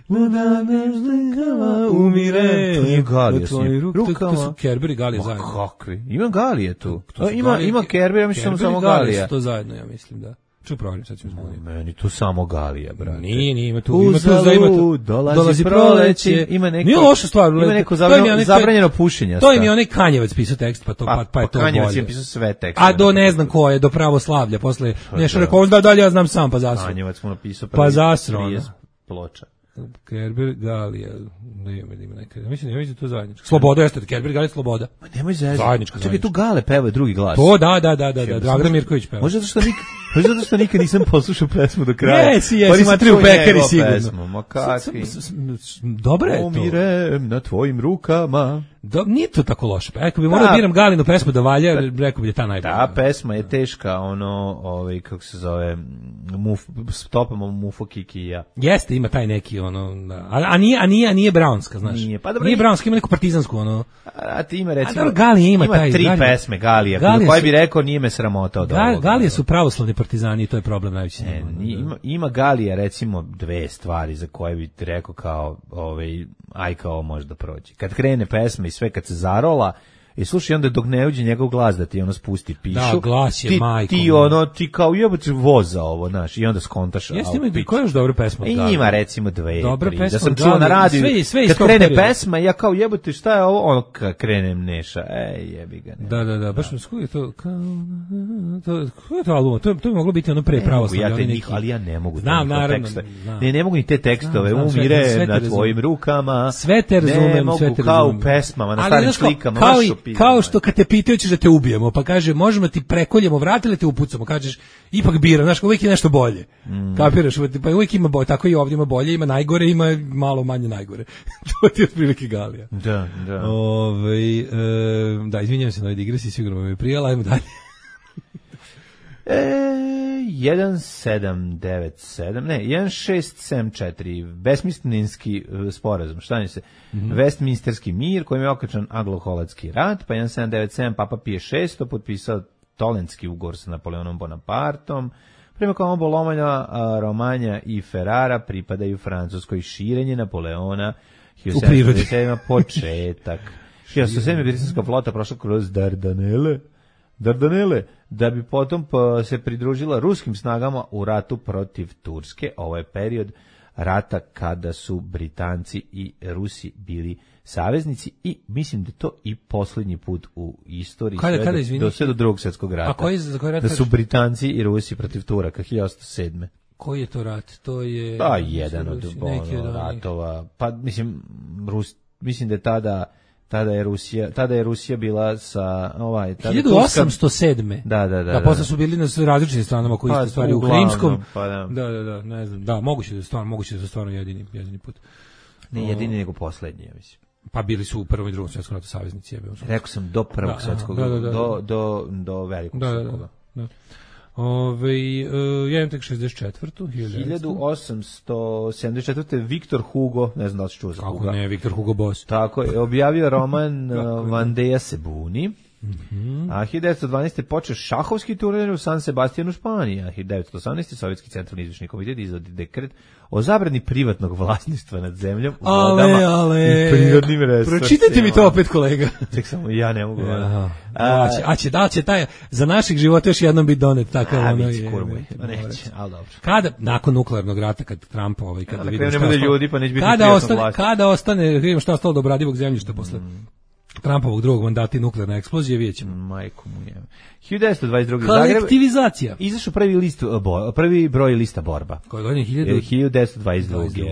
na današnjima umire. To nije Galija s njim. Rukama. To su Kerber i Galija zajedno. Kakvi? Ima Galije tu. To, to ima, Galije, ima Kerber, ja mislim samo Galija. Kerber i Galija su to zajedno, ja mislim, da. Ču provarim, sad ću zbuniti. Meni tu samo Galija, brate. Nije, nije, ima tu, ima tu, za, ima tu. Dolazi, dolazi proleće, ima neko, nije loša stvar, ima neko zabranjeno, zabranjeno pušenje. To im je onaj Kanjevac pisao tekst, pa to pa, pa, pa je to bolje. Kanjevac je pisao sve tekste. A do ne znam ko je, do pravoslavlja, posle nešto rekao, da dalje ja znam sam, pa zasro. Kanjevac mu napisao pa zasro, ploča. Kerber, Galija, ne ima, ima neka, ja mislim, ja mislim to zajedničko. Sloboda jeste, Kerber, Galija, Sloboda. Ma nemoj zezati. Zajedničko. Čekaj, tu Gale peva drugi glas. To, da, da, da, da, da, Dragan Mirković peva. Možda zato što mi, Pa zato što nikad nisam poslušao pesmu do kraja. Jesi, jesi, nisam matri u čuo pekari njegovu sigurno. pesmu, ma kakvi. Dobro je to. Umirem na tvojim rukama. Do, nije to tako loše. Pa ako bi morao da biram Galinu pesmu da valja, rekao bi da je ta najbolja. Ta pesma je teška, ono, ovaj, kako se zove, muf, stopamo Mufo Kiki i ja. Jeste, ima taj neki, ono, da. a, a, nije, a, nije, a nije Brownska, znaš. Nije, pa dobro, nije Brownska, ima neku partizansku, ono. A ti ima, recimo, a dobro, Galija ima, ima taj, tri Galija, pesme Galija, Galija koji su, bi rekao nije me sramota od Gal, ovoga. Galije su pravoslavni partizani i to je problem najveći. Ne, nije, ima, ima Galija, recimo, dve stvari za koje bi ti rekao kao, ovaj, aj kao može da prođe. Kad krene pesma i sve, kad se zarola, i slušaj, onda dok ne uđe njegov glas da ti ono spusti pišu. Da, glas je ti, majko. Ti ono, ti kao jebote voza ovo, znaš, i onda skontaš. Jeste ima i koja još dobra pesma? I ima recimo dve, dobra tri. pesma, Da sam da, čuo na radiju, sve, sve kad krene perioda. Pesma, ja kao jebote, šta je ovo? Ono, kad krenem Neša, ej, jebi ga. Ne. Da, da, da, baš mi skuje to, kao, to, ko je to album? To, to bi moglo biti ono pre pravoslavlje. Ja te neki, ali ja ne mogu. Znam, naravno. Ne, ne mogu ni te tekstove, znam, znam, umire sve, sve na tvojim rukama. Sve te razumem, ne mogu, sve te kao razumem. U pesmama, na starim slikama. Kao, i, kao što kad te pitaju ćeš da te ubijemo, pa kaže možemo ti prekoljemo vrat ili te upucamo, kažeš ipak bira, znaš, uvijek je nešto bolje. Mm. Kapiraš, pa uvijek ima bolje, tako i ovdje ima bolje, ima najgore, ima malo manje najgore. To ti je otprilike Galija. Da, da. Ove, e, da, izvinjam se na ovoj digresi, sigurno mi je prijela, ajmo dalje. E, jedan sedam devet sedam, ne, jedan šest sedam četiri, Westminsterski sporazum, šta ne se, mm-hmm. Westminsterski mir, kojim je okačan anglo-holandski rat, pa jedan sedam devet sedam, Papa Pije šesti potpisao Tolentski ugovor sa Napoleonom Bonapartom, prema kojem oba lomanja, Romanja i Ferrara pripadaju Francuskoj. Širenje Napoleona hiljadu sedamsto devedeset sedam početak. hiljadu sedamsto sedam britanska flota prošla kroz Dardanele, Dardanele, da bi potom se pridružila ruskim snagama u ratu protiv Turske. Ovo je period rata kada su Britanci i Rusi bili saveznici i mislim da to i posljednji put u istoriji kada, sve, kada, do, do, sve do drugog svjetskog rata. A koji, za koji rat da su Britanci i Rusi protiv Turaka hiljadu osamsto sedam. Koji je to rat? To je da, jedan od ono, ratova. Pa mislim Rus, mislim da je tada tada je Rusija, tada je Rusija bila sa ovaj tada hiljadu osamsto sedam. Da, da, da. Da, posle su bili na različitim stranama koji isto stvari u Krimskom. Pa da. Da, da, da, ne znam. Da, moguće da stvarno, moguće da stvarno jedini, jedini put. Ne jedini, nego poslednji, ja mislim. Pa bili su u prvom i drugom svjetskom ratu saveznici, jebe. Rekao sam do prvog svjetskog, da, da, da, do do do velikog da, svjetskog. Da, da, da. Ove, uh, ja imam tek šezdeset četvrtu hiljadu osamsto sedamdeset četvrte. Viktor Hugo, ne znam da li si čuo za Hugo. Kako ne, Viktor Hugo Boss. Tako je, objavio roman Vandeja se buni. Mm-hmm. A hiljadu devetsto dvanaeste. počeo šahovski turnir u San Sebastianu, Španija. hiljadu devetsto osamnaeste. Sovjetski centralni izvršni komitet izvodi dekret o zabrani privatnog vlasništva nad zemljom, u vodama i prirodnim resursima. Pročitajte mi to opet, kolega. Tek samo ja ne mogu. Ja. A, će, a će, da će taj, za naših života još jednom biti donet takav a, ono je. Kurmuj, neće, ali dobro. Kada, nakon nuklearnog rata, kad Trump ovaj, kada vidimo šta bude ljudi, pa neće biti kada ostane, kada ostane, vidimo šta ostalo do obradivog zemljišta posle mm. Trumpovog drugog mandata i nuklearne eksplozije, vidjet ćemo. Majko mu je. hiljadu devetsto dvadeset druge. Kolektivizacija. Izašao prvi list, bo, prvi broj lista borba. Koje godine? hiljadu devetsto dvadeset druge.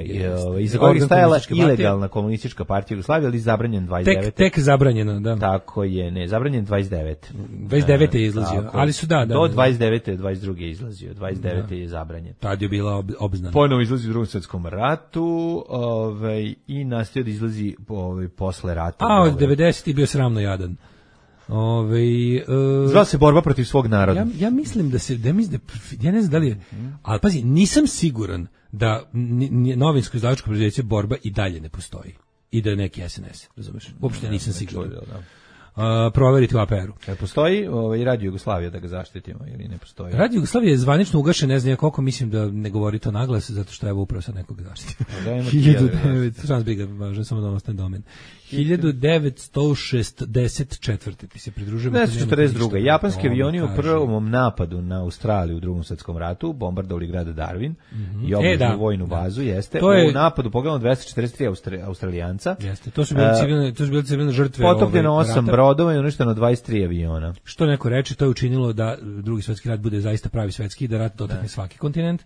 Iza kojeg je stajala ilegalna komunistička partija Jugoslavije, ali zabranjen dvadeset devete. Tek, tek zabranjeno, da. Tako je, ne, zabranjen dvadeset devete. dvadeset devete je izlazio, tako, ali su da, da. Do dvadeset devete. dvadeset druge je izlazio, dvadeset devete je zabranjen. Tad je bila ob, obznana. Ponovo izlazi u drugom svjetskom ratu, ovaj, i nastavio da izlazi ovaj, posle rata. A od devedesetih bio sramno jadan. Ove, uh, Zvala se borba protiv svog naroda. Ja, ja mislim da se, da mislim da, ja ne znam da li je, ali pazi, nisam siguran da novinsko izdavačko preduzeće Borba i dalje ne postoji. I da je neki S N S, razumeš? Uopšte nisam ne, siguran. Ne čudio, Uh, proveriti u A P R-u. E, postoji ovaj, Radio Jugoslavija da ga zaštitimo ili ne postoji? Radio Jugoslavija je zvanično ugašen, ne znam ja koliko, mislim da ne govori to naglas, zato što je upravo sad nekog zaštiti. hiljadu devetsto, šans bi ga važno, samo da ostane domen. hiljadu devetsto šezdeset četvrte. Ti se pridružujemo. devetsto četrdeset druga. Japanski avioni u prvom napadu na Australiju u drugom svjetskom ratu bombardovali grad Darwin mm-hmm. i obližnju e, da, vojnu bazu, da. Jeste. To je, u napadu pogledano dvesta četrdeset tri Austra, Australijanca. Jeste. To su bile civilne, to su bile civilne žrtve. Potopljeno osam brodova i uništeno dvadeset tri aviona. Što neko reče, to je učinilo da drugi svjetski rat bude zaista pravi svjetski, da rat dotakne svaki kontinent,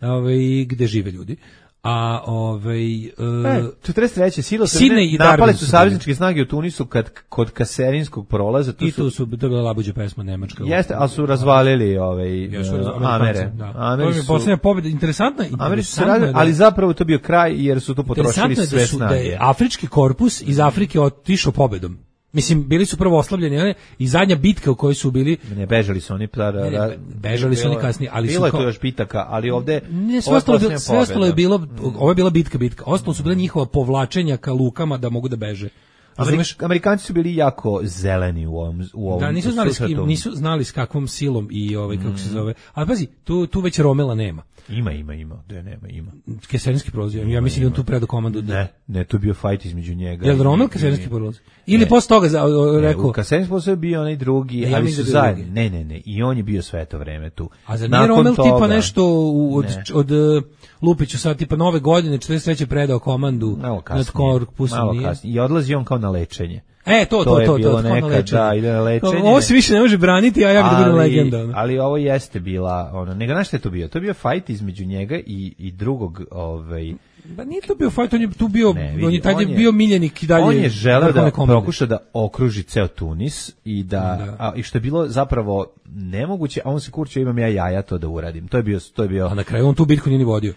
ovaj, gde žive ljudi. A ovaj uh, e, četrdeset treće silo Sidney i napale Darwin su su savezničke snage u Tunisu kad kod Kaserinskog prolaza tu i su tu su to je bila labuđa pesma nemačka. Jeste, ali su razvalili ovaj Jesu, uh, Amere. Da. Ameri To je su poslednja pobeda, interesantna, Ameri su se interesantno radili, je da- ali zapravo to bio kraj jer su tu potrošili interesantno je sve da su da snage. je afrički korpus iz Afrike otišao pobedom. Mislim, bili su prvo oslabljeni, ali i zadnja bitka u kojoj su bili... Ne, bežali su oni. Pa, Ne, ne, bežali su oni kasnije, ali bilo su je kao- to još bitaka, ali ovde... Ne, sve ovo je ostalo, je bilo- posljednja sve ostalo je pobeda. bilo, ovo je bila bitka, bitka. Ostalo su bile njihova povlačenja ka lukama da mogu da beže. Razumeš? Amerik- Amerikanci su bili jako zeleni u ovom u ovom Da, nisu znali s kim, susretu. nisu znali s kakvom silom i ovaj kako se zove. Ali pazi, tu tu već Romela nema. Ima, ima, ima, da nema, ima. Keserinski prolazi. Ja mislim da on tu predo komandu. Da. Ne, ne, tu je bio fight između njega. Jel i- Romel i- Keserinski i- prolazi? Ili Ne. posle toga za, o, Ne, rekao, u Kaserinskom posle je bio onaj drugi, Ne, ja ali mislim su da je zajedno. drugi. Ne, ne, ne, i on je bio sve to vreme tu. a za nije Nakon Romel tipa toga- nešto u, od, Ne. od, od Lupiću sad tipa nove godine četrdeset treće predao komandu Malo nad kasnije. korpusom. Malo nije? kasnije. I odlazi on kao na lečenje. E, to, to, To to, je to, bilo to, kao na nekad, lečenje. da, ide na lečenje. Ovo se više ne može braniti, a ja bih da budem legenda. ono. Ali ovo jeste bila, ono, nego znaš šta je to bio? To je bio fight između njega i, i drugog, ovaj, Pa nije to bio fight, on je tu bio, Ne, vidi, on je tad on je je- bio miljenik i dalje. on je želeo vrhovne da komande. pokuša da okruži ceo Tunis i da, Da. a, i što je bilo zapravo nemoguće, a on se kurčio, imam ja jaja to da uradim. To je bio, to je bio, A na kraju on tu bitku nije ni vodio.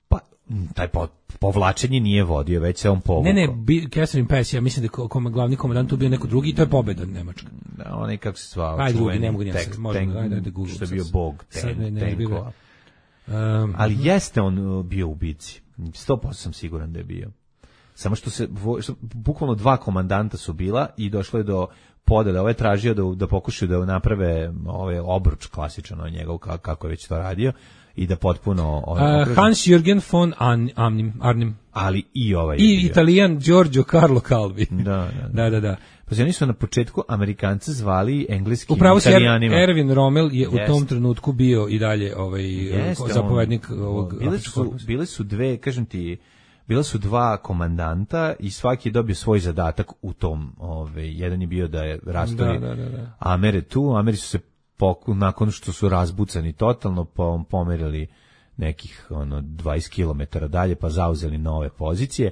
pa, m, taj po, povlačenje nije vodio, već se on povukao. Ne, ne, bi- Catherine Pass, ja mislim da je ko- kom, glavni komandant tu bio neko drugi i to je pobeda Nemačka. Da, onaj kako se zvao, Ajde, drugi, čuveni ne mogu ni ja tek- sad, možemo, tank, ajde, ajde, Google što je sad. bio bog Sad ten, ne, ne, bio- tenkova. Um, Ali jeste on uh, bio u bici. sto posto sam siguran da je bio. Samo što se, vo- što, bukvalno dva komandanta su bila i došlo je do podela. Ovaj je tražio da, da pokušaju da naprave ovaj obruč klasičan od njega, ka- kako je već to radio, i da potpuno... Ovaj, uh, Hans-Jürgen von An, Arnim, Arnim ali i ovaj je i bio. Italijan Giorgio Carlo Calvi. Da, da, da. da, da, da. Pa oni su na početku Amerikanci zvali engleskim Upravo se Italijanima. Erwin Rommel je u Jeste. tom trenutku bio i dalje ovaj Jeste on. zapovednik ovog bile afričkog su, korpusa. bile su dve, kažem ti, bila su dva komandanta i svaki je dobio svoj zadatak u tom. Ove, jedan je bio da je rastavi Da, da, da, da. Amere tu, Ameri su se poku, nakon što su razbucani totalno po, pomerili nekih ono dvadeset kilometara dalje pa zauzeli nove pozicije,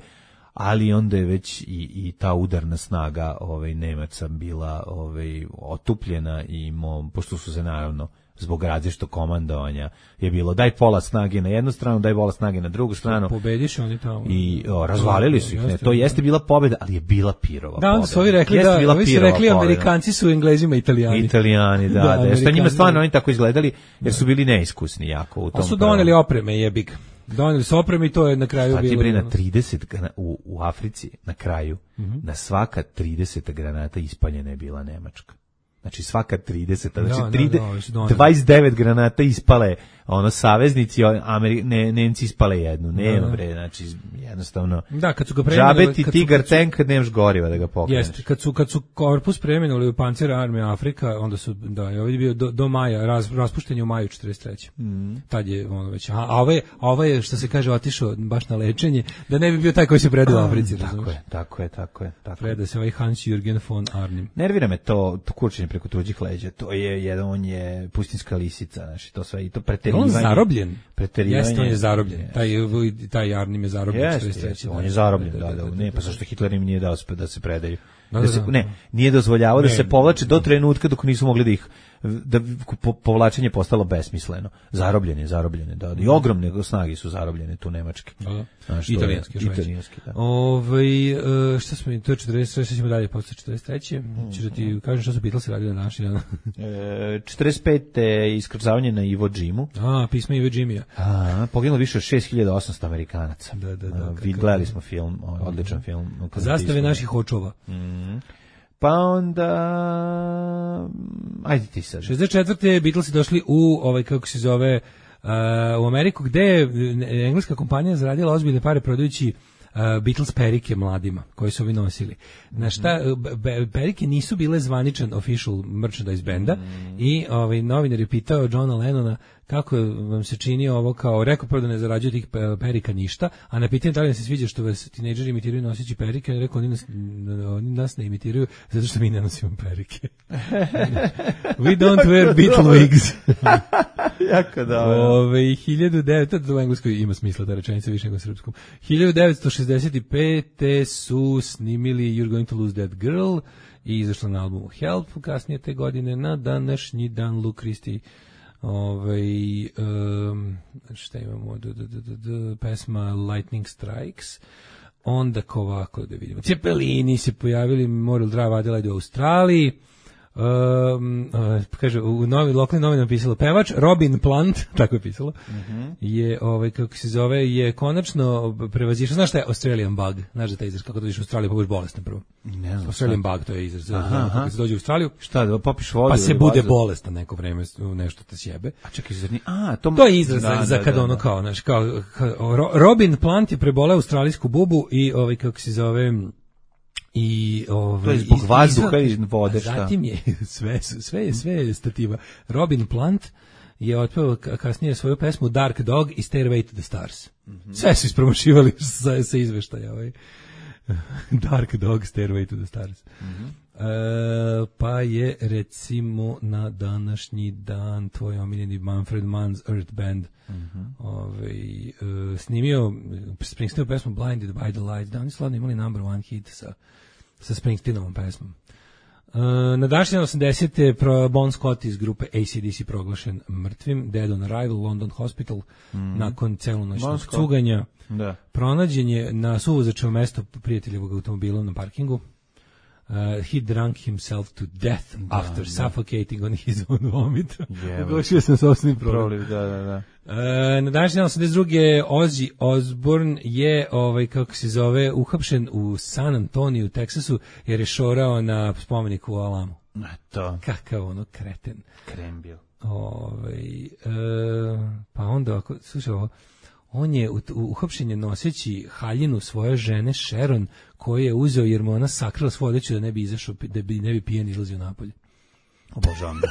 ali onda je već i, i ta udarna snaga ovaj Nemaca bila ovaj otupljena i mo, pošto su se naravno zbog različitog komandovanja je bilo daj pola snage na jednu stranu, daj pola snage na drugu stranu Pobediš oni tamo. i o, razvalili su ih. Ne, Jeste, to da. jeste bila pobjeda, ali je bila pirova Da, onda pobjeda. su ovi rekli Jeste da, bila ovi su pirova rekli pobjeda. Amerikanci su Englezima Italijani. Italijani, da, Da, da. da što njima Amerikanci. stvarno oni tako izgledali, jer su bili neiskusni jako u tom. A su prvom. doneli opreme, jebik. Doneli su opreme i to je na kraju Pa ti bilo. bre na ono. trideset grana- u, u Africi na kraju, Mhm. na svaka trideset granata ispaljena je bila Nemačka. Znači svaka trideset, Da, znači da, tride- da, ovi su doneli. dvadeset devet granata ispale, ono saveznici, a Ameri, ne, Nemci ispale jednu. Nema Da. bre, znači jednostavno. Da, kad su ga preminuli, Džabe ti kad su- Tigar kad su- tank kad nemaš goriva da ga pokreneš. Jeste, kad su kad su korpus preminuli u Panzer armije Afrika, onda su da je ovdje bio do, do maja, raz, raspušten je u maju četrdeset treće. Mm. Tad je ono već. A, a ovaj a ovaj je što se kaže otišao baš na lečenje, da ne bi bio taj koji se predao u Africi, Tako razumeš? je, tako je, tako je, tako je. Preda se ovaj Hans-Jürgen von Arnim. Nervira me to, to kurčenje preko tuđih leđa. To je jedan, on je pustinska lisica, znači to sve i to Je preterivanje. on zarobljen? Preterivanje. Jeste, on je zarobljen. Jeste. Taj taj Arnim je zarobljen Jeste, četrdeset treće. jeste, on je zarobljen, da, da, ne, pa zašto Hitler im nije dao da se predaju. Da, Da da, se, da. ne, nije dozvoljavao da Ne. se povlače do trenutka dok nisu mogli da ih, da po, povlačenje postalo besmisleno. Zarobljene, zarobljene, da, da. I ogromne snage su zarobljene tu nemačke. Da, da. Znaš, to je- Italijanski, još veći. italijanski, da. Ovaj e, šta smo, to je četrdeset treće, šta ćemo dalje posle četrdeset treće. Ćeš da ti kažem šta su Beatlesi radili na današnji dan. E, četrdeset pete iskrcavanje na Iwo Jimu. A, pisma Ive Jimmya. A, poginulo više od šest hiljada osamsto Amerikanaca. Da, da, da, A, kakav- vid- Gledali smo film, odličan film. Zastave naših očova. Pa onda... Ajde ti sad. šezdeset četvrte Beatlesi došli u ovaj kako se zove uh, u Ameriku gde je engleska kompanija zaradila ozbiljne pare prodajući uh, Beatles perike mladima koji su ovi nosili. Na šta uh, be- perike nisu bile zvaničan official merchandise benda i ovaj novinar je pitao Johna Lennona kako vam se čini ovo, kao rekao prvo da ne zarađuje tih perika ništa, a na pitanje da li vam se sviđa što vas tinejdžeri imitiraju noseći perike, on rekao, oni nas, oni nas ne imitiraju zato što mi ne nosimo perike. We don't wear Beatle wigs. Jako dobro. Ove, hiljadu devetsto, to u engleskoj ima smisla ta rečenica više nego u srpskom. hiljadu devetsto šezdeset pete su snimili You're Going to Lose That Girl i izašlo na albumu Help kasnije te godine. Na današnji dan Luke Christie, ovaj um, šta imamo, d, d, d, d, d, pesma Lightning Strikes. Onda ovako da vidimo, Cepelini se pojavili, Moral Drive Adelaide u Australiji. Um, uh, kaže, u novi lokalnim novinama pisalo pevač Robin Plant, tako je pisalo, uh-huh. je, ovaj, kako se zove, je konačno prevazišao, znaš šta je Australian bug, znaš da taj izraz, kako dođeš u Australiju, pa budeš bolestan prvo. Ne znam. Australian šta? Bug, to je izraz, aha, kako se dođe u Australiju. Šta, da popiš vodu? Pa se bude bazu? Bolestan neko vreme, nešto te sjebe. A čekaj, zar ni, a, to, to je izraz da, za da, kad da, ono da. kao, znaš, kao, kao, Robin Plant je preboleo australijsku bubu i, ovaj, kako se zove, i ovaj to je zbog vazduha i vode, šta? Zatim je sve sve je sve stativa. Robin Plant je otpevao kasnije svoju pesmu Dark Dog i Stairway to the Stars. Mm-hmm. Sve su ispromošivali sa, sa izveštaja ovaj. Dark Dog, Stairway to the Stars. Mm-hmm. E, pa je recimo na današnji dan tvoj omiljeni Manfred Mann's Earth Band mm-hmm. ovaj, e, snimio Springsteenovu pesmu Blinded by the Lights. Da, oni su slavno imali number one hit sa, sa Springsteenovom pesmom. E, na današnji osamdesete Bon Scott iz grupe A C D C proglašen mrtvim, Dead on Arrival, London Hospital, mm-hmm. nakon celonoćnog cuganja. Da. Pronađen je na suvozačevo mesto prijateljevog automobila na parkingu. Uh, he drank himself to death da, after da. suffocating on his own vomit. Ugošio sam sopstvenim problem. Da, da, da. Uh, na današnji osamdeset druge Ozzy Osbourne je, ovaj, kako se zove, uhapšen u San Antoniju, u Teksasu, jer je šorao na spomeniku u Alamu. To. Kakav ono kreten. Krembil. Ovaj, uh, pa onda, ako, slušaj ovo, on je uhapšen je noseći haljinu svoje žene Sharon, koju je uzeo jer mu ona sakrila svoju odeću da ne bi izašao, da bi ne bi pijen izlazio napolje. Obožavam da.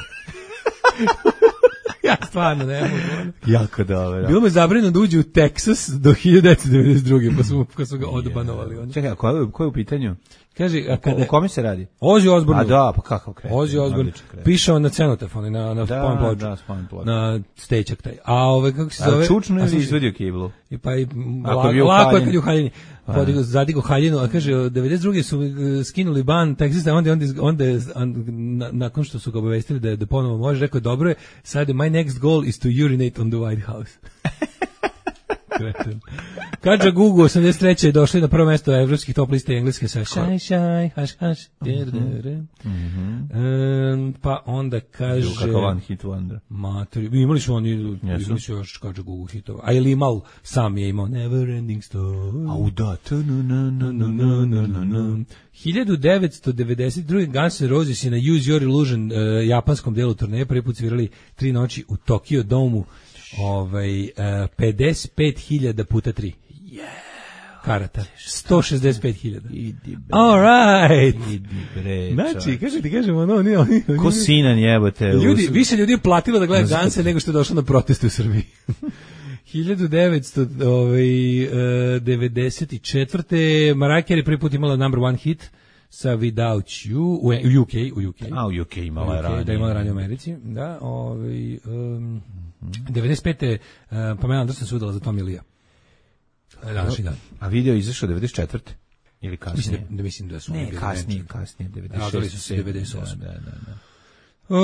Ja stvarno ne mogu. Jako dobro. Bilo mu je zabranjeno da uđe u Teksas do hiljadu devetsto devedeset druge pa su, pa su ga odbanovali. Oni. Čekaj, a ko je, ko je u pitanju? Kaže, a kada, o kome se radi? Ozzy Osbourne. A da, pa kakav kreten. Ozzy Osbourne pišao na cenotafon, na na spomen ploču. Da, spomen ploču. Na stečak taj. A ove kako se zove? A čučno je izvadio kiblu. I pa i lako je kad je u haljini. Podigo, zadigo haljinu, a kaže, devedeset druge su skinuli ban Teksasa, onda, onda, onda, onda nakon što su ga obavestili da, da ponovo može, rekao, dobro je, sad my next goal is to urinate on the White House. Kreten. Kadža Gugu osamdeset treće je došli na prvo mesto evropskih top liste engleske sa Šaj, šaj, haš, haš, pa onda kaže... Kakav one hit wonder. Matori, imali su oni, imali su još Kadža Gugu hitova. A je li imao, sam je imao Never Ending Story. Au da, hiljadu devetsto devedeset druge Guns N' Roses je na Use Your Illusion uh, japanskom delu turneje prvi put svirali tri noći u Tokyo Domu. Ovaj uh, pedeset pet hiljada puta tri. Yeah. Karata. sto šezdeset pet hiljada. All right. Idi bre. Znači, kaže ti kažemo, ono, oni, oni, oni. Ko sinan jebote. Ljudi, više ljudi je platilo da gleda Ganse nego što je došlo na proteste u Srbiji. hiljadu devetsto devedeset četvrte Mariah Carey prvi put imala number one hit sa Without You u, u U K, u U K. A u U K imala je ranije. Da imala ranije u Americi, da, ovaj um, devedeset pete uh, Pamela Anderson se udala za Tommy Lee. Današnji dan. A video izašao devedeset četvrte ili kasnije? Mislim da, mislim da su ne, kasnije, kasnije, devedeset šeste. Radili su se devedeset osme. Da, da, da. Uh,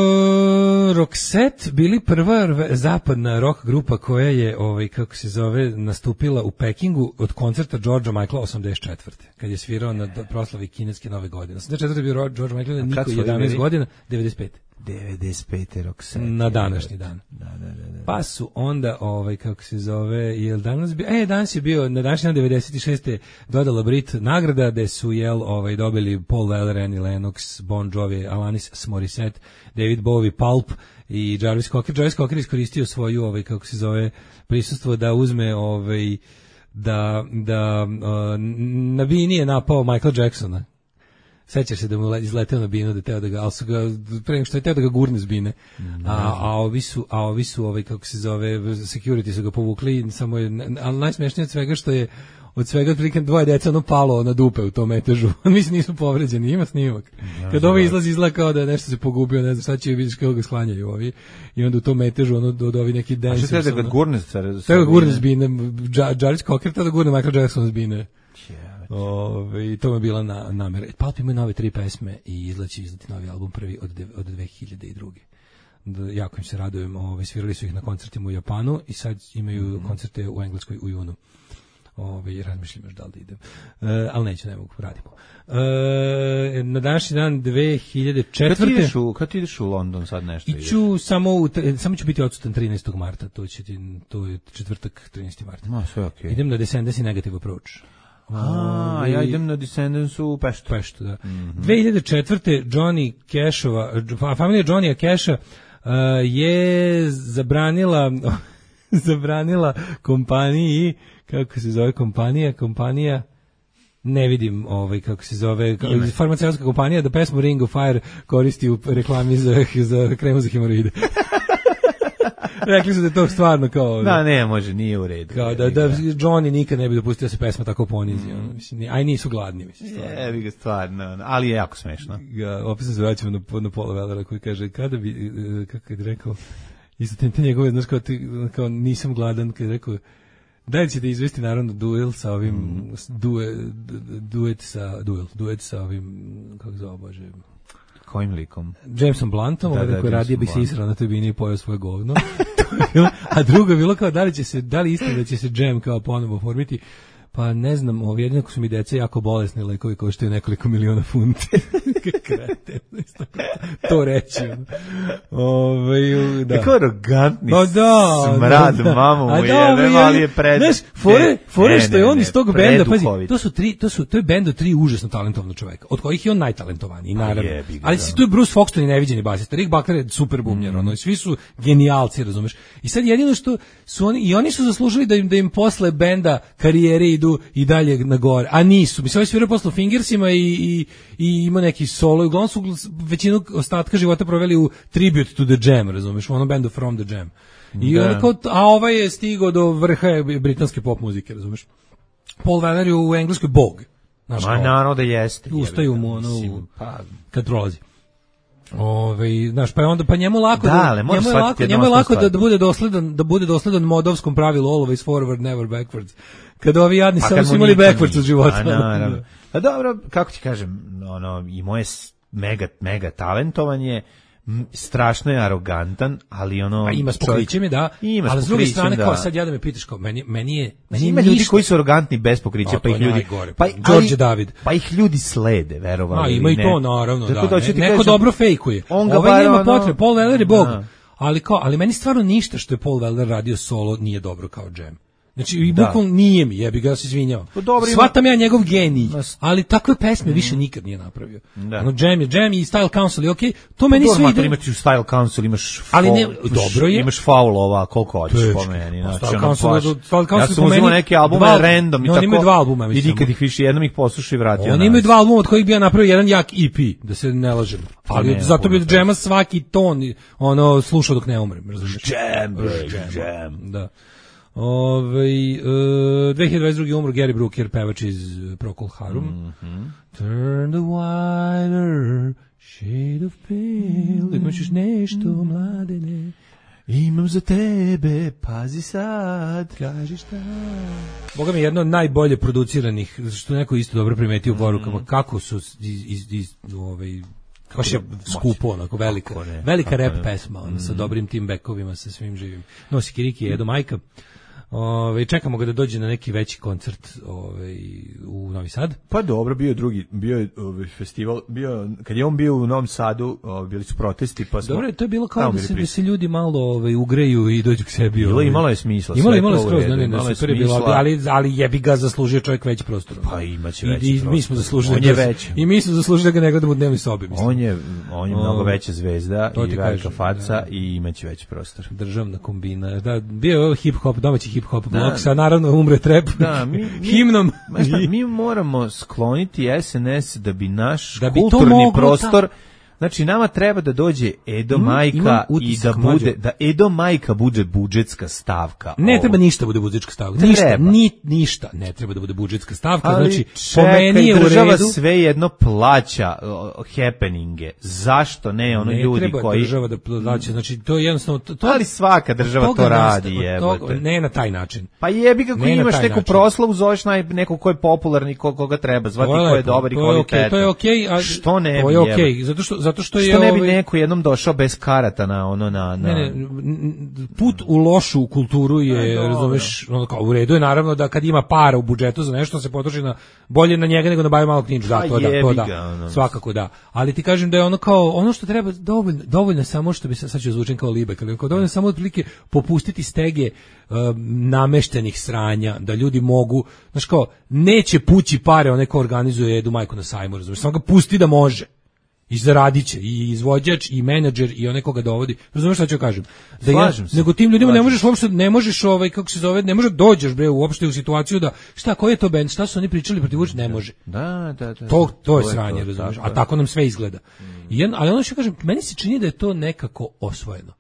Roxette bili prva zapadna rock grupa koja je, ovaj, kako se zove, nastupila u Pekingu od koncerta Georgea Michaela osamdeset četvrte kad je svirao na proslavi kineske nove godine. osamdeset četvrte je bio George Michael, niko jedanaest godina, devedeset pete. devedeset pete Roxette. Na današnji dan. Da, da, da, da. Pa su onda, ovaj, kako se zove, jel danas bio, e, danas je bio, na današnji dan devedeset šeste dodala Brit nagrada, gde su, jel, ovaj, dobili Paul Weller, Annie Lennox, Bon Jovi, Alanis Morissette, David Bowie, Pulp i Jarvis Cocker. Jarvis Cocker iskoristio svoju, ovaj, kako se zove, prisustvo da uzme, ovaj, da, da, uh, na bini je napao Michael Jacksona Sećaš se da mu izleteo na binu, da teo da ga, ali su ga, pre nego što je teo da ga gurne s bine. A, a ovi su, a ovi su, ovaj, kako se zove, security su ga povukli, samo je, ali najsmešnije od svega što je, od svega otprilike dvoje deca ono palo na dupe u tom metežu. Mislim nisu povređeni, ima snimak. Kad ovo izlazi izgleda kao da je nešto se pogubio, ne znam šta će vidiš kako ga sklanjaju ovi. I onda u tom metežu ono od ovi neki dancers. A što da ga gurne s da ga gurne s bine, Jarvis Cocker da gurne Michael Jackson s bine. Ove, i to mi je bila na, namera. Pulp imaju nove tri pesme i izlači izlati novi album prvi od, de, od dve hiljade druge. Da, jako im se radujem. Ove, svirali su ih na koncertima u Japanu i sad imaju mm-hmm. koncerte u Engleskoj u junu. Ove, razmišljam još da li da idem. E, ali neću, ne mogu, radimo. E, na današnji dan dve hiljade četvrte. Kad ti ideš u, kad ti ideš u London sad nešto ideš? Iću samo, u, samo ću biti odsutan trinaestog marta, to, će ti, to je četvrtak trinaesti marta. No, sve okej. Okay. Idem na Descendants i Negative Approach. A, ja idem na Descendants u Peštu. Peštu, da. Mm-hmm. dve hiljade četvrte. Johnny Cashova, familija Johnnyja Casha uh, je zabranila zabranila kompaniji, kako se zove kompanija, kompanija ne vidim ovaj kako se zove, farmaceutska kompanija da pesmu Ring of Fire koristi u reklami za, za kremu za hemoroide. Rekli su da je to stvarno kao... Da, ne, može, nije u redu. Kao da, da Johnny nikad ne bi dopustio da se pesma tako ponizi. Mm. Ono, mislim, aj nisu gladni, mislim, stvarno. Je, bi ga stvarno, ali je jako smešno. Ja, opet se zvraćamo na, na Paula Wellera koji kaže, kada bi, kako je rekao, isto te njegove, znaš, kao, ti, kao nisam gladan, kada je rekao, da li ćete izvesti naravno duel sa ovim, mm. duet, duet sa, duel, duet sa ovim, kako zove, Bože... Kojim likom? Jamesom Bluntom, da, da, koji radije bi se israo na toj bini i pojao svoje govno. A drugo je bilo kao da li će se, da li istina da će se Jam kao ponovo formiti. Pa ne znam, ovi jedino su mi deca jako bolesni lekovi koštaju nekoliko miliona funti. Krete, to reći. Ove, da. Kako arogantni no, da, smrad, da, da. mamu mu jebe, ali je pred... Znaš, fore, fore što je on iz tog benda, pazi, to su tri, to su, to je bend od tri užasno talentovna čoveka, od kojih je on najtalentovaniji, naravno. Jebi, ali si tu je Bruce Foxton i neviđeni basista, Rick Buckner je super bumljer, mm. ono, svi su genijalci, razumeš. I sad jedino što su oni, i oni su zaslužili da im, da im posle benda karijere idu i dalje na gore, a nisu. Mislim, oni sviraju posle Fingersima i, i, i ima neki solo, i uglavnom su većinu ostatka života proveli u Tribute to the Jam, razumeš, u onom bendu From the Jam. I da. Onako, a ovaj je stigao do vrha britanske pop muzike, razumeš. Paul Weller je u engleskoj bog. Znaš, ma naravno da jeste. Ustaju mu ono, pa, kad prolazi. Ove, znaš, pa je onda pa njemu lako da, da ali njemu je lako, njemu je lako da, da bude dosledan, da bude dosledan modovskom pravilu always forward never backwards. Kad ovi jadni pa samo su imali backwards od života. Pa naravno. Pa dobro, kako ti kažem, ono i moje mega mega talentovanje strašno je arogantan, ali ono a ima s pokrićem je da, ali s druge strane da. Kao sad ja da me pitaš kao meni meni je meni ima ljudi koji su arogantni bez pokrića, pa ih ljudi pa Đorđe David, pa ih ljudi slede, verovali. A ima i to naravno, da. da Ne, neko dobro fejkuje. Ovaj nema potrebe, Paul Weller je bog. Ali kao, ali meni stvarno ništa što je Paul Weller radio solo nije dobro kao Jam. Znači, i bukvalno nije mi, jebi ga, ja se izvinjavam. Shvatam ja njegov genij, ali takve pesme više nikad nije napravio. Da. Ono, Jam je Jam i Style Council je okej, okay. To meni sve ide. Imaš u Style Council, imaš faul, ali ne, dobro je. Imaš faulova, koliko hoćeš po meni. Znači, Style Council, Style Council ja sam uzimao neke albume dva, random i no, tako. Imaju dva albuma, mislim. I nikad ih više, jednom ih poslušao i vratio. Oni imaju dva albuma od kojih bi ja napravio jedan jak E P, da se ne lažem. Ali zato bi od Jama svaki ton ono slušao dok ne umrem, razumiješ? Jam, Jam. Da. Ove, uh, dve hiljade dvadeset druge umro Gary Brooker, pevač iz Procol Harum. Mm-hmm. Turn the wider shade of pale. Imaš još nešto, mladene? Imam za tebe, pazi sad. Kaži šta? Boga mi je jedno od najbolje produciranih, što neko isto dobro primetio u porukama, mm. kako su iz, iz, iz ovaj, baš je skupo, onako, velika, ne, velika rap ne. pesma, ono, mm. sa dobrim tim bekovima, sa svim živim. Nosi Kiriki, Edo Majka. Ove, čekamo ga da dođe na neki veći koncert ove, u Novi Sad. Pa dobro, bio drugi, bio je ovaj festival, bio, kad je on bio u Novom Sadu, ovaj, bili su protesti, pa smo... Dobro, to je bilo kao da se, da se ljudi malo ovaj, ugreju i dođu k sebi. Bilo, imalo je smisla. Imalo, imalo je skroz, ne, ne, ne, super je bilo, ali, ali jebi ga zaslužio čovjek veći prostor. Pa imaće veći I, prostor. I mi smo zaslužili, on je veći. I mi smo zaslužili da ga ne gledamo u dnevnoj sobi. Mislim. On je, on je mnogo veća zvezda i velika faca i imaće veći prostor. Državna kombina, da, bio je hip-hop, domaći hip hip-hop blok, sa naravno umre trap da, mi, mi, himnom. Ma šta, mi moramo skloniti S N S da bi naš da bi kulturni moglo, prostor... Ta... Znači, nama treba da dođe Edo Imam, Majka imam i da bude, mlađo. da Edo Majka bude budžetska stavka. Ne ovo. treba ništa bude budžetska stavka. Ne ništa, treba. ni, ništa ne treba da bude budžetska stavka. Ali znači, čekaj, po meni je u država redu. sve jedno plaća uh, happeninge. Zašto ne ono ne ljudi treba koji... država da plaća. Znači, to je jednostavno... To, to, ali svaka država to radi, jebote. Ne na taj način. Pa jebi kako ne imaš neku način. proslavu, zoveš naj, nekog ko je popularni, ko, koga treba zvati, ko je dobar i kvalitetan. To je okej, okay, a što ne to bi, je okej, okay, zato što zato što je što ne bi ovaj... neko jednom došao bez karata na ono na na ne, ne, put u lošu kulturu je, ne, razumeš, ono kao u redu je naravno da kad ima para u budžetu za nešto se potroši na bolje na njega nego na Bajo Malog Ninja, da, to da, to da, ga, ono. Svakako da. Ali ti kažem da je ono kao ono što treba dovoljno, dovoljno samo što bi se sad ću zvučim kao libek, ali kao dovoljno samo otprilike popustiti stege uh, nameštenih sranja, da ljudi mogu, znaš kao, neće pući pare onaj ko organizuje Edu Majku na sajmu, razumeš, samo ga pusti da može. I zaradit će, i izvođač, i menadžer, i onaj koga dovodi. Razumeš šta ću kažem? Da ja, nego tim ljudima ne možeš uopšte, ne možeš ovaj, kako se zove, ne možeš dođeš bre uopšte u situaciju da, šta, koji je to bend, šta su oni pričali protiv Vučića, ne može. Da, da, da. To, to je sranje, razumeš, a tako nam sve izgleda. I jedan, ali ono što kažem, meni se čini da je to nekako osvojeno.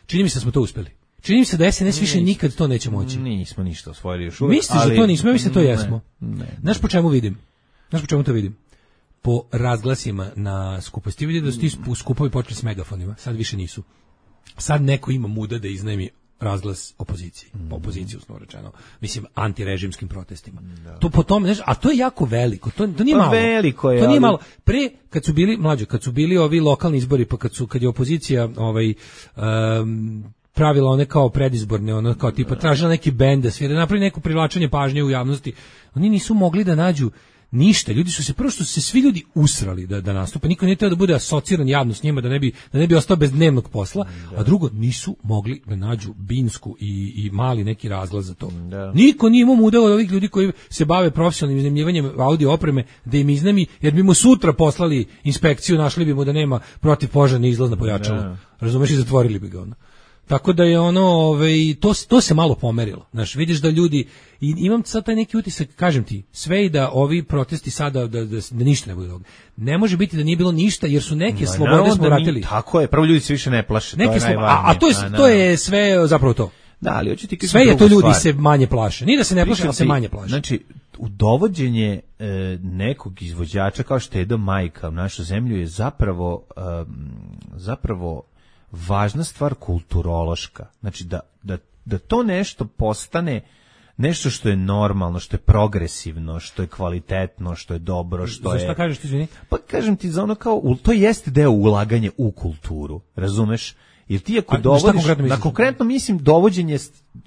Čini mi se da smo to uspeli. Čini mi se da S N S više nikad to neće moći. Nismo ništa osvojili još uvijek. Misliš da to nismo, ja mislim da to jesmo. Ne, ne. Znaš po čemu vidim? Znaš po čemu to vidim? Po razglasima na skuposti. Ti vidi da su ti skupovi počeli s megafonima, sad više nisu. Sad neko ima muda da iznajmi razglas opoziciji, mm. opoziciju usno rečeno, mislim antirežimskim protestima. Da. To po tome, znaš, a to je jako veliko, to, to nije pa malo. Veliko je, to nije ali... malo. Pre kad su bili mlađi, kad su bili ovi lokalni izbori, pa kad su kad je opozicija ovaj um, pravila one kao predizborne, ono kao tipa tražila neki bend da svira, napravi neko privlačenje pažnje u javnosti. Oni nisu mogli da nađu ništa, ljudi su se prvo što su se svi ljudi usrali da da nastupe, niko nije teo da bude asociran javno s njima, da ne bi da ne bi ostao bez dnevnog posla, da. A drugo nisu mogli da nađu binsku i i mali neki razglas za to. Da. Niko nije imao muda od ovih ljudi koji se bave profesionalnim iznajmljivanjem audio opreme da im iznajmi, jer bi mu sutra poslali inspekciju, našli bi mu da nema protivpožarni izlaz na pojačalo. Da. Razumeš, i zatvorili bi ga ono. Tako da je ono, ovaj, to, to se malo pomerilo. Znaš, vidiš da ljudi, i imam sad taj neki utisak, kažem ti, sve i da ovi protesti sada, da, da, da ništa ne bude toga. Ne može biti da nije bilo ništa, jer su neke no, slobode smo vratili. Tako je, prvo ljudi se više ne plaše, neke to je a, a to je, a, to je sve zapravo to. Da, ali hoću ti sve je to ljudi stvar. Se manje plaše. Nije da se ne plaše, ali se manje plaše. Znači, u dovođenje e, nekog izvođača kao što je Edo Majka u našu zemlju je zapravo e, zapravo važna stvar kulturološka. Znači da, da, da to nešto postane nešto što je normalno, što je progresivno, što je kvalitetno, što je dobro, što za je... Za šta kažeš ti, izvini? Pa kažem ti za ono kao, to jeste deo ulaganja u kulturu, razumeš? Jer ti ako A, dovodiš, konkretno na konkretno mislim dovođenje uh,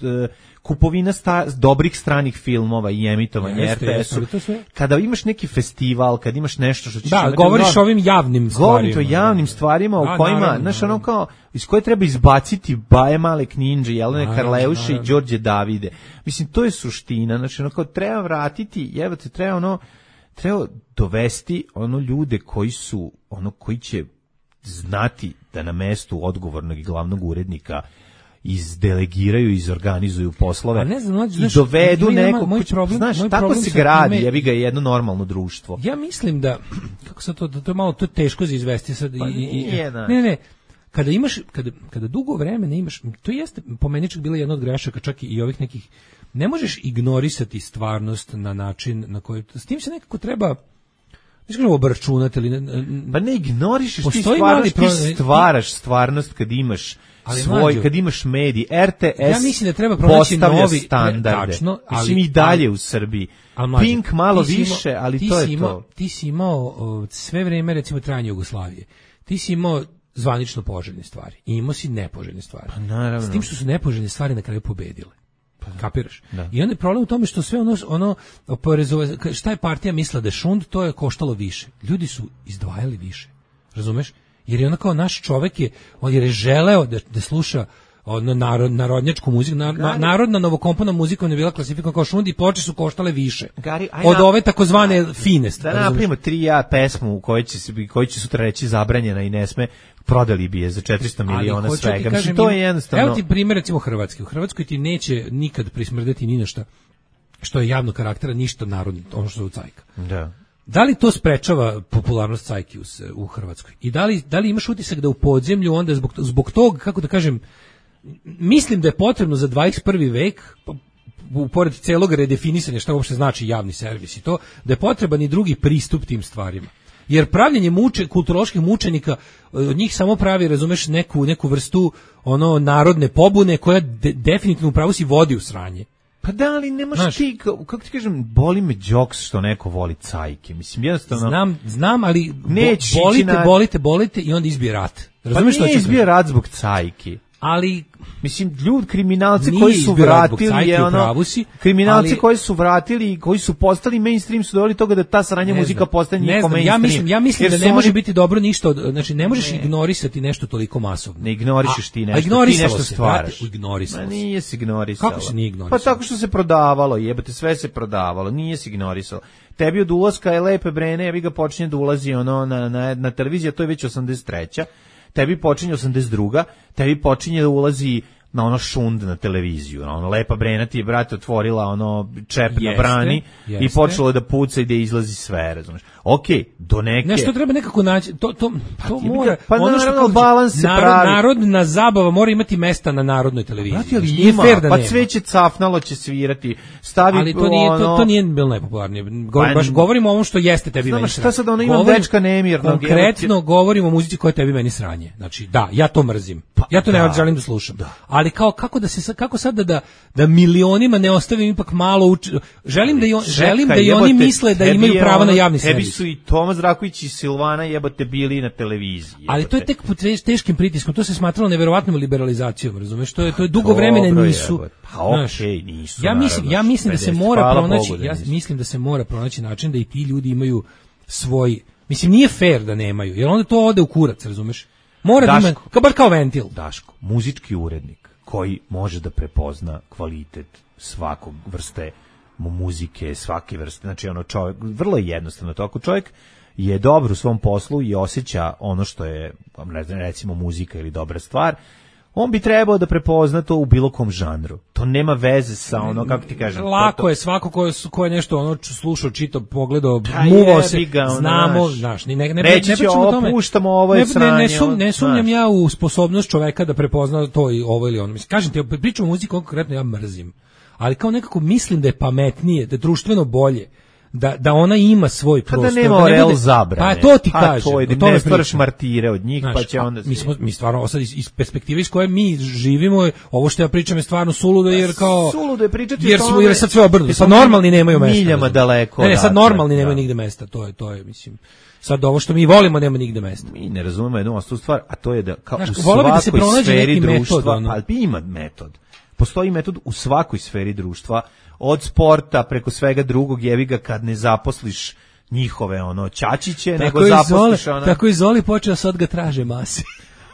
kupovina sta, dobrih stranih filmova i emitovanje R T S-u, kada imaš neki festival, kad imaš nešto što ćeš... Da, govoriš o ovim javnim stvarima. Govorim o javnim stvarima u kojima, znaš, ono kao, iz koje treba izbaciti Baje Malek Ninja, Jelene Karleuše i Đorđe Davide. Mislim, to je suština, znači, ono kao, treba vratiti, evo te, treba ono, treba dovesti ono ljude koji su, ono, koji će znati da na mestu odgovornog i glavnog urednika izdelegiraju, izorganizuju poslove ne znam, mlađe, i znaš, dovedu nekog, moj problem, znaš, moj tako problem se gradi, ime... jebi ga jedno normalno društvo. Ja mislim da, kako sad to, da to je malo, to je teško za izvesti sad. Pa i, nije, i, ne, ne, kada imaš, kada, kada dugo vremena imaš, to jeste, po meni čak bila jedna od grešaka, čak i ovih nekih, ne možeš ignorisati stvarnost na način na koji, s tim se nekako treba, ne kažemo obračunati, ali... Ne, pa ne ignorišeš ti stvarnost, pro... ti stvaraš stvarnost kad imaš ali svoj, mlađo, kad imaš medij, R T S ja mislim da treba pronaći novi standarde, tačno, ali, mislim i dalje ali, u Srbiji. Mlađo, Pink malo više, imao, ali to je imao, to. Ti si imao o, sve vreme, recimo, trajanje Jugoslavije. Ti si imao zvanično poželjne stvari i imao si nepoželjne stvari. Pa naravno. S tim što su nepoželjne stvari na kraju pobedile. Kapiraš? Da. I onda je problem u tome što sve ono, ono oporezove, šta je partija mislila da je šund, to je koštalo više. Ljudi su izdvajali više. Razumeš? Jer je ono kao naš čovek je, on je želeo da, da sluša ono narod, narodnjačku muziku, na, na, narodna novokomponovana muzika ne bila klasifikovana kao šund i ploče su koštale više. Gari, od ove takozvane fine. Da napravimo tri ja pesmu u kojoj će, se, koji će sutra reći zabranjena i ne sme, prodali bi je za četiristo miliona svega. Mislim, to je jednostavno... Evo ti primjer, recimo Hrvatske. U Hrvatskoj ti neće nikad prismrdeti ni na šta što je javnog karaktera, ništa narodno, ono što je u cajka. Da. Da li to sprečava popularnost cajki u, u Hrvatskoj? I da li, da li imaš utisak da u podzemlju onda zbog, zbog tog, kako da kažem, mislim da je potrebno za dvadeset prvi vek, pored celog redefinisanja šta uopšte znači javni servis i to, da je potreban i drugi pristup tim stvarima. Jer pravljenje muče, kulturoloških mučenika od njih samo pravi, razumeš, neku, neku vrstu ono narodne pobune koja de, definitivno upravo si vodi u sranje. Pa da, ali nemaš Znaš, ti, kako ti kažem, boli me džoks što neko voli cajke. Mislim, jednostavno... Znam, znam, ali bo, bolite, na... bolite, bolite i onda izbije rat. Razumiješ pa nije izbije rat zbog cajki. Ali... Mislim, ljud, kriminalci koji su vratili, je ono, si, kriminalci ali, koji su vratili i koji su postali mainstream su doveli toga da ta sranja muzika postane njihov mainstream. Ja mislim, ja mislim da ne može biti dobro ništa, od, znači ne možeš ne. ignorisati nešto toliko masovno. Ne ignorišeš ti nešto, ti nešto stvaraš. Ignorisalo se. Nije se ignorisalo. Kako se nije ignorisalo? Pa tako što se prodavalo, jebate, sve se prodavalo, nije se ignorisalo. Tebi od ulaska je Lepe Brene, ja vi ga počinje da ulazi ono na, na, na televiziju, to je već osamdeset treća Tebi počinje osamdeset druga tebi počinje da ulazi na ono šund na televiziju, na ono Lepa Brena ti je, brate, otvorila ono čep jeste, na brani jeste. I počelo da puca i da izlazi sve, razumeš. Okej, okay, do neke... Nešto treba nekako naći, to, to, pa to mora... Pa ono naravno, balans se narod, pravi. Narodna zabava mora imati mesta na narodnoj televiziji. Brate, ali ima, da pa cveće cafnalo će svirati, stavi... Ali to nije, ono... to, to nije bilo najpopularnije. Govor, pa, baš govorimo o ovom što jeste tebi meni sranje. Šta sad ono imam dečka nemirnog? Konkretno govorimo o muzici koja tebi meni sranje. Znači, da, ja to mrzim. Ja to ne želim da slušam. Ali kao, kako da se kako sad da, da da milionima ne ostavim ipak malo uč... želim da i on, Čekaj, želim da i jebote, oni misle da imaju pravo ono, na javni tebi servis. Su i Tomas Raković i Silvana jebote bili na televiziji. Jebote. Ali to je tek pod teškim pritiskom, to se smatralo neverovatnom liberalizacijom, razumeš? To je to je dugo vremena nisu. Pa okej, nisu. Ja mislim, ja mislim da se mora pronaći, ja mislim da se mora pronaći način da i ti ljudi imaju svoj, mislim nije fair da nemaju, jer onda to ode u kurac, razumeš? Mora da ima, kao bar kao ventil. Daško, muzički urednik koji može da prepozna kvalitet svakog vrste muzike, svake vrste, znači ono čovjek, vrlo je jednostavno to, ako čovjek je dobar u svom poslu i osjeća ono što je, ne znam, recimo muzika ili dobra stvar, on bi trebao da prepozna to u bilo kom žanru. To nema veze sa ono, kako ti kažem. Lako to, je, svako ko je, ko je nešto ono slušao, čitao, pogledao, muvao se, ga, ono, znamo, znaš, ne, ne, ne, reći ne će ovo, tome. Puštamo, ovo je ne, sranje. Ne, ne, sum, ne sumnjam ja u sposobnost čoveka da prepozna to i ovo ili ono. Mislim, kažem ti, pričam o muziku, konkretno ja mrzim. Ali kao nekako mislim da je pametnije, da je društveno bolje, da da ona ima svoj prostor. Da nema orel zabrane. Pa to ti kažem. To je, ne stvaraš martire od njih, znaš, pa će onda... Mi, smo, mi stvarno, sad iz, iz perspektive iz koje mi živimo, ovo što ja pričam je stvarno suludo, jer kao... Suludo je pričati jer smo, jer je sad sve obrnuto. Sad normalni nemaju mesta. Miljama daleko. Ne, ne, sad normalni da, nemaju nigde mesta. To je, to je, mislim... Sad ovo što mi volimo nema nigde mesta. Mi ne razumemo jednu ostu stvar, a to je da kao znaš, u svakoj da se sferi društva... Metod, ono. Ali ima metod. Postoji metod u svakoj sferi društva, od sporta preko svega drugog, jebi ga kad ne zaposliš njihove ono ćačiće, tako nego zaposliš Zoli, ono... Tako i Zoli počeo sad ga traže masi.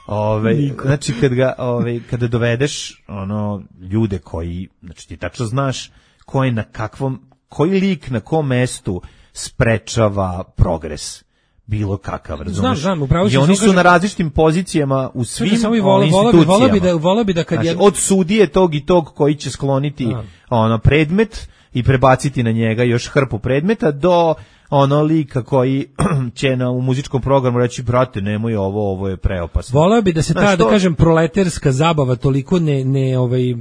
Ove, znači kad ga, ove, kada dovedeš ono ljude koji, znači ti tačno znaš koji na kakvom, koji lik na kom mestu sprečava progres. Bilo kakav, razumiješ? Znam, znam, upravo i oni su kažem, na različitim pozicijama u svim samo vole, institucijama. Volio bi da, volio bi da kad znači, je... od sudije tog i tog koji će skloniti a. ono predmet i prebaciti na njega još hrpu predmeta do ono lika koji će na, u muzičkom programu reći, brate, nemoj ovo, ovo je preopasno. Volio bi da se ta, znači, da kažem, proleterska zabava toliko ne, ne, ovaj...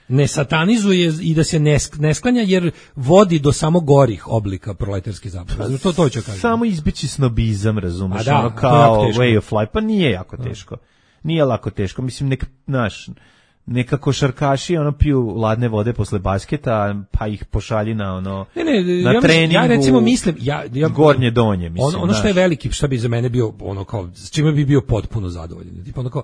ne satanizuje i da se ne, ne sklanja jer vodi do samo gorih oblika proletarske zabave. To to ću kažem. Samo izbeći snobizam, razumeš, da, ono kao way of life, pa nije jako teško. Nije lako teško, mislim nek naš neka košarkaši ono piju ladne vode posle basketa, pa ih pošalji na ono ne, ne, na ja treningu. Ja recimo mislim, ja, ja gornje donje, mislim. Ono, ono što je veliki, što bi za mene bio ono kao s čime bi bio potpuno zadovoljan. Tipa ono kao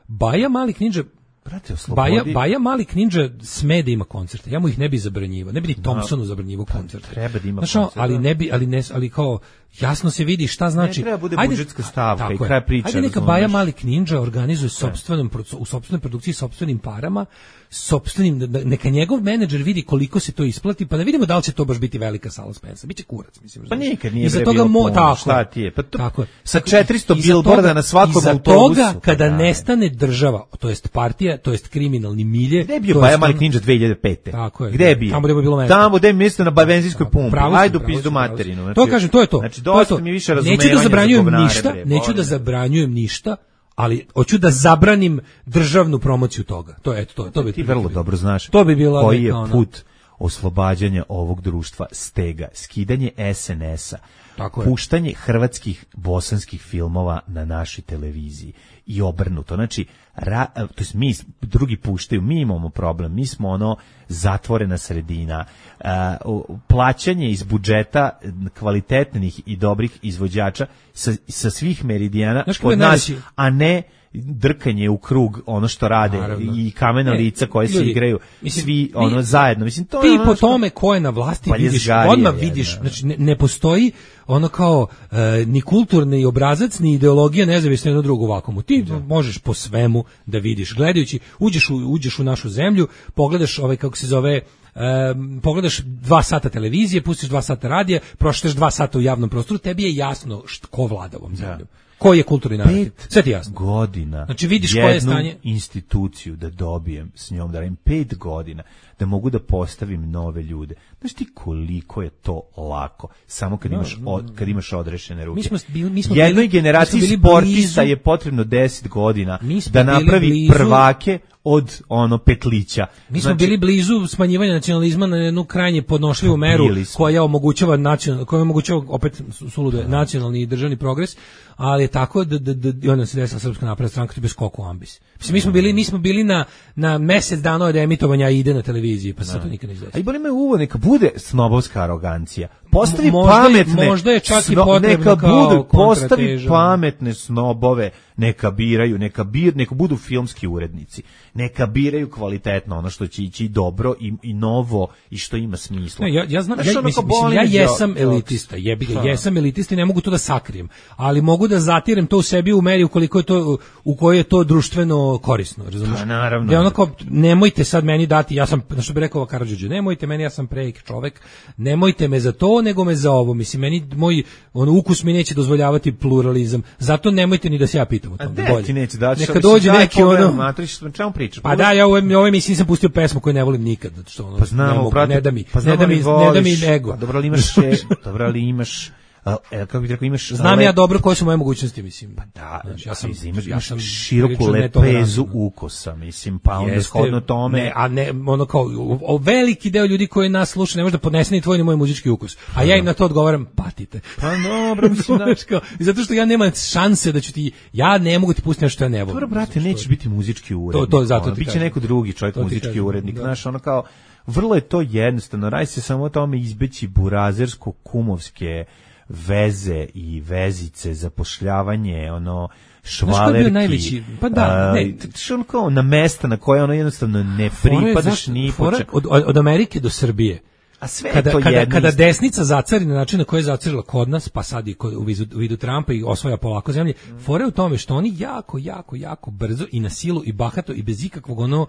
Baja Mali Ninja. Brate, Baja, Baja Mali Ninja sme da ima koncerte. Ja mu ih ne bi zabranjivao. Ne bi ni Thompsonu zabranjivao koncerte. Treba da ima znaš, koncerte. ali ne bi, ali ne, ali kao jasno se vidi šta znači. Ne treba bude Ajde, budžetska stavka tako i je. kraj priče. Ajde neka razumeš? Baja Malik Ninja organizuje sopstvenom proc- u sopstvenoj produkciji sopstvenim parama, sopstvenim da- da- neka njegov menadžer vidi koliko se to isplati, pa da vidimo da li će to baš biti velika sala Spensa. Biće kurac, mislim. Pa razumeš? nikad nije Iza bre toga bilo mo- puno, tako šta je. ti je? Pa to- Tako je. sa četiristo Iza billboarda toga- na svakom iza autobusu, toga pa kada da. nestane država, to jest partija, to jest kriminalni milje. Gde je bio to Baja jest Malik ono- Ninja dve hiljade pete? Tako je. Gde je bio? Tamo gde je bilo mesto. Tamo gde je mjesto na benzinskoj pumpi. Pravo si, Ajde u pravo si, pizdu pravo si. materinu. Znači, To kažem, to je to. Znači, To je dosta to. mi više Neću razumevanja da zabranjujem za govnare, ništa, bre, neću boli da me. zabranjujem ništa, ali hoću da zabranim državnu promociju toga. To je eto to, to bi Ti vrlo dobro znaš To bi bila koji je neka ono- put oslobađanja ovog društva stega, skidanje es en es a, Tako je. puštanje hrvatskih bosanskih filmova na našoj televiziji i obrnuto. Znači, ra, to jest mi drugi puštaju, mi imamo problem, mi smo ono zatvorena sredina, a, o, plaćanje iz budžeta kvalitetnih i dobrih izvođača sa, sa svih meridijana Znaš kako je kod nas, najveći- a ne drkanje u krug ono što rade Naravno. i kamena Ne, lica koje se ljudi, igraju mislim, svi ti- ono zajedno. Mislim, to Ti je ono po što- tome ko je na vlasti Pa je vidiš, zgarija odmah jedna, vidiš, da. znači ne, ne postoji ono kao e, ni kulturni obrazac, ni ideologija nezavisno jedno drugo u vakumu. Ti možeš po svemu da vidiš. Gledajući, uđeš u, uđeš u našu zemlju, pogledaš ovaj, kako se zove, Um, pogledaš dva sata televizije, pustiš dva sata radija, prošleš dva sata u javnom prostoru, tebi je jasno št, ko vlada ovom zemljom. Koji je kulturni narativ. Pet Sve ti je jasno. godina. Znači, vidiš koje je jednu stanje. instituciju da dobijem s njom, da radim pet godina, da mogu da postavim nove ljude. Znaš ti koliko je to lako, samo kad imaš, od, kad imaš odrešene ruke. Mi smo bili- mi smo Jednoj bili- generaciji mi smo bili sportista blizu- je potrebno deset godina Mi smo da bili napravi blizu- prvake od ono petlića. Mi smo Znači, bili blizu smanjivanja nacionalizma na jednu krajnje podnošljivu meru Bili smo. koja omogućava nacional, koja omogućava opet suludo nacionalni i državni progres, ali je tako da da da i onda se desila Srpska napredna stranka to bez skoku u ambis. Mislim mi smo bili mi smo bili na na mesec dana od emitovanja ide na televiziji, pa se to nikad ne A i desilo. boli me uvo, neka bude snobovska arogancija. Postavi M- možda je- pametne. možda je čak i sno- potrebno neka kao budu, postavi kontrateža. pametne snobove, neka biraju, neka bir, neka budu filmski urednici. Neka biraju kvalitetno ono što će ići dobro i, i novo i što ima smisla. Ne, ja ja znam Znaš, ja, ono mislim, kao mislim, boli ja me jesam đo- elitista, jebi ga, Ha. jesam elitista i ne mogu to da sakrijem, ali mogu da zatirem to u sebi u meri u koliko je to u kojoj je to društveno korisno, razumiješ? Pa, naravno. Da je ono kao, nemojte sad meni dati, ja sam, što bi rekao Karadžić, nemojte meni, ja sam prejak čovek, nemojte me za to, nego me za ovo, mislim, meni, moj ono, ukus mi neće dozvoljavati pluralizam, zato nemojte ni da se ja pitam o A tom. de, ti neće dati. Neka dođe neki ono, Matriš, o čemu pričaš? pa da, ja u ovoj ovoj emisiji nisam pustio pesmu koju ne volim nikad, zato što ono, Pa znamo, ne, mogu, brate, ne da mi, pa ne znamo da mi, li ne da mi voliš, ego. pa dobro, ali imaš, še, dobro, ali imaš, a, e, kako bih rekao, imaš... Znam le- ja dobro koje su moje mogućnosti, mislim. Pa Da, znači, ja sam, imaš, ja imaš sam široku prilično lepezu netolerantan. ukusa, mislim, pa onda Jeste, shodno tome... Ne, a ne, ono kao, o, o, veliki deo ljudi koji nas sluša ne može da podnese ni tvoj ni moj muzički ukus. A ja im na to odgovaram, patite. Pa dobro, mislim, da... Znaš kao, i zato što ja nemam šanse da ću ti, ja ne mogu ti pustiti nešto što ja ne volim. Dobro, brate, Zato što- nećeš biti muzički urednik. To- to zato ono, ti biće kažem. neko drugi čovjek To ti muzički kažem, urednik. da. Znaš, ono kao, vrlo je to jednostavno. Radi se samo o tome izbeći burazersko-kumovske veze i vezice, zapošljavanje, ono, ko je bio švalerki. najveći? Pa da, a, ne. što ono kao na mesta na koje ono jednostavno ne Fora je pripadaš zašto- ni fora po čemu. od, od Amerike do Srbije. A sve je Kada, to kada, jedno kada isto. desnica zacari na način na koji je zacarila kod nas, pa sad i kod, u, vidu, u vidu Trumpa i osvaja polako zemlje, fora je u tome što oni jako, jako, jako brzo i na silu i bahato i bez ikakvog ono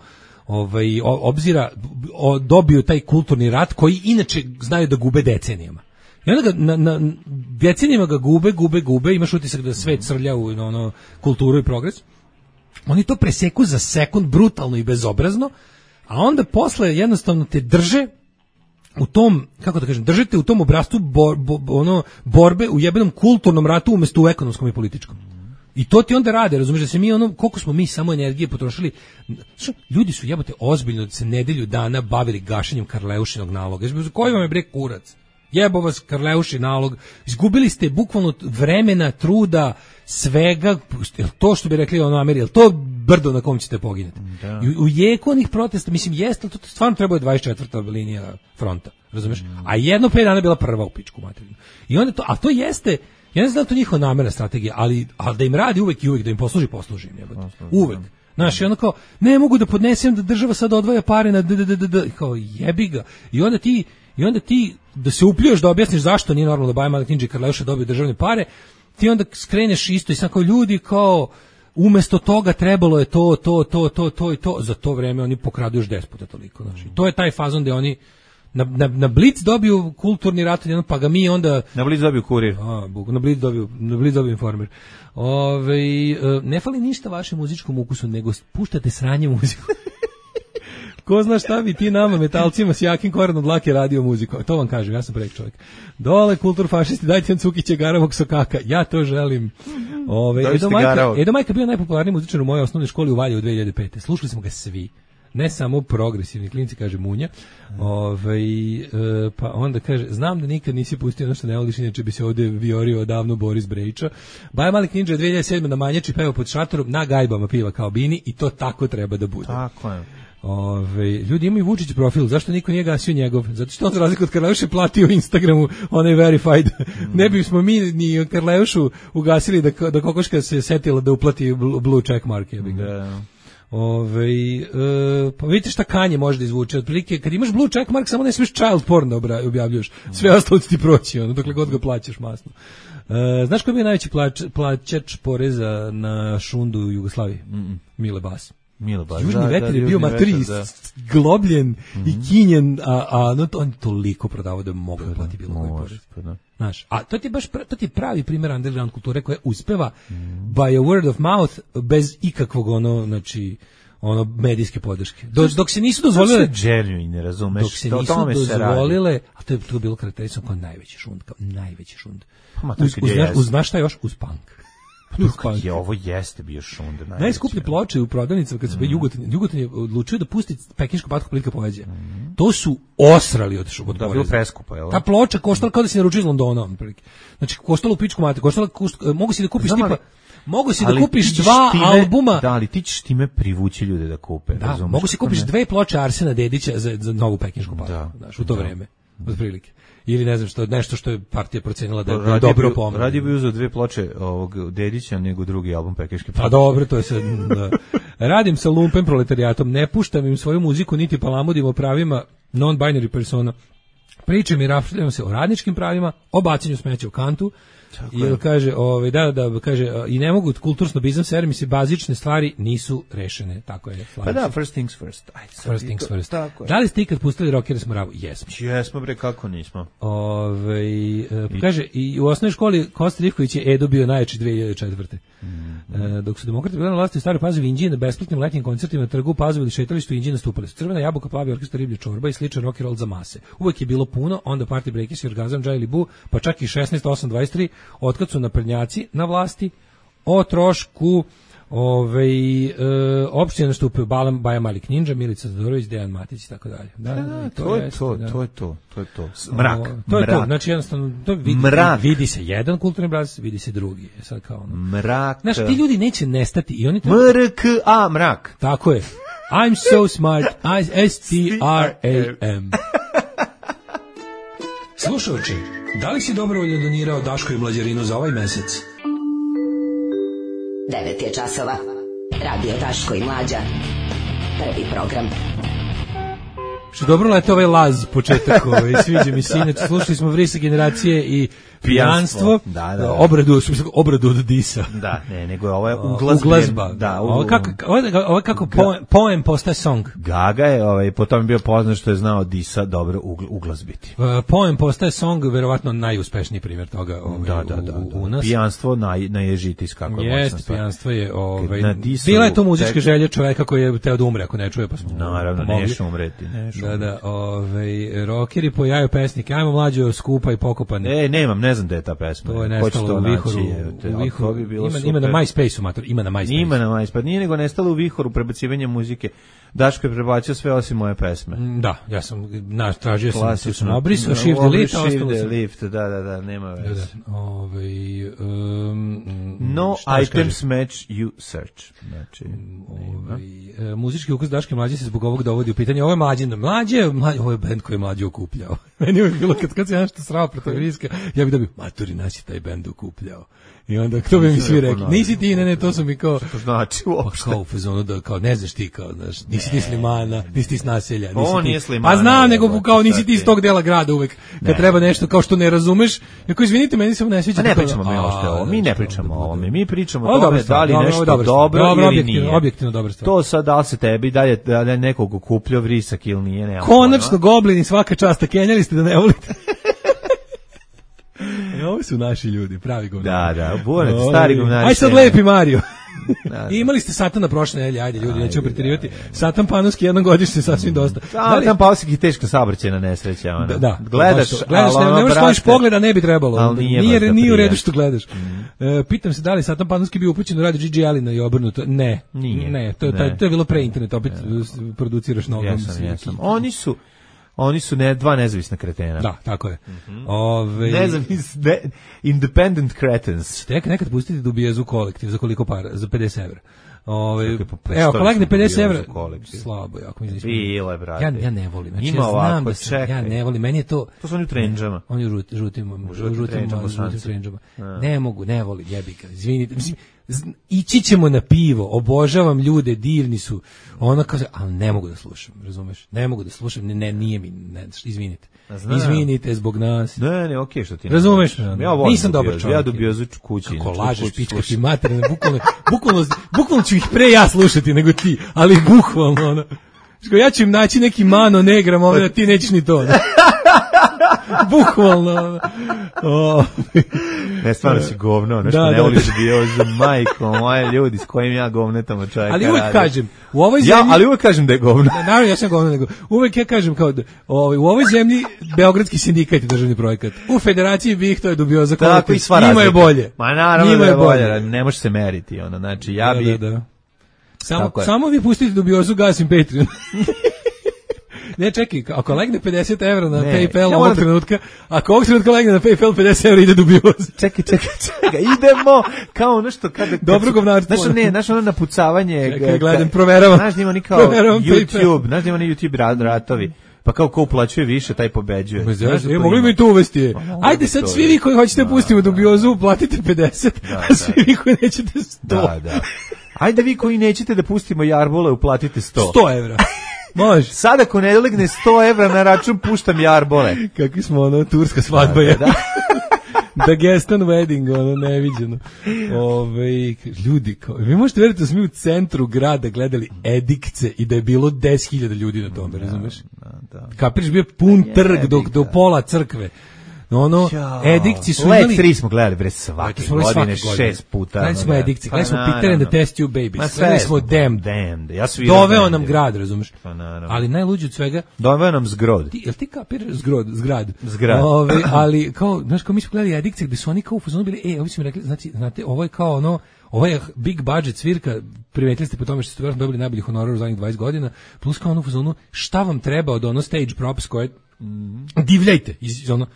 ovaj, o- obzira o, dobiju taj kulturni rat koji inače znaju da gube decenijama. I onda ga, na, na, decenijama ga gube, gube, gube, imaš utisak da svet srlja u ono, kulturu i progres. Oni to preseku za sekund brutalno i bezobrazno, a onda posle jednostavno te drže u tom, kako da kažem, držite u tom obrascu bor, bo, ono, borbe u jebenom kulturnom ratu umjesto u ekonomskom i političkom. I to ti onda rade, razumiješ da se mi ono, koliko smo mi samo energije potrošili, što, ljudi su jebote ozbiljno se nedelju dana bavili gašenjem Karleušinog naloga. Koji vam je bre kurac? Jebo vas Karleuši nalog. Izgubili ste bukvalno vremena, truda, svega, jel to što bi rekli ono Ameri, jel to brdo na kom ćete poginuti? I u, u jeku onih protesta, mislim, jeste, to stvarno treba je dvadeset četvrta linija fronta, razumeš? A jedno pet dana je bila prva u pičku materinu. I onda to, a to jeste, ja ne znam da to njihova namerna strategija, ali, ali da im radi uvek i uvek, da im posluži, posluži im, jebote. Uvek. Znaš, i onda kao, ne mogu da podnesem da država sad odvaja pare na d, d, d, d, d, kao jebi ga. I onda ti, i onda ti da se upljuješ da objasniš zašto nije normalno da Baja Malik Ninja i Karleuša dobiju državne pare, ti onda skreneš isto i sad kao ljudi kao umesto toga trebalo je to, to, to, to, to i to, za to vreme oni pokradu još deset puta toliko. Znači, to je taj fazon gde oni na, na, na Blic dobiju kulturni rat, pa ga mi onda... Na Blic dobiju Kurir. A, na Blic dobiju, na Blic dobiju Informer. Ove, ne fali ništa vašem muzičkom ukusu, nego puštate sranje muziku. Ko zna šta bi ti nama, metalcima s jakim korenom dlake radio muziku. To vam kažem, ja sam prek čovjek. Dole, kulturfašisti, dajte nam Cukića Garavog Sokaka. Ja to želim. Ove, Edo, Majka, Edo Majka bio najpopularniji muzičar u mojoj osnovnoj školi u Valjevu u dve hiljade pete. Slušali smo ga svi. Ne samo progresivni klinci, kaže Munja. Ove, e, pa onda kaže, znam da nikad nisi pustio ono što ne voliš, inače bi se ovdje viorio odavno Boris Brejča. Baja Malik Ninja dve hiljade sedme na Manjači peva pod šatorom, na gajbama piva kao Bini i to tako treba da bude. Tako je. Ove, ljudi imaju Vučić profil, zašto niko nije gasio njegov? Zato što on za razliku od Karleuše platio u Instagramu, on je verified. Mm. Ne bismo mi ni Karleušu ugasili da, da kokoška se setila da uplati blue check mark. Je da. Ove, e, pa vidite šta Kanje može da izvuče. Otprilike, kad imaš blue check mark, samo ne smiješ child porn da objavljuš. Sve ostalo ti proći, ono, dokle god ga plaćaš masno. E, znaš koji je najveći plač, plaćač poreza na šundu u Jugoslaviji? Mm-mm. Mile Bas. Milo Bas. Južni da, vetar da, je bio matri globljen mm-hmm. i kinjen, a, a no, to, on toliko prodavao da mogu da plati bilo koji porez. Znaš, a to ti baš to ti pravi primjer underground kulture koja uspeva mm. by a word of mouth bez ikakvog ono, znači ono medijske podrške. Do, dok se nisu dozvolile dželju i ne razumeš. Dok se nisu dozvolile, a to je to bilo karakteristično kao najveći šund, kao najveći šund. Ma, uz, uz, uz, uz znaš šta još? Uz punk. Kako je ovo jeste bio šund. Najskuplje ploče u prodavnicama kad se mm. Jugotan, Jugotan je odlučio da pusti pekinšku patku plitka poezije. Mm. To su osrali od šuba. Da, bilo preskupo, je li? Ta ploča koštala kao da si naručio iz Londona, otprilike. Znači koštala u pičku mate, koštala košt, mogu si da kupiš Znam, tipa Mogu si da kupiš dva time, albuma. Da, ali ti ćeš time privući ljude da kupe. Da, razumeš, mogu si kupiš ne? dve ploče Arsena Dedića za, za novu pekinšku patku, da, znaš, u to da. vreme, otprilike. Ili ne znam što, nešto što je partija procenila da je radi dobro pomoć. Radi bi uzeo dve ploče ovog Dedića nego drugi album Pekinške patke. Pa dobro, to je sad, da. Radim sa lumpem proletarijatom, ne puštam im svoju muziku, niti palamudim o pravima non-binary persona. Pričam i rafljam se o radničkim pravima, o bacanju smeća u kantu. Ili kaže, ovaj da da kaže i ne mogu kulturno-bizam servis se bazične stvari nisu rešene, tako je. Pa da, first things first. Aj, first things to, first. Da li ste ikad pustili Rockere Smravu? Jesmo. Jesmo bre, kako nismo. Ovaj e, kaže i u osnovnoj školi Kosta Rivković je Edo bio najjači dve hiljade četvrte. Mm-hmm. E, dok su demokrati bili na vlasti u Staroj Pazovi, Inđiji na besplatnim letnjim koncertima na trgu Pazovi ili šetalištu Inđiji nastupali su Crvena jabuka, Plavi orkestar, Riblja čorba i sličan rock and roll za mase. Uvek je bilo puno, onda Party Breakers i Orgazam, Džajli Bu, pa čak i šesnaest osam dvadeset tri, otkad su naprednjaci na vlasti, o trošku ovaj e, opštine nastupaju Balam, Baja Malik Ninja, Milica Zadorović, Dejan Matić i tako dalje. Da, da, da, to, to je to, da. to je to, to je to. Mrak, o, to je mrak. to. Znači jednostavno to vidi, vidi se jedan kulturni obraz, vidi se drugi. Je sad kao ono. Mrak. Znaš, ti ljudi neće nestati i oni to M R K A mrak. Tako je. I'm so smart. I S T R A M. Slušajući, da li si dobrovoljno donirao Daško i Mlađarinu za ovaj mesec? devet je časova. Radio Daško i Mlađa. Prvi program. Što dobro lete ovaj laz početak, ovaj, sviđa mi se. Inače, slušali smo Vrisa generacije i pijanstvo, da, da, da. obradu, obradu od disa. Da, ne, nego ovo je uglazba. Uglazba. Da, ovo kako, ovo je kako poem, poem postaje song. Gaga je, ovaj, potom je bio poznat što je znao disa dobro uglazbiti. Uh, poem postaje song, verovatno najuspešniji primjer toga ovaj, da, da, da, u, da. u nas. Pijanstvo naj, najježitis kako je Jest, moćno pijanstvo je, ovaj, bila je to muzička tek... želja čoveka koji je teo da umre ako ne čuje, pa smo naravno, neš umreti. Neš da, da, ovaj, rockeri pojaju pesnike, ajmo Mlađo, skupa i pokopan. E, nemam, ne znam da je ta pesma. To je nestalo u vihoru. U vihoru bi bilo ima, ima na MySpace-u, mater, ima na MySpace. Ima na MySpace, nije nego nestalo u vihoru prebacivanje muzike. Daško je prebacio sve osim moje pesme. Da, ja sam naš tražio sam, tu sam obrisao, shift delete, ostalo se. Delete, da, da, da, nema veze. Da, ovaj um, no items match you search. Znači, ovaj, muzički ukus Daške Mlađe se zbog ovog dovodi u pitanje. Ovo je Mlađin, Mlađe, mlađe, ovo je bend koji je mlađe okupljao. Meni je bilo, kad, kad se ja nešto srao protiv Riska, ja bih dobio, maturi, nas je taj bend okupljao. I onda, to bi mi svi rekli, nisi ti, ne, ne, to su mi kao... Što znači uopšte? Pa kao u fazonu da, kao, ne znaš ti, kao, znaš, nisi ti Slimana, nisi ti s naselja. Nisi On ti, nije Slimana. Pa znam, nego kao nisi ti iz tog dela grada uvek, kad ne. treba nešto kao što ne razumeš. Jako, izvinite, meni se ovo ne sviđa. A ne pričamo mi uopšte ovo, mi ne pričamo o ovome, mi pričamo o Ovo tome dobra stvar, da li dobro, nešto dobro, dobro dobro, ili objektivno, nije. objektivno dobra stvar. To sad da li se tebi da je, da je nekog okupljao vrisak ili nije, nema Konačno pojma. goblini svaka časta, kenjali ste da ne volite. E, ovo su naši ljudi, pravi govnari. Da, da, bunet, stari govnari. Aj sad nema. lepi Mario. Da, da. I imali ste Satana prošle nedelje, ajde ljudi, nećemo preterivati. Satan Panonski jednom godišnje sasvim dosta. Da, li... tam Pausik i teška saobraćajna nesreća. Ona. Da, da, gledaš, gledaš, ne, ne možeš kloniš pogleda, ne bi trebalo. Ali nije, nije, nije, nije u redu što gledaš. Mm. E, pitam se da li Satan Panonski bio upućen u radio Gigi Allena i obrnuto. Ne, nije. Ne, to, ne. Taj, to je bilo pre internet, opet ne. Produciraš novom. Jesam, jesam. Oni su Oni su ne, dva nezavisna kretena. Da, tako je. Mm-hmm. Ove... Nezavis, ne, independent cretens. Tek nekad pustiti Dubiezu kolektiv, za koliko para? Za pedeset evra. Ove, evo, kolegne pedeset evra. Slabo, jako mi je. Bilo je, brate. Ja, ja ne volim. Znači, Ima ja znam ovako, da sam, čekaj. ja ne volim. Meni je to... To su oni u trendžama. Oni u žutim, žutim, žutim, žutim trendžama. Ne mogu, ne volim, jebi ga. Izvinite. Mislim, ići ćemo na pivo, obožavam ljude, divni su. Ona kaže, ali ne mogu da slušam, razumeš? Ne mogu da slušam, ne, ne nije mi, ne, izvinite. Znam. Izvinite zbog nas. Ne, ne, okej, okay, što ti ne. Razumeš? Ja volim. Nisam dobar čovjek. Ja Dubiozu kući. Kako lažeš, pička ti materina, bukvalno, bukvalno, bukvalno ću ih pre ja slušati nego ti, ali bukvalno, ono. Ja ću im naći neki mano negram, ovdje, ti nećeš ni to. Ne? Bukvalno. Oh. Ne, stvarno si govno, ono što da, ne da, voliš da. bio za majko, moje ljudi s kojim ja govnetamo čovjeka. Ali uvek radi. kažem, u ovoj zemlji... Ja, ali uvek kažem da je govno. Naravno, ja sam govno, nego uvek ja kažem kao da ovaj, u ovoj zemlji Beogradski sindikat je državni projekat. U Federaciji BiH to je Dubioza kolektiv. Tako i sva Njima je bolje. Ma naravno Njima da je bolje. bolje, ne može se meriti, ono, znači ja bi... Da, da, da. Samo, samo vi pustite Dubiozu, gasim Patreon. Ne, čekaj, ako legne pedeset evra na ne, PayPal ja ovog da... trenutka, ako ovog trenutka legne na PayPal pedeset evra ide Dubioza. Čekaj, čekaj, čekaj, idemo kao nešto kada... Dobro govnarstvo. Znaš, ne, znaš ono napucavanje... Čekaj, gledam, proveravam. Znaš da ima oni kao YouTube, znaš da ima oni YouTube rad, ratovi. Pa kao ko uplaćuje više, taj pobeđuje. Ma znaš, e, mogli bi to uvesti. Ajde sad svi vi koji hoćete pustiti Dubiozu, platite pedeset, da, a svi vi koji nećete sto. Da, da. Ajde vi koji nećete da pustimo Jarbole, uplatite sto. sto evra. Može. Sada ako ne legne sto evra na račun, puštam Jarbole. Kakvi smo, ono, turska svadba je. Da, da. Da Gestan wedding, ono, neviđeno. Ove, ljudi, kao, vi možete veriti da smo mi u centru grada gledali Edikce i da je bilo deset hiljada ljudi na tome, da, razumeš? Da, da. Kapiriš, bio pun trg do, do pola crkve. Ono, Edikci su imali... Let tri smo gledali, bre, svake godine, šest puta. Gledali smo Edikci, gledali smo Peter and the Test Tube Babies, gledali smo Damned. Damned. Ja doveo nam grad, razumeš? Ali najluđe od svega... Doveo nam zgrod. Ti, jel ti kapir zgrod, zgrad? Zgrad. Ove, ali, kao, znaš, kao mi smo gledali Edikci, gde su oni kao u fazonu bili, e, ovi su mi rekli, znači, znate, ovo je kao ono, ovo je big budget svirka, primetili ste po tome što ste vjerojatno dobili najbolji honorar u zadnjih dvadeset godina, plus kao ono u fazonu, šta vam treba od ono stage props koje Mm. divljajte iz ono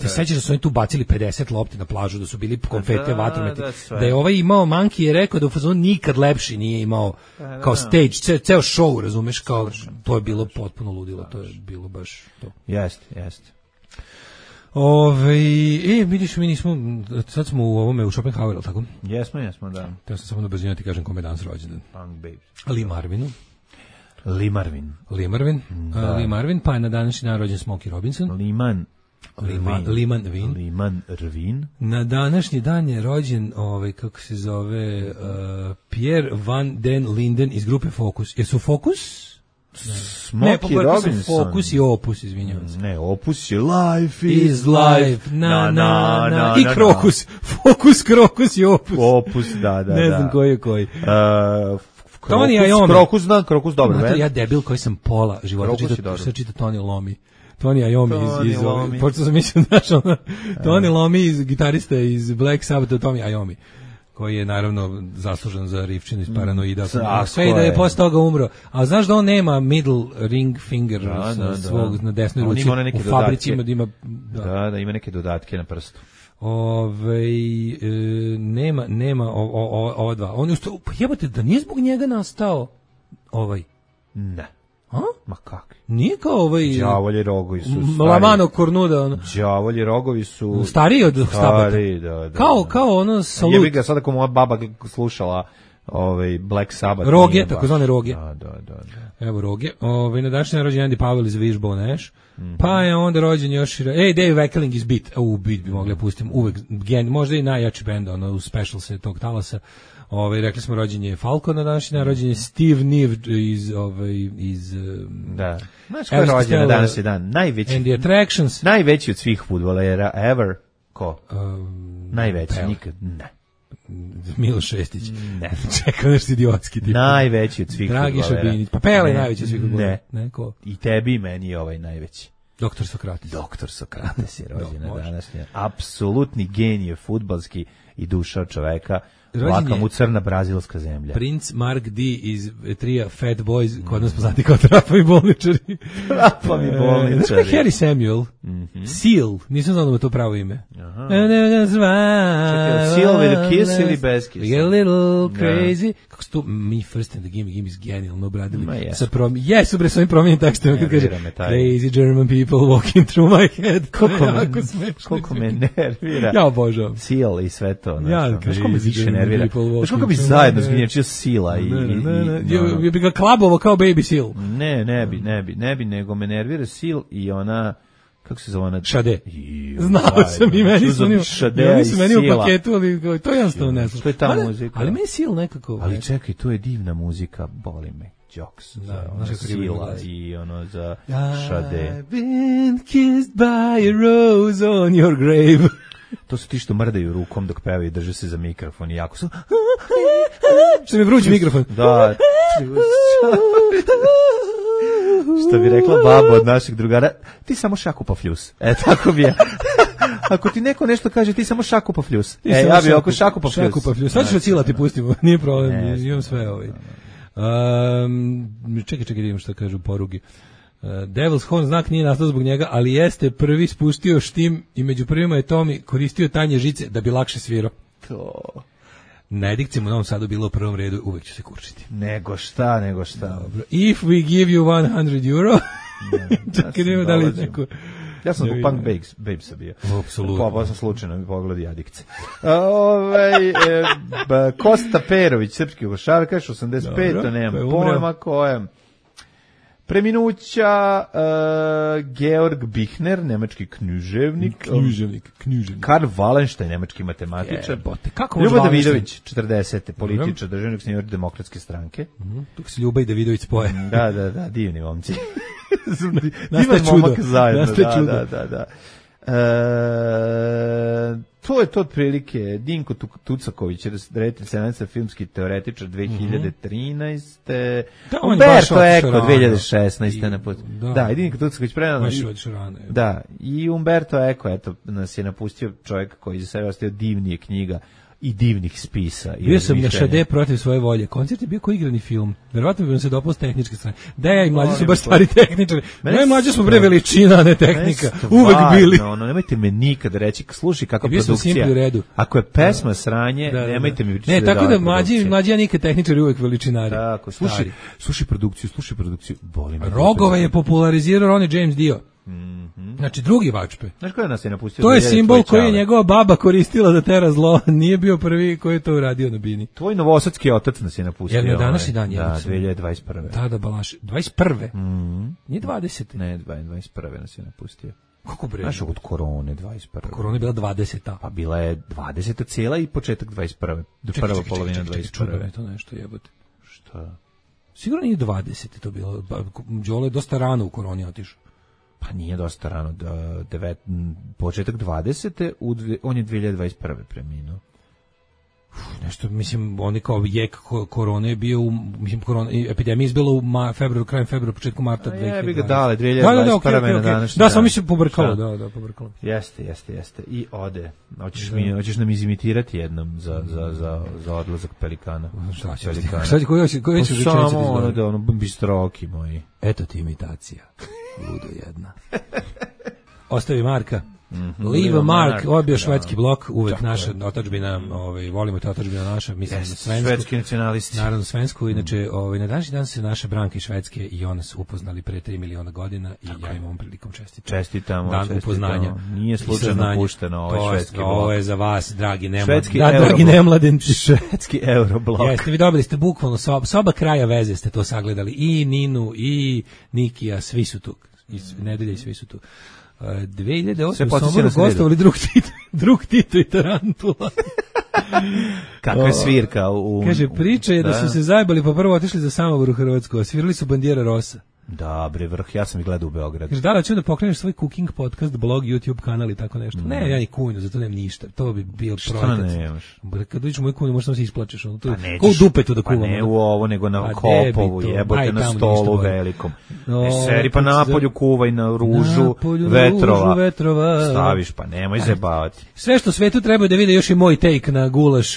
te sećaš da su oni tu bacili pedeset lopti na plažu, da su bili konfete, da, vatrometi, da, da je ovaj imao Manki je rekao da u fazonu nikad lepši nije imao da, kao stage, ce, ceo show, razumeš, kao to je bilo potpuno ludilo, to je bilo baš to. Jeste, jeste. Ove, e, vidiš, mi nismo, sad smo u ovome u Schopenhaueru, tako? Jesmo, jesmo, da. Ja sam samo na brzinu ti kažem kome je danas rođendan. Punk Babes. Lee Marvinu. Lee Marvin. Lee Marvin. Da. Lee Marvin, pa je na današnji dan rođen Smokey Robinson. Liman. Liman Liman Vin. Liman Rvin. Na današnji dan je rođen, ovaj, kako se zove, uh, Pierre Van den Linden iz grupe Focus. Jesu Focus? Smokey Robinson. Focus i Opus, izvinjavam se. Ne, Opus je Life is, is Life. Na, na, na, na, na. I Krokus. Focus, Krokus i Opus. Opus, da, da, ne znam da. koji je koji. Uh, Tony Iommi. Krokus, da, Krokus dobro. Mater, ja debil koji sam pola života čita, sve čita Tony Iommi. Tony Iommi iz, iz, iz počeo sam misliti, znaš, ono, Tony Iommi iz gitarista iz Black Sabbath, Tony Iommi, koji je naravno zaslužen za rifčinu iz Paranoida. Mm, sve i da je posle toga umro. A znaš da on nema middle ring finger da, da, svog da. Na desnoj ruci u fabrici ima da ima... Da. da, da, ima neke dodatke na prstu. Ove, e, nema, nema o, o, o, ova dva. On je ustao, pa jebate, da nije zbog njega nastao ovaj? Ne. A? Ma kakvi? Nije kao ovaj... Đavolji rogovi su stari. Lamano Kornuda, ono. Đavolji rogovi su... Stariji od Stabata. Stari, da, da. Kao, da. kao ono Salut. Jebi ga, sada ako moja baba slušala ovaj Black Sabbath. Roge, takozvane roge. Da, da, da, da. Evo roge. Ovaj na današnji rođendan Andy Powell iz Wishbone Ash. Mm-hmm. Pa je onda rođen još... Ej, Dave Weckling iz Beat. U, Beat bi mogli pustim. Uvek, gen, možda i najjači bend, ono, u specialse tog talasa. Ovaj rekli smo rođen je Falco na današnji dan, rođen je Steve Niv iz ovaj iz da. Znaš ko je rođen na današnji dan? Najveći. And the Attractions. Najveći od svih fudbalera ever. Ko? Um, Najveći Pel. nikad. Ne. Miloš Šestić. Ne. Čekao nešto idiotski tip. Najveći od svih Dragi fudbalera. Šabinić. Pa Pele je najveći od svih fudbalera. Ne. Ne, ko? I tebi i meni je ovaj najveći. Doktor Sokrates. Doktor Sokrates je rođen no, na današnji. Apsolutni genije fudbalski i duša od čoveka. Laka mu crna brazilska zemlja. Prince Mark D iz trija Fat Boys, kod nas poznati kao Trapovi bolničari. Trapovi bolničari. Znaš je Harry Samuel? Mm-hmm. Seal, nisam znao da mu to pravo ime. Aha. Seal with a kiss ili bez kiss? A little crazy. Kako su to Me First and the Gimme Gimme is genijalno obradili. Sa prom... Jesu bre, s ovim promijenim tekstom. Kad kaže, crazy German people walking through my head. Koliko me, koliko me nervira. Ja obožavam. Seal i sve to. Ja, znaš ko me više nervira. Znaš koliko bi zajedno zginječio Sila i... Je bi ga klabovo kao Baby Seal. Ne, ne bi, ne bi, ne bi, nego me nervira Seal i ona... Kako se zove ona? Šade. Znao sam i meni su oni, oni su meni u paketu, ali to je jednostavno ne znam. Što je ta muzika? Ali meni Seal nekako... Ali čekaj, to je divna muzika, boli me. Jokes, za ono Sila i ono za Šade. I've been kissed by a rose on your grave. To su ti što mrdaju rukom dok pevaju i drže se za mikrofon i jako su... Što mi vruć mikrofon. Da. Što bi rekla baba od naših drugara, ti samo šaku pa fljus. E, tako bi je. Ako ti neko nešto kaže, ti samo šaku pa fljus. E, ja bi oko šaku pa fljus. Šaku pa fljus. Sad ću Sila ti pustimo, nije problem, ne, imam sve ovaj. Um, čekaj, čekaj, vidimo što kažu porugi. Uh, Devil's Horn znak nije nastao zbog njega, ali jeste prvi spustio štim i među prvima je Tomi koristio tanje žice da bi lakše svirao. To... Na edikcijama u Novom Sadu bilo u prvom redu, uvek ću se kurčiti. Nego šta, nego šta. Dobro. If we give you one hundred euro, čekaj, nema da li neko... Ja sam u Punk Babes, Babesa bio. Apsolutno. Pa sam slučajno mi pogledao Adikce. Ove, e, Kosta Perović, srpski Jugošar, kaže osamdeset pet, nemam pojma kojem. Preminuća uh, Georg Bichner, nemački književnik. Književnik, književnik. Karl Wallenstein, nemački matematičar. Jebote, kako Ljubo Davidović, četrdesete političar, državnik senior demokratske stranke. Mm-hmm. Tu se Ljuba i Davidović spoje. Da, da, da, divni momci. Nastaje čudo. Zajedno, Nastaje da, čudo. da, da, da. E, to je to otprilike. Dinko Tucaković, reditelj, scenarijski, filmski teoretičar dve hiljade trinaeste. Da, Umberto Eco dve hiljade šesnaeste. Na put. Da, da, i Dinko Tucaković predano. Da, i Umberto Eco, eto, nas je napustio čovjek koji za sebe ostavio divnije knjiga i divnih spisa. Bio sam na Šade protiv svoje volje. Koncert je bio kao igrani film. Verovatno bi nam se dopao s tehničke strane. Da, ja i mlađi su baš stari tehničari. No i mlađi smo bre veličina, a ne tehnika. Uvek bili. No, no, nemojte me nikad reći, slušaj kakva produkcija. Ako je pesma sranje, da, da, nemojte mi pričati. Ne, da tako da mlađi, mlađi ja nikad tehničari, uvek veličinari. Tako, slušaj, slušaj produkciju, slušaj produkciju. Boli me. Rogove je popularizirao Ronnie James Dio. Mm-hmm. Znači drugi Vačpe. Znaš koja nas je napustio? To je simbol koji je njegova baba koristila da tera zlo. Nije bio prvi koji je to uradio na bini. Tvoj novosadski otac nas je napustio. Jel je današnji dan? Da, dve hiljade dvadeset prve. Da, da, Balaš. dvadeset prve? Mm-hmm. Nije dvadesete. Ne, dvadeset prve nas je napustio. Kako bre? Znaš, od korone dvadeset prve. Pa korona je bila dvadeseta. Pa bila je dvadeseta cijela i početak dvadeset prve. Do prva čekaj, polovina čekaj, dvadeset prve. Čekaj, čekaj, to nešto jebote. Šta? Sigurno nije dvadesete to bilo. Đole je dosta rano u koroni otišao. Pa nije dosta rano, da, devet, početak dvadesete, u dve, on je dve hiljade dvadeset prve preminuo. Nešto, mislim, oni kao jek korone je bio, u, mislim, korona, epidemija izbila u ma, februaru, krajem februara, početku marta dve hiljade dvadeset. Ja bih ga dale, dve hiljade dvadeset prve da, da, okay, okay, na današnji da, samo mi se pobrkalo, da, da, pobrkalo. Jeste, jeste, jeste. I ode. Hoćeš, mi, hoćeš nam izimitirati jednom za, za, za, za odlazak Pelikana. Šta će, šta će, koji će, koji će rečenice samo ono da, ono, bistroki moji. Eto ti imitacija. Ludo jedna. Ostavi Marka. Mm-hmm. Leave a mark, ovo je bio švedski blok, uvek naša otadžbina, ovaj, volimo te otadžbina naša, mislim yes, na svensku. Švedski nacionalisti. Naravno svensku, inače ovaj, na današnji dan se naša Branka iz Švedske i ona su upoznali pre tri miliona godina i tako. Ja im ovom prilikom čestitam. Čestitamo, dan čestitamo. Upoznanja. Nije slučajno pušteno ovaj švedski blok. Ovo je za vas, dragi nemlad, švedski da, dragi nemladenci. Švedski euroblok. Jeste, vi dobili ste bukvalno soba, soba kraja veze ste to sagledali. I Ninu, i Nikija, svi su tu. Iz nedelje i svi su tu. Uh, dve hiljade osme u Somboru gostovali drug Tito, drug Tito i Tarantula. Kakva je svirka u... Kaže, priča je da, da su se zajebali pa prvo otišli za Samobor u Hrvatsku, a svirali su Bandiera Rosa. Da, bre, vrh, ja sam ih gledao u Beogradu. Kaže, da li ću da pokreneš svoj cooking podcast, blog, YouTube kanal i tako nešto? Mm. Ne, ja ni kunju, zato nemam ništa. To bi bil projekat. Šta nemaš? Kad dođeš u moju kunju, možda se isplačeš. Ono, to, pa nećeš, ko u dupetu da kuvam. Pa ne u ovo, nego na Kopovu, jebote, na stolu velikom. No, ne seri, pa napolju kuvaj na ružu napolju, vetrova. Ružu vetrova. Staviš, pa nemoj zebavati. Sve što svetu treba da vide još i moj take na gulaš,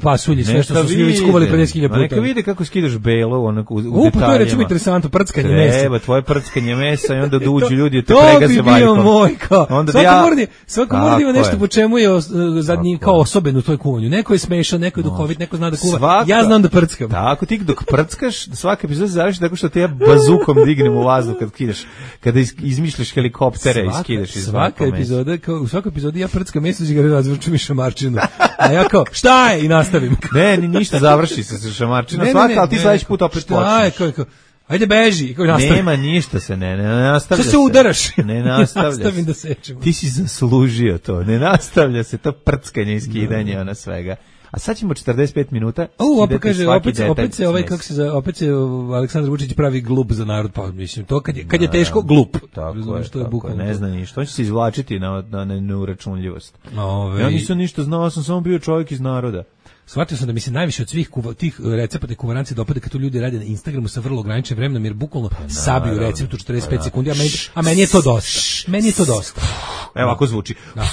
pasulji, sve što su svi već skuvali pedeset hiljada puta. Neka vide kako skidaš belo, onako, u detaljima. Upo, to je recimo interesantno, prckanje mesa. Treba, tvoje prckanje mesa i onda dođu ljudi te pregaze vajkom. To bi bio moj, kao. Onda svako ja, mordi, svako mordi ima nešto po čemu je uh, zadnji kao osoben u toj kuvanju. Neko je smešan, neko je duhovit, neko zna da kuva. Svaka, ja znam da prckam. Tako, ti dok prckaš, svaka epizoda završi tako što te ja bazukom dignem u vazduh kad kidaš, kada iz, izmišljaš helikoptere i skidaš iz svaka epizoda, kao u svakoj epizodi ja prckam meso i ga razvrčim i šamarčinu. A ja kao, šta je? I nastavim. Ne, ni ništa, završi se sa šamarčinom. Svaka, al ti sledeći put opet počneš. Šta je, kao, ajde beži, kako nastavi. Nema ništa se, ne, ne nastavlja se. Što se udaraš? Ne nastavlja se. Nastavim da sečemo. Ti si zaslužio to, ne nastavlja se, to prckanje i skidanje, ona svega. A sad ćemo četrdeset pet minuta. O, opet kaže, opet, opet se ovaj kako se za, opet se Aleksandar Vučić pravi glup za narod, pa mislim to kad je kad je teško glup. Tako je, što je bukvalno. Ne zna ništa, on će se izvlačiti na na neuračunljivost. Ove... Ja nisam ništa znao, sam samo bio čovjek iz naroda. Shvatio sam da mi se najviše od svih kuva, tih recepata i kuvaranci dopada kad tu ljudi rade na Instagramu sa vrlo ograničenim vremenom, jer bukvalno pa, sabiju recept u četrdeset pet sekundi, a meni, a meni je to dosta. Meni je to dosta. Evo ovako zvuči. Da.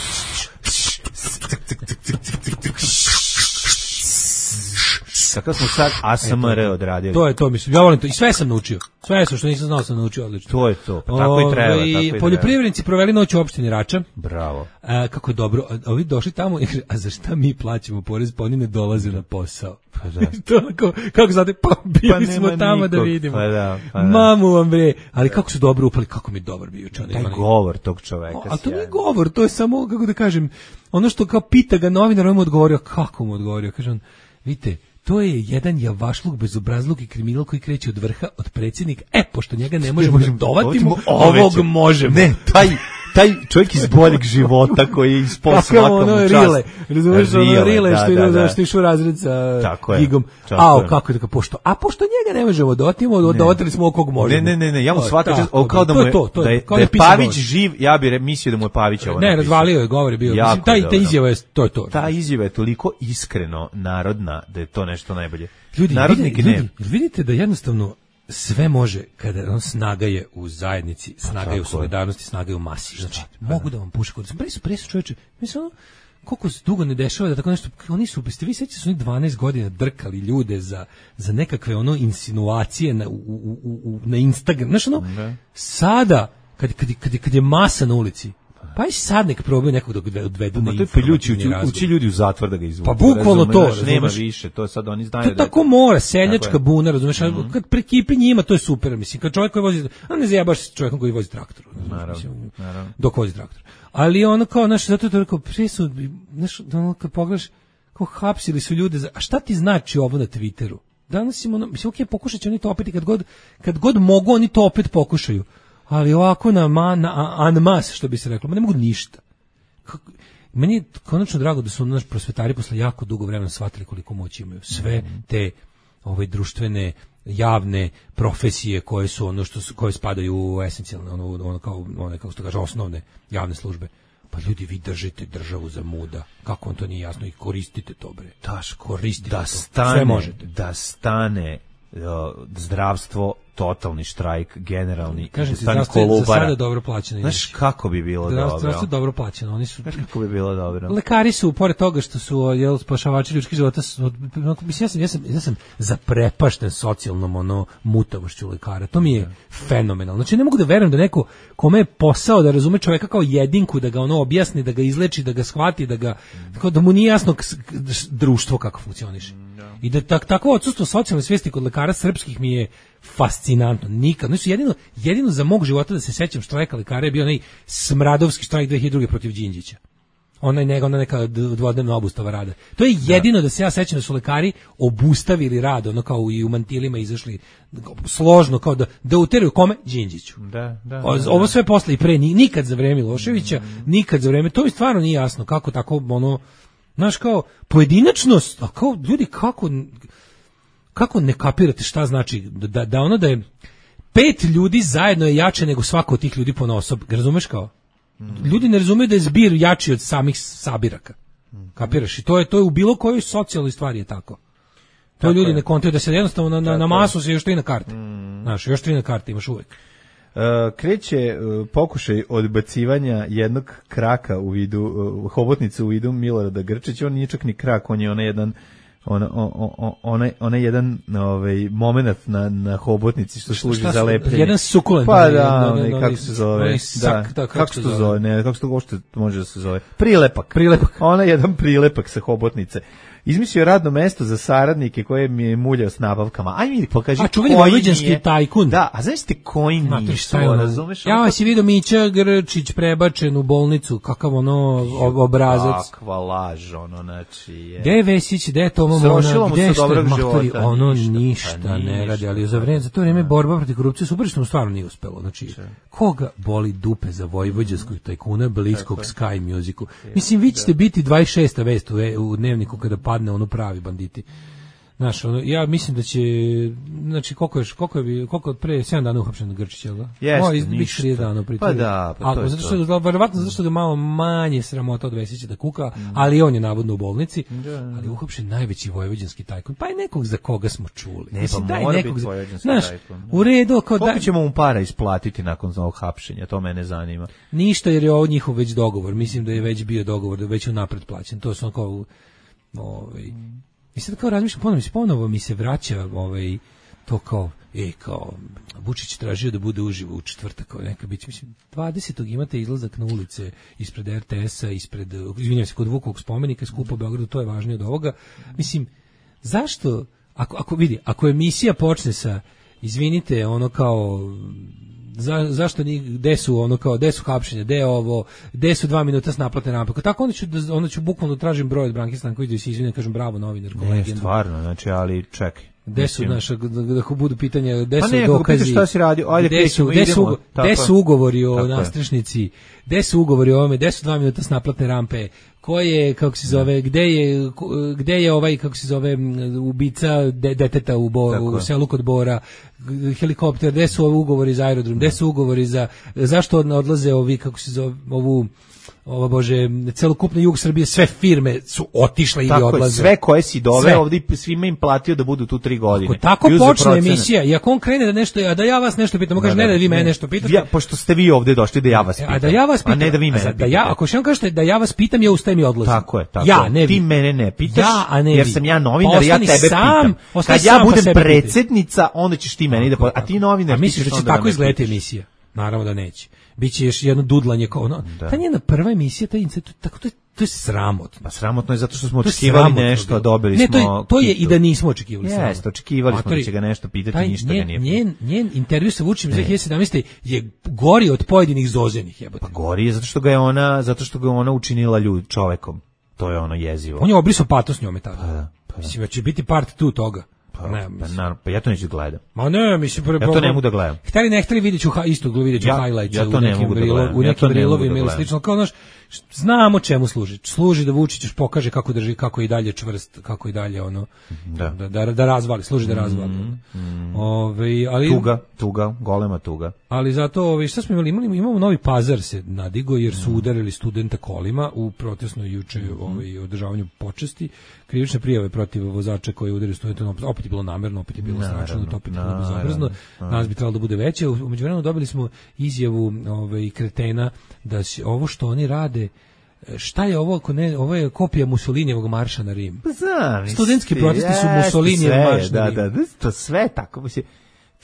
Kakav smo sad A S M R odradili. To je to, mislim. Ja volim to. I sve sam naučio. Sve što nisam znao sam naučio odlično. To je to. Pa tako i treba. Tako i poljoprivrednici proveli noć u opštini Rača. Bravo. A, kako je dobro. A, ovi došli tamo i kaže, a za šta mi plaćamo porez? Pa oni ne dolaze na posao. Pa da. To onako, kako znate, pa bili pa smo tamo nikog. Da vidimo. Pa da, pa da. Mamu vam bre. Ali kako su dobro upali, kako mi je dobar bio čovjek. Taj govor tog čoveka. A to nije govor, to je samo, kako da kažem, ono što kao pita ga novinar, on mu odgovorio, kako mu odgovorio? Kaže on, vidite, to je jedan javašluk, bezobrazluk i kriminal koji kreće od vrha, od predsjednika. E, pošto njega ne možemo da dovatimo, ovog možemo. Ne, taj, taj čovjek iz boljeg života koji je ispod svakom ono čast. Rile, razumiješ, ono rile što ide da, što išu razred sa Gigom. Ao, kako je tako, pošto, a pošto njega ne možemo dovatimo, dovatili smo okog možemo. Ne, ne, ne, ne, ja mu shvatim, kao da mu je, da je, da je Pavić živ, ja bih mislio da mu je Pavić ovo napisao. Ne, razvalio je, govor je bio. Mislim, taj, ta izjava je, to je to. Ta izjava je toliko iskreno narodna da je to nešto najbolje. Ljudi, ljudi, vidite da jednostavno sve može kada on snaga je u zajednici, snaga je u solidarnosti, snaga je u masi. Znači, mogu da vam puše kod. Presu, presu čoveče. Mislim, ono, koliko se dugo ne dešava da tako nešto, oni su, ste vi sećate su oni dvanaest godina drkali ljude za, za nekakve ono insinuacije na, u, u, u, na Instagram. Znaš, ono, ne. Sada, kad, kad, kad, kad je masa na ulici, pa i sad nek probaju nekog da odvedu na informativni razgovor. Uči ljudi u zatvor da ga izvuku. Pa bukvalno to, razumeš, nema više, to sad oni znaju. To da tako mora, seljačka buna, razumeš, mm-hmm. Kad prekipi njima, to je super, mislim, kad čovjek koji vozi, a ne zajebaš s čovjekom koji vozi traktor, naravno, mislim, naravno. Dok vozi traktor. Ali ono kao, znaš, zato je to rekao, presud, znaš, ono kad pogledaš, kao hapsili su ljude, za, a šta ti znači ovo na Twitteru? Danas im ono, mislim, okej, okay, pokušat će oni to opet i kad god, kad god mogu, oni to opet pokušaju. Ali ovako na, ma, na anmas, što bi se reklo, ma ne mogu ništa. Kako, meni je konačno drago da su naš prosvetari posle jako dugo vremena shvatili koliko moći imaju. Sve te ove društvene, javne profesije koje su ono što su, koje spadaju u esencijalne, ono, ono kao, one, kako se to kaže, osnovne javne službe. Pa ljudi, vi držite državu za muda. Kako on to nije jasno i koristite to, bre. Daš, koristite da to. Stane, sve možete. Da stane uh, zdravstvo, totalni štrajk, generalni. Kažem ti, stani zdravstvo je za Kolubara. sada dobro plaćeno. Znaš kako bi bilo Zdravstvo, dobro? zdravstvo je dobro plaćeno. Oni su... Znaš kako bi bilo dobro? Lekari su, pored toga što su jel, spašavači ljudskih života, su, mislim, ja sam, ja sam, ja sam zaprepašten socijalnom ono, mutavošću lekara. To mi je fenomenalno. Znači, ne mogu da verujem da neko kome je posao da razume čoveka kao jedinku, da ga ono objasni, da ga izleči, da ga shvati, da ga, tako da mu nije jasno k- društvo kako funkcioniše. I da tak, takvo odsustvo socijalne svijesti kod lekara srpskih mi je fascinantno. Nikad. Znači, jedino, jedino za mog života da se sećam štrajka lekara je bio onaj smradovski štrajk dve hiljade druge protiv Đinđića. Onaj neka, ona neka dvodnevna obustava rada. To je jedino da, da se ja sećam da su lekari obustavili rad, ono kao i u mantilima izašli složno, kao da, da uteraju kome? Đinđiću. Da, da, O, da, ovo da. sve posle i pre, nikad za vreme Miloševića, mm. nikad za vreme, to mi stvarno nije jasno kako tako, ono, znaš, kao pojedinačnost, a kao ljudi kako kako ne kapirate šta znači da, da ono da je pet ljudi zajedno je jače nego svako od tih ljudi ponaosob, razumeš kao? Ljudi ne razumeju da je zbir jači od samih sabiraka. Kapiraš? I to je to je u bilo kojoj socijalnoj stvari je tako. To tako ljudi je. Ne kontaju da se jednostavno na, na, na masu se još tri na karte. Mm. Znaš, još tri na karte imaš uvek. Uh, kreće uh, pokušaj odbacivanja jednog kraka u vidu, uh, hobotnice u vidu Milorada Grčića. On nije čak ni krak, on je onaj jedan ona onaj onaj jedan ovaj momenat na na hobotnici što služi za lepljenje. Jedan sukulent. Pa da, onaj, kako se zove? Da, kako se to zove? Ne, kako se to uopšte može da se zove? Prilepak. Prilepak. Ona je jedan prilepak sa hobotnice. Izmislio radno mesto za saradnike koje mi je muljao s nabavkama. Aj mi pokaži a, koji vojvođanski tajkun. Da, a znaš ti koji nisu, razumeš? Ja si vidio Mića Grčić prebačen u bolnicu, kakav ono obrazac. Kakva laž, ono, znači je. Gde je Vesić, gde je Toma Mona, gde je što je matori, ono ništa ne radi, ali za vreme, za to vreme borba protiv korupcije super što mu stvarno nije uspelo. Znači, koga boli dupe za vojvođanskog tajkuna bliskog Sky Musicu? Mislim, vi ćete biti dvadeset šesta vest u dnevniku kada padne ono pravi banditi. Znaš, ono, ja mislim da će, znači, koliko je, koliko je, koliko je pre sedam dana uhapšen Grčić, jel da? Jeste, ništa. trideset dana pri pa da, pa to a, je zato što, to. Verovatno zato što ga malo manje sramota od Vesića da kuka, mm. ali on je navodno u bolnici, da, da. Ali uhapšen najveći vojvođanski tajkun, pa i nekog za koga smo čuli. Ne, mislim, pa daj mora nekog biti za, vojvođanski znaš, tajkun. U redu, kao koliko da, ćemo mu para isplatiti nakon ovog hapšenja, to mene zanima. Ništa, jer je ovo njihov već dogovor, mislim da je već bio dogovor, da je već unapred plaćen, to su on kao, ovaj, i sad kao razmišljam, ponovno, ponovo mi se vraća ovaj, to kao, e, kao, Vučić tražio da bude uživo u četvrtak, kao neka bić, mislim, dvadesetog imate izlazak na ulice ispred R T S-a, ispred, izvinjam se, kod Vukovog spomenika, skupa u Beogradu, to je važnije od ovoga. Mislim, zašto, ako, ako vidi, ako emisija počne sa, izvinite, ono kao, Za, zašto ni gde su ono kao gde su hapšenja, gde je ovo, gde su dva minuta s naplatne rampe. Tako onda ću da onda ću bukvalno tražim broj od Branke Stanković da se izvine, kažem bravo novinarko. Ne, stvarno, znači, ali čekaj. Gde su naša da, da budu pitanja, gde pa su ne, dokazi? Šta si radio? Ajde, gde su, gde su, gde su ugovori o nastrešnici? Gde su ugovori o ovome? Gde su dva minuta s naplatne rampe? Ko je, kako se zove, gde je, gde je ovaj, kako se zove, ubica de, deteta u, Bo, u selu kod Bora, helikopter, gde su ovi ugovori za aerodrom, gde su ugovori za, zašto odlaze ovi, kako se zove, ovu, ova bože, celokupno jug Srbije, sve firme su otišle ili odlaze. Tako je, sve koje si doveo ovdje, svima im platio da budu tu tri godine. Ako tako Juze počne procene. Emisija, i ako on krene da nešto, a da ja vas nešto pitam, on kaže ne, ne da vi mene nešto pitate. Ja, pošto ste vi ovdje došli da ja vas pitam. A da ja vas pitam, a ne da vi mene pitate. Da ja, ako še on kažete da ja vas pitam, ja ustajem i odlazim. Tako je, tako ja, ne ti mene ne pitaš, ja, a ne jer vi. sam ja novinar, ja tebe sam, pitam. Kad ja budem predsjednica, onda ćeš ti meni da pitam. A ti novinar, a misliš da će tako izgledati emisija? Naravno da neće. Biće još jedno dudlanje kao ono. Ta njena prva emisija, taj incet, tako to je to je sramotno. Pa sramotno je zato što smo očekivali nešto, a dobili ne, smo. Ne, to je to je i da nismo očekivali. Jeste, očekivali smo da će ga nešto pitati, ništa ga nije. Njen njen intervju sa Vučićem dve hiljade sedamnaeste je gori od pojedinih Zozenih, jebote. Pa gori je zato što ga je ona, zato što ga ona učinila ljud čovekom. To je ono jezivo. On je obrisao patos njome tada. Pa da, pa da. Mislim da će biti part dva toga. Pa, ne, pa, naravno, pa ja to neću gledam. Ma ne, mislim pre, ja to ne mogu da gledam. Hteli ne hteli vidjet ću isto vidjet ću ja, highlights ja u nekim, brilo, da u nekim ja brilovima ili slično. Kao, znaš, znamo čemu služi. Služi da Vučić još pokaže kako drži, kako je i dalje čvrst, kako i dalje ono da da, da, da razvali, služi da razvali. Mm, mm. Ove, ali tuga, tuga, golema tuga. Ali zato, ove, šta smo imali? Imali imamo Novi Pazar se nadigo jer su udarili studenta kolima u protestnoj juče mm. ovaj održavanju počasti. Krivične prijave protiv vozača koji udarili studenta, opet je bilo namerno, opet je bilo strašno, to opet je bilo bezobrazno. Nas bi trebalo da bude veće. U međuvremenu dobili smo izjavu ovaj kretena da se ovo što oni rade, šta je ovo ako ne, ovo je kopija Mussolinijevog marša na Rim. Znam, studentski protesti su Mussolinijev marš na Rim. Da, da, to sve tako mislim.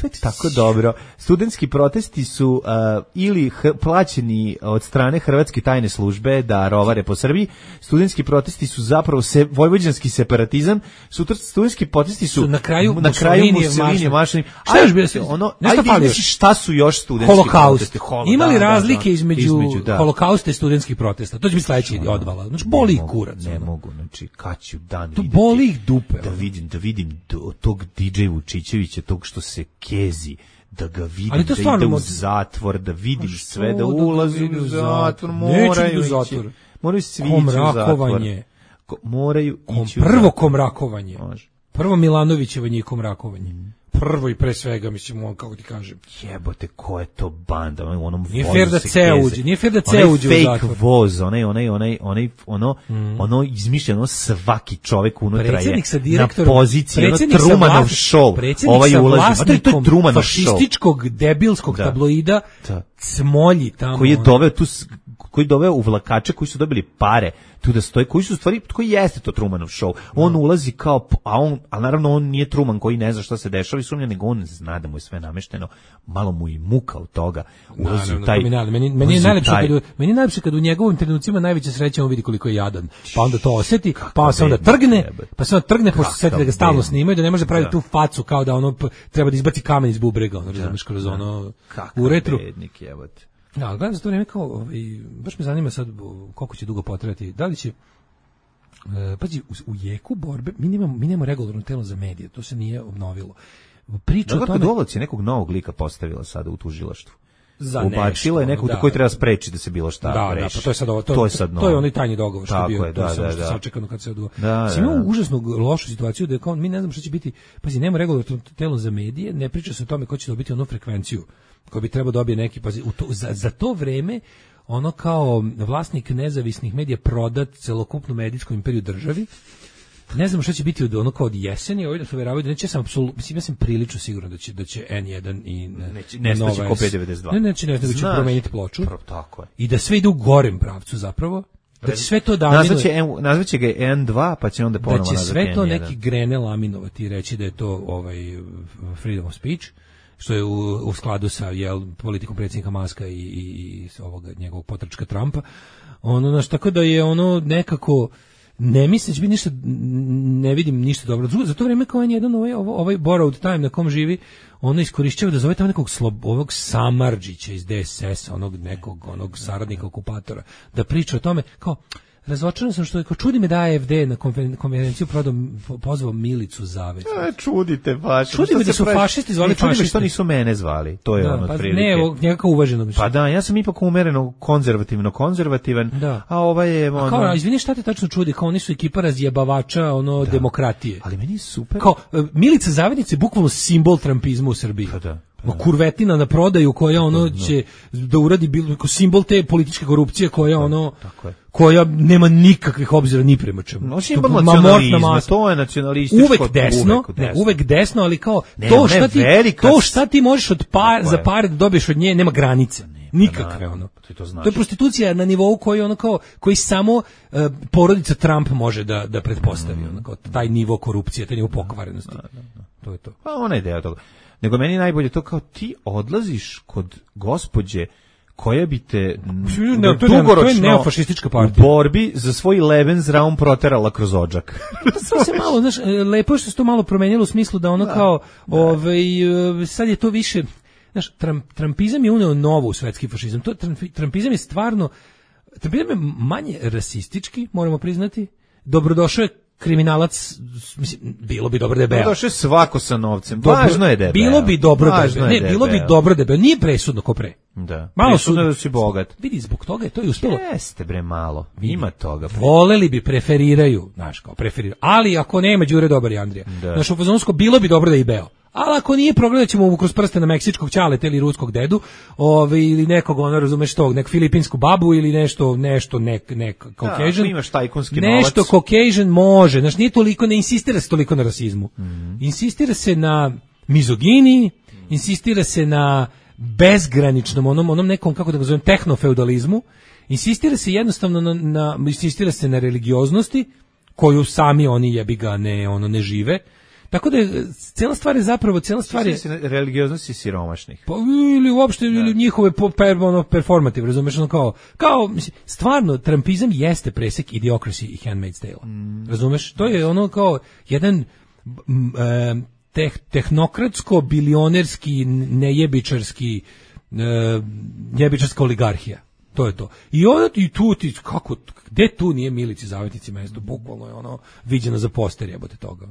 To je tako dobro. Studentski protesti su uh, ili h- plaćeni od strane Hrvatske tajne službe da rovare po Srbiji. Studentski protesti su zapravo se, vojvođanski separatizam. Sutra studentski protesti su, su na kraju na kraju Mussolinijev marš. Šta još bio se? Ono, nešto ajde, šta su još studentski Holokaust. protesti? Holokaust. Ima li razlike između, između da. Holokausta i studentskih protesta? To će biti sledeći odvala. Znači boli ih kurac. Ne mogu, znači kad ću dan to videti. Boli ih dupe. Da vidim, da vidim do, tog D J Vučićevića, tog što se kezi, da ga vidim, ali to da ide u zatvor, da vidim sve, da ulazi u zatvor, moraju ići, moraju svi ići u zatvor. Ko, moraju ići u zatvor. Prvo komrakovanje, prvo Milanovićevo njih komrakovanje. Prvo i pre svega, mislim, on, kako ti kažem. Jebote, ko je to banda? U onom nije fair da C uđe, nije fair da C uđe u zatvor. Fake voz, onaj, onaj, onaj, onaj, ono, mm. ono izmišljeno svaki čovjek unutra je na poziciji, ono Trumanov show. Predsjednik ovaj sa vlasnikom fašističkog, debilskog da. tabloida da. Smolji tamo. Koji je doveo tu, koji doveo u vlakače koji su dobili pare tu da stoji, koji su stvari, koji jeste to Trumanov show. On no. ulazi kao, a on, a naravno on nije Truman koji ne zna šta se dešava i sumnja, nego on zna da mu je sve namešteno, malo mu i muka od toga. Ulazi naravno, u taj, meni, meni, meni je najlepše taj... kad, meni je najlepše kad u njegovim trenucima najveća sreća on vidi koliko je jadan, pa onda to osjeti, Kaka pa se onda trgne, jebe. pa se onda trgne, pošto se sjeti da ga stalno snimaju, da ne može praviti da. tu facu kao da ono treba da izbaci kamen iz bubrega, ono, razumiješ, kroz ono, u retru. Bednik, jebote. Ja, gledam za to vrijeme kao, ovaj, baš me zanima sad koliko će dugo potrajati, da li će, e, pazi, u, u jeku borbe, mi nemamo, mi nemamo regularno telo za medije, to se nije obnovilo. Priča o tome... Dolovac je nekog novog lika postavila sada u tužilaštvu. Za Ubacila je nekog da, koji treba spreči da se bilo šta da, reši. Da, pa to je sad ovo, to, to je sad to je onaj tajni dogovor što je bio, to je samo sačekano kad se odvija. Da, da, imamo užasno lošu situaciju da je kao, mi ne znamo šta će biti, pazi, nema regularno telo za medije, ne priča se o tome ko će dobiti onu frekvenciju koji bi trebao dobiti neki, pazi, u to, za, za to vreme ono kao vlasnik nezavisnih medija prodat celokupnu medijsku imperiju državi. Ne znam šta će biti od ono kao od jeseni, ovdje da se uveravaju da neće, ja sam apsolutno, mislim, ja sam prilično siguran da će, da će N jedan i neće, ne neće ko P devedeset dva. Ne, neće, ne, da će promeniti ploču. Prvo, tako je. I da sve ide u gorem pravcu zapravo. Da će sve to da nazvaće, nazvaće ga N dva, pa će onda ponovo nazvati N jedan. Da će sve to neki Grene laminovati i reći da je to ovaj freedom of speech, što je u, u skladu sa jel, politikom predsjednika Maska i, i, i ovoga njegovog potrčka Trumpa. Ono, znaš, tako da je ono nekako... Ne mislim da će biti ništa, ne vidim ništa dobro. Za to vrijeme kao je jedan ovaj, ovaj borrowed time na kom živi, ono iskorišćava da zove tamo nekog slob, ovog Samardžića iz D S S-a, onog nekog onog saradnika okupatora, da priča o tome, kao, razočaran sam što je, kao čudi me da A F D na konferenciju prodom, pozvao Milicu Zavez. E, čudite baš. Čudi me da su fašisti zvali fašisti. Čudi me što nisu mene zvali, to je da, ono pa otprilike. Ne, nekako uvaženo mišljenje. Pa da, ja sam ipak umereno konzervativno konzervativan, da. A ovaj je... Ono... A kao, izvini, šta te tačno čudi, kao oni su ekipa razjebavača, ono, da. demokratije. Ali meni je super. Kao, Milica Zavednica je bukvalno simbol trumpizma u Srbiji. Pa da. No, kurvetina na prodaju koja ono no. će da uradi bilo simbol te političke korupcije koja ono tako je. koja nema nikakvih obzira ni prema čemu. No, simbol nacionalizma, to je nacionalističko. Uvek desno, uvek desno, ne, uvek desno, ali kao ne, to šta ti velika... to šta ti možeš od par za pare da dobiješ od nje nema granice. Ne, nikakve ono. To, znači. To je prostitucija na nivou koji ono kao koji samo uh, porodica Trump može da da pretpostavi mm. ono kao taj nivo korupcije, taj nivo pokvarenosti. Da, da, da. To je to. Pa ona ideja toga. Nego meni najbolje to kao ti odlaziš kod gospođe koja bi te ne, to dugoročno je neofašistička partija u borbi za svoj Lebensraum proterala kroz odžak. To se malo, znaš, lepo što se to malo promenilo u smislu da ono da, kao, da. Ovaj, sad je to više, znaš, Trump, Trumpizam je uneo novo u svetski fašizam. To, Trumpizam je stvarno, Trumpizam je manje rasistički, moramo priznati, dobrodošao je kriminalac, mislim, bilo bi dobro da je beo. Došao je svako sa novcem. Dobro, Važno je da je beo. Bilo bi dobro da je Važno beo. je Ne, da je bilo bi beo. dobro da je beo. Nije presudno ko pre. Da. Malo Presudno su da si bogat. Vidi, zbog toga je to i uspelo. Jeste bre malo. Ima toga. Bre. Voleli bi, preferiraju, znaš, kao preferiraju. Ali ako nema Đure Dobar i Andrija, Da. znaš, u fazonsko bilo bi dobro da je i beo. Ali ako nije, progledat ćemo mu kroz prste na meksičkog ćaleta ili ruskog dedu, ovaj, ili nekog, ono, razumeš tog, nek filipinsku babu ili nešto, nešto, nek, nek Caucasian. Da, imaš tajkunski Nešto novac. Caucasian može, znaš, nije toliko, ne insistira se toliko na rasizmu. Mhm. Insistira se na mizogini, insistira se na bezgraničnom, onom, onom nekom, kako da ga zovem, tehnofeudalizmu, insistira se jednostavno na, na, insistira se na religioznosti, koju sami oni jebi ga ne, ono, ne žive. Tako da je, cijela stvar je zapravo, cijela stvar je... Religioznosti siromašnih. Pa, ili uopšte ili njihove po, per, ono, performative, razumeš, ono kao, kao, mislim, stvarno, trumpizam jeste presek Idiocracy i Handmaid's Tale. Mm. Razumeš? To je ono kao jedan m, e, teh, tehnokratsko-bilionerski, nejebičarski, e, jebičarska oligarhija. To je to. I onda i tu ti, kako, gde tu nije Milici Zavetnici mesto? Bukvalno je ono viđeno za poster, jebote toga.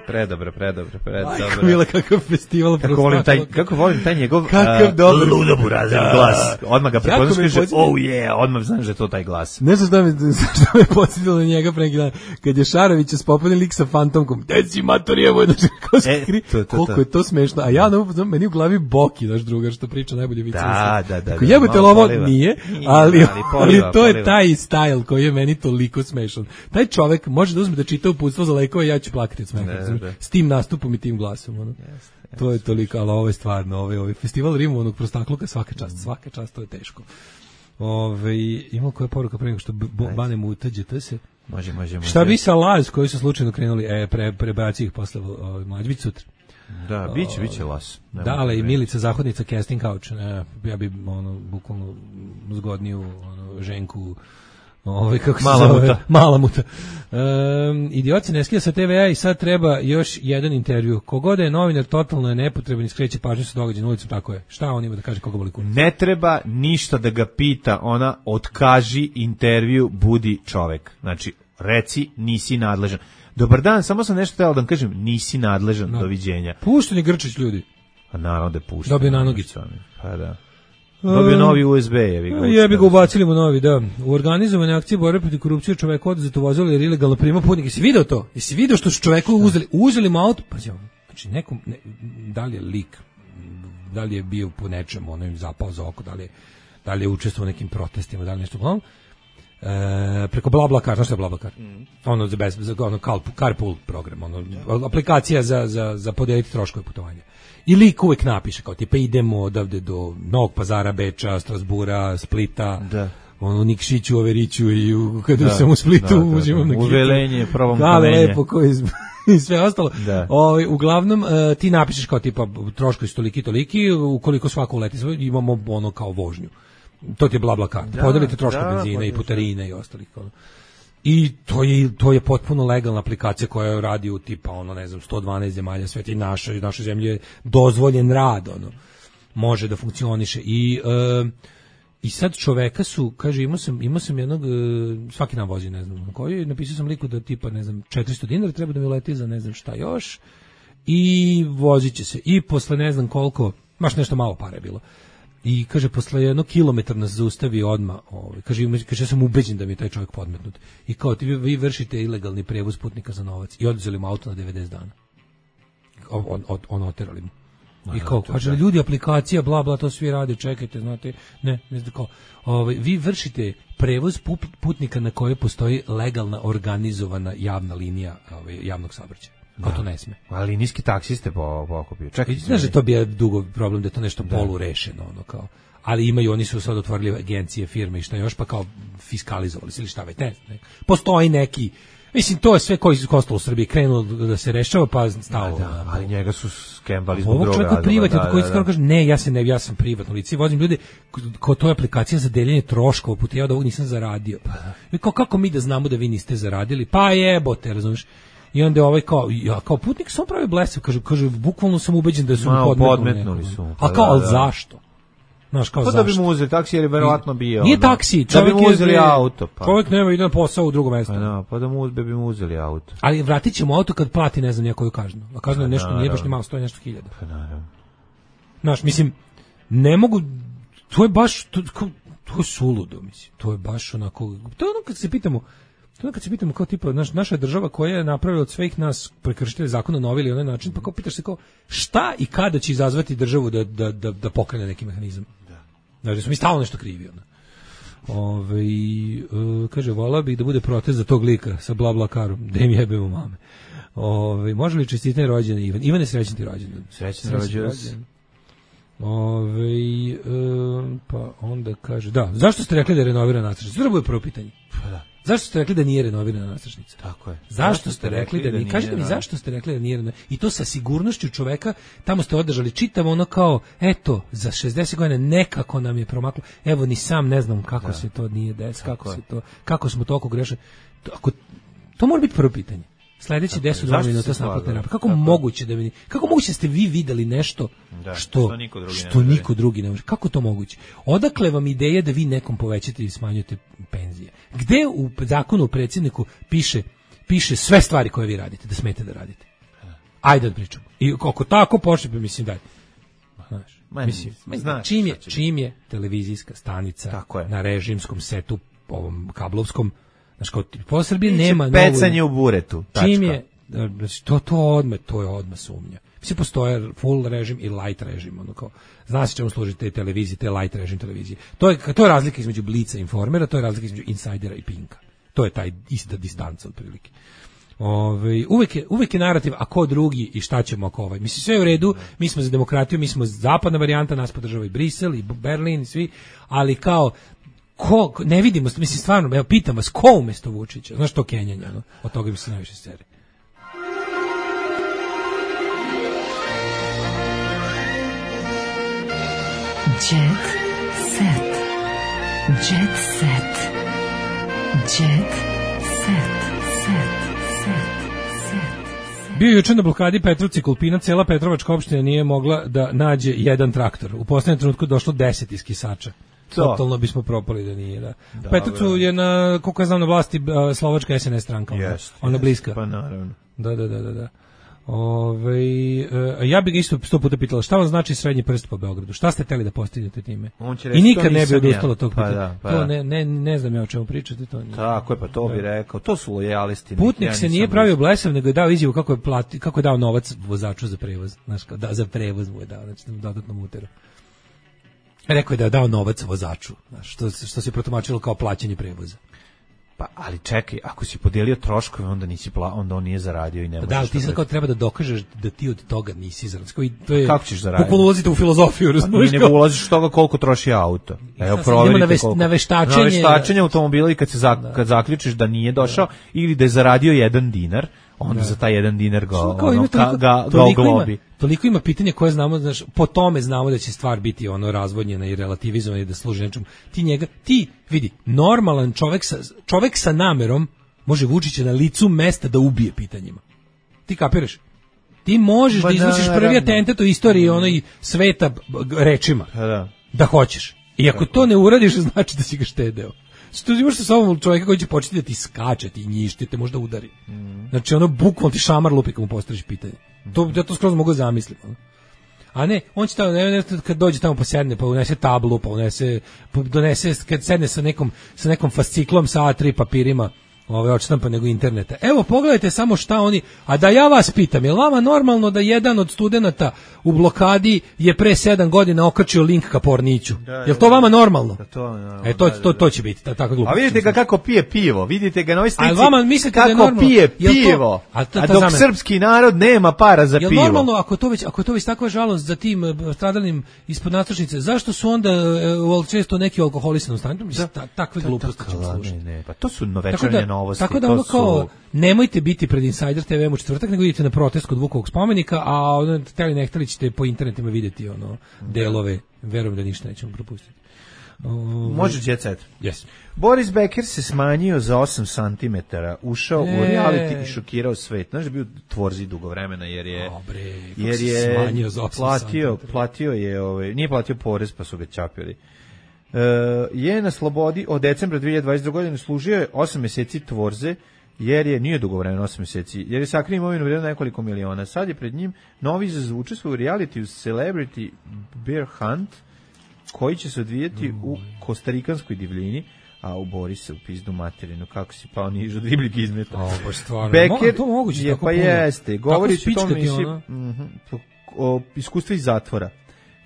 Predobro, predobro, predobro. Ajko, Mila, kakav festival. Kako volim taj, kako volim taj njegov kakav uh, dobar ludoburazan da. glas. Odmah ga prepoznaš, kaže, podsjeti... oh yeah, odmah znaš da je to taj glas. Ne znam šta me, šta me podsjetilo na njega pre neki dan, kad je Šarovića spopani lik sa fantomkom, deci matorijevo, znači, kao se E, kri, to, to, koliko to. je to smešno, a ja na meni u glavi Boki, naš drugar, što priča najbolje vice. Da, da, da. Ako da, jebote, malo ovo poliva. nije, Nije, ali, ali poliva, ali to je poliva. taj stajl koji je meni toliko smešan. Taj čovek može da uzme da čita uputstvo za lekove, ja ću plakati od smeha, Da, da. s tim nastupom i tim glasom, ono. Yes, To je toliko, ali ovo je stvarno, ovaj, ovaj festival rimovanog prostakluka, svaka čast, svaka čast, to je teško. Ove, ima koja poruka pre nego što banemo u tađete se. Može, može, može. Šta bi sa Laz koji su slučajno krenuli, e, pre, prebaci ih posle ovaj, mlađi, bit sutra. Da, biće, biće las. Da, ali i Milica Zahodnica, casting couch, ne, ja bi, ono, bukvalno zgodniju, ono, ženku, ovaj, kako se Mala zove? muta. Mala muta. Um, idioci ne skija sa te ve a i sad treba još jedan intervju. Kogoda je novinar, totalno je nepotreban i skreće pažnju sa događaja na ulicu, tako je. Šta on ima da kaže koga boli kurac? Ne treba ništa da ga pita, ona otkaži intervju, budi čovek. Znači, reci, nisi nadležan. Dobar dan, samo sam nešto htjela da vam kažem, nisi nadležan, No. doviđenja. Pušteni Grčić, ljudi. A naravno da je pušten. Dobio na nogicu. Pa da. Dobio novi u es be, jebi ga. Jebi ga, ubacili mu novi, da. U organizovane akcije borbe protiv korupcije čovek oduzeto vozilo jer ilegalno prima putnike. Jesi video to? Jesi video što su čoveku uzeli? Uzeli mu auto, pa znači nekom, ne, da li je lik, da li je bio po nečemu, ono im zapao za oko, da li je, da li je učestvovao u nekim protestima, da li nešto uglavnom. E, preko BlaBlaCar, znaš što je BlaBlaCar? Mm. Ono za bez, za ono carpool program, ono yeah. aplikacija za za za podeliti troškove putovanja. I lik uvek napiše kao tipa idemo odavde do Novog Pazara, Beča, Strasbura, Splita. Da. Ono Nikšiću, Overiću i u, kada da, sam u Splitu da, da, uzimam da, da. na kitu. Uvelenje, provom da, kamenje. Lepo, koji i sve ostalo. Da. O, uglavnom, uh, ti napišeš kao tipa troškovi su toliki, toliki, ukoliko svako uleti, imamo ono kao vožnju. To ti je BlaBlaCar. Da, podelite troškove da, benzina i putarine i ostalih. Ono. I to je to je potpuno legalna aplikacija koja radi u tipa ono ne znam sto dvanaest zemalja sveta i naša i naša zemlja je dozvoljen rad ono može da funkcioniše i uh, i sad čoveka su kaže imao sam imao sam jednog uh, svaki dan vozi ne znam koji napisao sam liku da tipa ne znam četiristo dinara treba da mi uleti za ne znam šta još i voziće se i posle ne znam koliko baš nešto malo para je bilo. I kaže posle jednog kilometra nas zaustavi odmah, ovaj kaže kaže ja sam ubeđen da mi je taj čovjek podmetnut. I kao ti vi, vi vršite ilegalni prevoz putnika za novac i oduzeli mu auto na devedeset dana. On on on oterali mu. I kao kaže ljudi aplikacija bla bla to svi rade, čekajte, znate, ne, ne znam kao. Ovaj vi vršite prevoz putnika na kojoj postoji legalna organizovana javna linija ovaj javnog saobraćaja. Kao to ne sme. Ali niski taksiste po pokupio. Čekaj, znaš da to bi je dugo problem da je to nešto da. polu rešeno ono kao. Ali imaju oni su sad otvorili agencije, firme i šta još pa kao fiskalizovali se ili šta već ne, ne. Postoji neki mislim to je sve koji su ostalo u Srbiji krenulo da se rešava pa stalo. Da, da, ali njega su skembali zbog droga. Ovo čovjek privatno da, koji da, da. kaže ne, ja se ne, ja sam privatno lice, vozim ljude ko to je aplikacija za deljenje troškova, puta ja da ovog nisam zaradio. I kao kako mi da znamo da vi niste zaradili? Pa jebote, razumiješ? I onda je ovaj kao, ja kao putnik sam pravi blesav, kaže, kaže, bukvalno sam ubeđen da su mu podmetnuli. podmetnuli su. A kao, ali zašto? Znaš, kao Pa zašto? da bi mu uzeli taksi, jer je verovatno bio. Nije ono, taksi, da čovjek bi mu je- uzeli auto. Pa. Čovjek nema ide na posao u drugo mesto. Pa da, pa da mu uzbe bi mu uzeli auto. Ali vratit ćemo auto kad plati, ne znam, nijakoju kaznu. A kazna je nešto, nije baš naravno. ni malo, stoji nešto hiljada. Pa naravno. Znaš, mislim, ne mogu, to je baš, to, kao- to je suludo, mislim. To je baš onako, to je ono kad se pitamo, to je ono kad se pitamo kao tipa, naš, naša država koja je napravila od svih nas prekršitelja zakona na ovaj ili onaj način, pa kao pitaš se kao, šta i kada će izazvati državu da, da, da, da pokrene neki mehanizam? Da. Znači, smo mi stalno nešto krivi, ono. Ove, uh, kaže, volao bih da bude protest za tog lika sa bla bla karom, da im jebemo mame. Ove, može li čestitanje rođendan Ivan? Ivan je srećan ti rođendan. Srećan rođendan. Ove, um, pa onda kaže, da, zašto ste rekli da je renovirana nadstrešnica? To bude prvo pitanje. Pa da. Zašto ste rekli da nije renovirana nadstrešnica? Tako je. Zašto ste rekli da nije? Kažite mi da. zašto ste rekli da nije renovirana? I to sa sigurnošću čoveka, tamo ste održali čitavo ono kao, eto, za šezdeset godina nekako nam je promaklo. Evo, ni sam ne znam kako Da. se to nije desilo, kako je. se to, kako smo toliko grešili. To, ako, to mora biti prvo pitanje. Sledeći deset dva Zašto minuta se s naplatne slagali? rampe. Kako Tako je. moguće da mi, kako moguće da ste vi videli nešto Da, što što niko drugi ne što može. niko drugi ne može? Kako to moguće? Odakle vam ideja da vi nekom povećate i smanjujete penzije? Gde u zakonu o predsjedniku piše piše sve stvari koje vi radite, da smete da radite? Ajde da pričamo. I ako tako počne, pa mislim daj. Znaš, Ma, mislim, ma, znaš čim je, šta će čim je televizijska stanica Tako je. na režimskom setu, ovom kablovskom, znaš, kao po Srbiji Biće nema pecanje u buretu. Tačka. čim je, znači, to, to odmah, to je odmah sumnja. Mislim, postoje full režim i light režim, ono kao, zna se čemu služi te televizije, te light režim televizije. To je, to je razlika između Blica i Informera, to je razlika između Insidera i Pinka. To je taj ista distanca otprilike. Ove, uvek, je, uvek je narativ, a ko drugi i šta ćemo ako ovaj. Mislim, sve je u redu, mi smo za demokratiju, mi smo zapadna varijanta, nas podržava i Brisel i Berlin i svi, ali kao, ko, ne vidimo, mislim, stvarno, evo, pitam vas, ko umesto Vučića? Znaš to kenjanje, ono, od toga mi se najviše seri. Jet set. Jet set. Jet set. Set. Set. Set. Bio je juče na blokadi Petrovci Kolpina, cela Petrovačka opština nije mogla da nađe jedan traktor. U poslednjem trenutku došlo deset iz Kisača. To. Totalno bismo propali da nije, da. U Petrovcu je na, koliko ja znam, na vlasti a, slovačka S N S stranka. Ona, Jest, ona jest. bliska. Pa naravno. Da, da, da, da, da. Ove, e, ja bih ga isto sto puta pitala, šta vam znači srednji prst po Beogradu? Šta ste hteli da postignete time? On će I reći, nikad to ne bi nisam odustalo ja. od tog Pa pitanja. da, pa to da. ne, ne, ne znam ja o čemu pričate. To nije. Tako je, pa to bi rekao. To su lojalisti. Putnik Ja se nisam nije blizu. pravio blesav, nego je dao izjavu kako je, plati, kako je dao novac vozaču za prevoz. Znaš, kao, da, za prevoz mu je dao, znači dodatno muteru. Rekao je da je dao novac vozaču, znaš, što, što se protumačilo kao plaćanje prevoza. Pa, ali čekaj, ako si podijelio troškove, onda nisi pla, onda on nije zaradio i ne Pa možeš. da, ali ti da sad kao treba da dokažeš da ti od toga nisi zaradio. Koji to je Kako ćeš zaraditi? Bukvalno ulazite u filozofiju, Pa razumiješ? nije nego ulaziš u toga koliko troši auto. Evo, sad proverite idemo na veš- koliko. na veštačenje- Na veštačenje automobila i kad, se za, kad zaključiš da nije došao ili da je zaradio jedan dinar, onda za taj jedan dinar ga, Kao ono, ima ka, toliko- ga, ga toliko ima- oglobi. Toliko ima pitanja koje znamo, znaš, po tome znamo da će stvar biti ono razvodnjena i relativizovana i da služi nečemu. Ti njega, ti vidi, normalan čovek sa, čovek sa namerom može Vučića na licu mesta da ubije pitanjima. Ti kapiraš? Ti možeš Pa da izvršiš naravno. prvi atentat u istoriji ono i sveta b- g- rečima. Pa da. Da hoćeš. I ako to ne uradiš, znači da si ga štedeo. Što imaš sa sobom čovjeka koji će početi da ti skače, ti njišti, te možda udari. Znači ono bukvalno ti šamar lupi kad mu postaviš pitanje. To, ja to skroz mogu zamisliti. Ono. A ne, on će tamo, ne, ne, kad dođe tamo pa sedne, pa unese tablu, pa unese, pa donese, kad sedne sa nekom, sa nekom fasciklom sa A tri papirima, ove odštampa nego interneta. Evo, pogledajte samo šta oni, a da ja vas pitam, je li vama normalno da jedan od studenata u blokadi je pre sedam godina okačio link ka Porniću? Je li to vama normalno? Da, to, normalno, E, to, da, da, to, da. to će biti, ta, tako glupo. A vidite ga kako pije pivo, vidite ga na ovoj slici. Ali vama mislite da je kako normalno? pije Jel to- pivo, a a, to- to dok za mene- srpski narod nema para za Jel pivo. normalno ako to već ako je to već takva žalost za tim eh, stradalim ispod nadstrešnice, zašto su onda eh, često neki alkoholisani u stanju? Mislim, ta, takve gluposti ćemo Tako, slušati. ne, ne, pa to su Tako novečernje da, novosti. tako da to ono su... kao, nemojte biti pred Insider te ve u četvrtak, nego idete na protest kod Vukovog spomenika, a ono, hteli ne hteli ćete po internetima vidjeti ono delove, verujem da ništa nećemo propustiti. Može jet set. Yes. Boris Becker se smanjio za osam centimetara, ušao e. u reality i šokirao svet. Znaš da je bio tvorzi dugo vremena jer je Dobre, jer je platio, platio je, ovaj, nije platio porez pa su ga čapili. Uh, je na slobodi od decembra dve hiljade dvadeset druge. godine, služio je osam meseci tvorze, jer je, nije dugo vremena, osam meseci, jer je sakrio imovinu vrijednu nekoliko miliona. Sad je pred njim novi izazov, učestvuje u reality u Celebrity Bear Hunt, koji će se odvijeti mm. u kostarikanskoj divljini, a u Boris se u pizdu materinu, kako si pao nižu od ribljeg izmeta. O, baš stvarno. Becker to moguće je, tako pa puno. Jeste, govori o tom misli, ono? o iskustvu iz zatvora.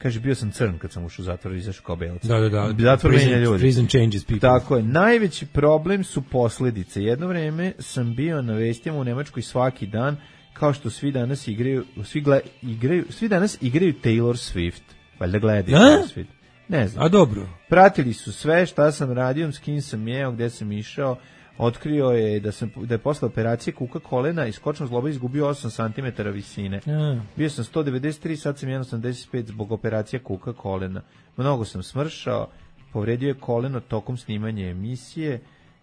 Kaže, bio sam crn kad sam ušao u zatvor i izašao kao belac. Da, da, da. Zatvor menja ljudi. Prison changes people. Tako je. Najveći problem su posljedice. Jedno vreme sam bio na vestima u Nemačkoj svaki dan, kao što svi danas igraju, svi, gle, igraju, svi danas igraju Taylor Swift. Valjda gledaju Taylor Swift. Ne znam. A dobro. Pratili su sve šta sam radio, s kim sam jeo, gde sam išao. Otkrio je da sam da je posle operacije kuka kolena i skočnom zloba izgubio osam centimetara visine. Ja. Bio sam sto devedeset tri, sad sam jedno sedamdeset pet zbog operacije kuka kolena. Mnogo sam smršao, povredio je koleno tokom snimanja emisije,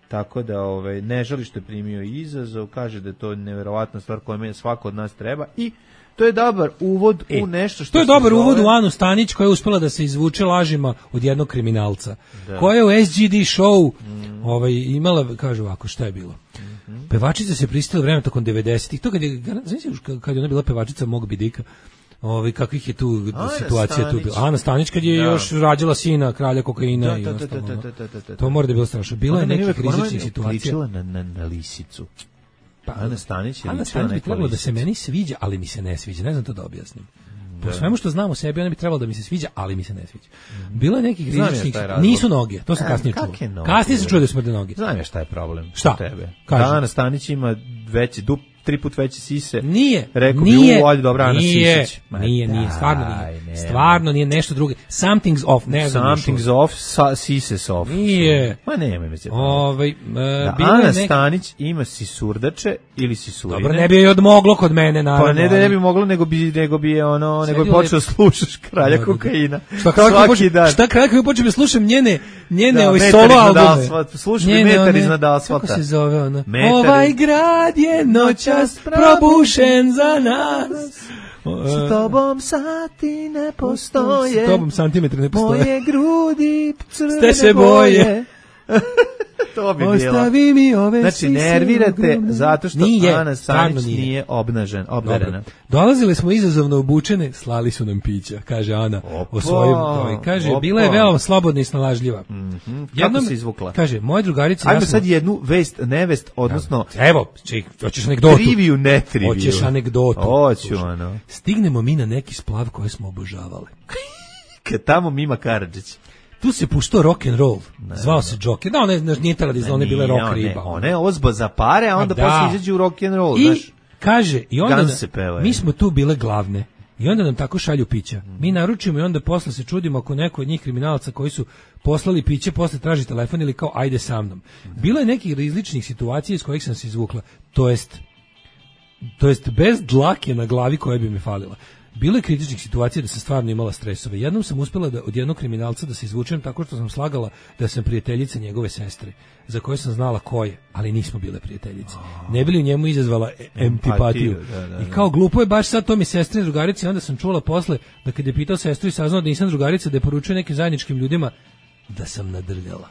tako da ovaj ne žali što je primio izazov, kaže da je to neverovatna stvar koja meni svako od nas treba i to je dobar uvod e, u nešto što... To je dobar zove... uvod u Anu Stanić koja je uspela da se izvuče lažima od jednog kriminalca. Da. Koja je u S G D show mm. ovaj, imala, kaže ovako, šta je bilo? Mm-hmm. Pevačica se pristala vremena tokom devedesetih. To kad je, znači, kad je ona bila pevačica Mog Bidika, ovaj, kakvih je tu Ana situacija Stanić. Tu bila. Ana Stanić kad je da. još rađala sina kralja kokaina da, i da, ostalo. Da, da, da, da, da, da. To mora da je bilo strašno. Bila je nekih rizičnih situacija. Ona na, na, na lisicu. Pa, Ana Stanić je Ana Stanić bi trebalo da se meni sviđa, ali mi se ne sviđa. Ne znam to da objasnim. Da. Po svemu što znam o sebi, ona bi trebalo da mi se sviđa, ali mi se ne sviđa. Bilo je nekih rizičnih... Nisu noge, to sam kasnije čuo. Kasnije se čuo da smrde noge. Znam ja šta je problem. Šta? Tebe. Da, Ana Stanić ima veći dup, tri put veće sise. Nije. Rekao nije, bi u dobra Ana nije, Sisić. Nije, nije, stvarno nije. Ne, stvarno nije nešto drugo. Something's off. Ne Something's off, sa, sises off. Nije. Ma nema mi se. Ovaj, uh, da, Ana nek... Stanić ima sisurdače ili sisurine. Dobro, ne bi joj odmoglo kod mene, naravno. Pa ne da ne bi moglo, nego bi, nego bi je ono, nego bi počeo slušaš kralja kokaina. Šta kralja počeo, šta kralja koji počeo slušam njene, njene da, ovaj solo albume. Slušam metar iznad asfalta. Kako se zove ona? Ovaj grad je noćas probušen za nas. S tobom sati ne postoje. S tobom santimetri ne postoje. Moje grudi crvene boje. To bi bilo. Ostavi mi ove znači, nervirate zato što nije, Ana Stanić nije. nije obnažen, obdarena. Dolazili smo izazovno obučene, slali su nam pića, kaže Ana. Opa, o svojim, ovaj, kaže, opa. Bila je veoma slobodna i snalažljiva. Mm-hmm. Kako Jednom, se izvukla? Kaže, moje drugarice... Ajmo sad jednu vest, nevest, odnosno... Evo, ček, hoćeš anegdotu. Triviju, ne triviju. Hoćeš anegdotu. Hoću, ono. Stignemo mi na neki splav koje smo obožavali. Kad tamo Mima Karadžić. Tu se puštao rock and roll. Ne, zvao se Joker. Da, one nije televizija, one bile rock riba. One je ozba za pare, a onda a posle izađe u rock and roll, I znaš. Kaže, i onda da, mi smo tu bile glavne. I onda nam tako šalju pića. Mi naručimo i onda posle se čudimo ako neko od njih kriminalaca koji su poslali piće, posle traži telefon ili kao ajde sa mnom. Bilo je nekih različnih situacija iz kojih sam se izvukla. To jest, to jest bez dlake na glavi koja bi mi falila. Bilo je kritičnih situacija da sam stvarno imala stresove. Jednom sam uspela da od jednog kriminalca da se izvučem tako što sam slagala da sam prijateljica njegove sestre, za koje sam znala ko je, ali nismo bile prijateljice. Ne bi li u njemu izazvala empatiju. Da, da, da. I kao glupo je baš sad to mi sestre drugarice, onda sam čula posle da kad je pitao sestru i saznao da nisam drugarica, da je poručio nekim zajedničkim ljudima da sam nadrljala.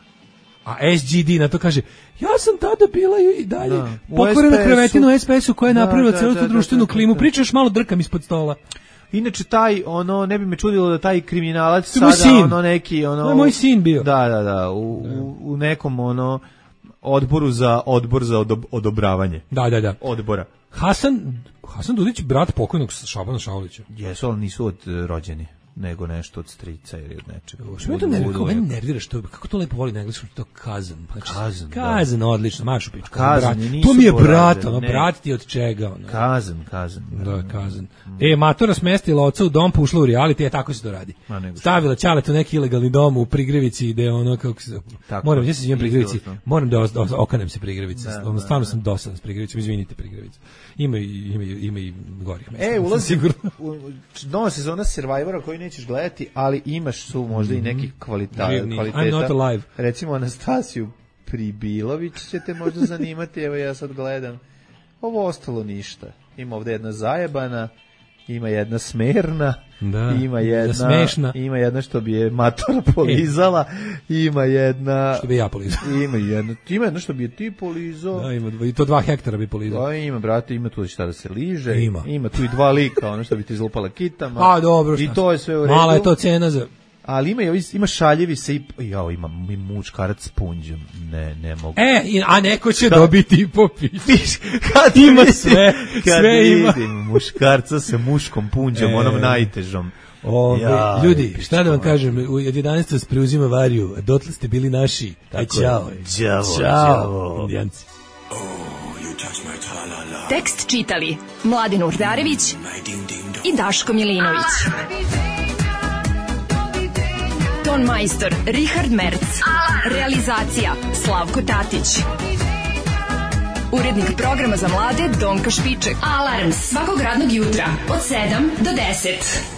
A S G D na to kaže, ja sam tada bila i dalje da. Pokvorena krevetinu u S P S-u koja je da, napravila da, celu tu društvenu da, da, klimu. Da, da. Pričaš malo drkam ispod stola. Inače taj ono ne bi me čudilo da taj kriminalac sada sin. ono neki ono to je moj sin bio. Da, da, da, u, u, u nekom ono odboru za odbor za odob, odobravanje. Da, da, da. Odbora. Hasan Hasan Dudić brat pokojnog Šabana Šaulića. Jesu, ali nisu od uh, rođeni, nego nešto od strica ili od nečega. Što me to nervira, mene nervira što kako to lepo voli na engleskom, to kazan. Znači, kazan, kazan, da. Odlično, mašu pičku. Kazan, to mi je brat, ono, brat ti od čega, ono. Kazan, kazan. Da, kazan. Mm. E, matora smestila oca u dom, pa ušla u reality, e, tako se to radi. Stavila ćaleta u neki ilegalni dom u Prigrevici, ide ono, kako se... Tako, moram, ja se izvijem Prigrevici, moram da os, os, okanem se Prigrevici, da, ono, stvarno da, sam dosadan s Prigrevicom, izvinite Prigrevicu. Ima i, ima i, ima i gorih mesta. E, ulazi, u, nova sezona Survivora koji nećeš gledati, ali imaš su možda i nekih kvalita, Živni. kvaliteta. I'm not alive. Recimo Anastasiju Pribilović će te možda zanimati, evo ja sad gledam. Ovo ostalo ništa. Ima ovde jedna zajebana, ima jedna smerna, Da, ima jedna smešna. ima jedna što bi je matora polizala, ima jedna Što bi ja polizao. ima jedna, ima jedna što bi je ti polizao. Da, ima dva, i to dva hektara bi polizao. Da, ima, brate, ima tu šta da se liže. Ima. Ima tu i dva lika, ono što bi ti izlupala kitama. A, dobro, šta I to je sve u redu. Mala je to cena za... Ali ima, ima šaljevi se i... Jao, ima, ima muškarac s punđom. Ne, ne mogu. E, i- a neko će dobiti i popiti. Kad Ima vidim- sve, kad sve ima. vidim muškarca sa muškom punđom, E. onom najtežom. Ove, Jaj, ljudi, šta da vam pičko, kažem, u od jedanaest vas preuzima Variju, dotle ste bili naši. Aj, Tako je. čao. Đavo, Ćao, đavo. indijanci. Tekst čitali Mladin Urdarević i Daško Milinović. Ton majstor Richard Merc. Realizacija Slavko Tatić. Urednik programa za mlade Donka Špiček. Alarms svakog radnog jutra od sedam do deset.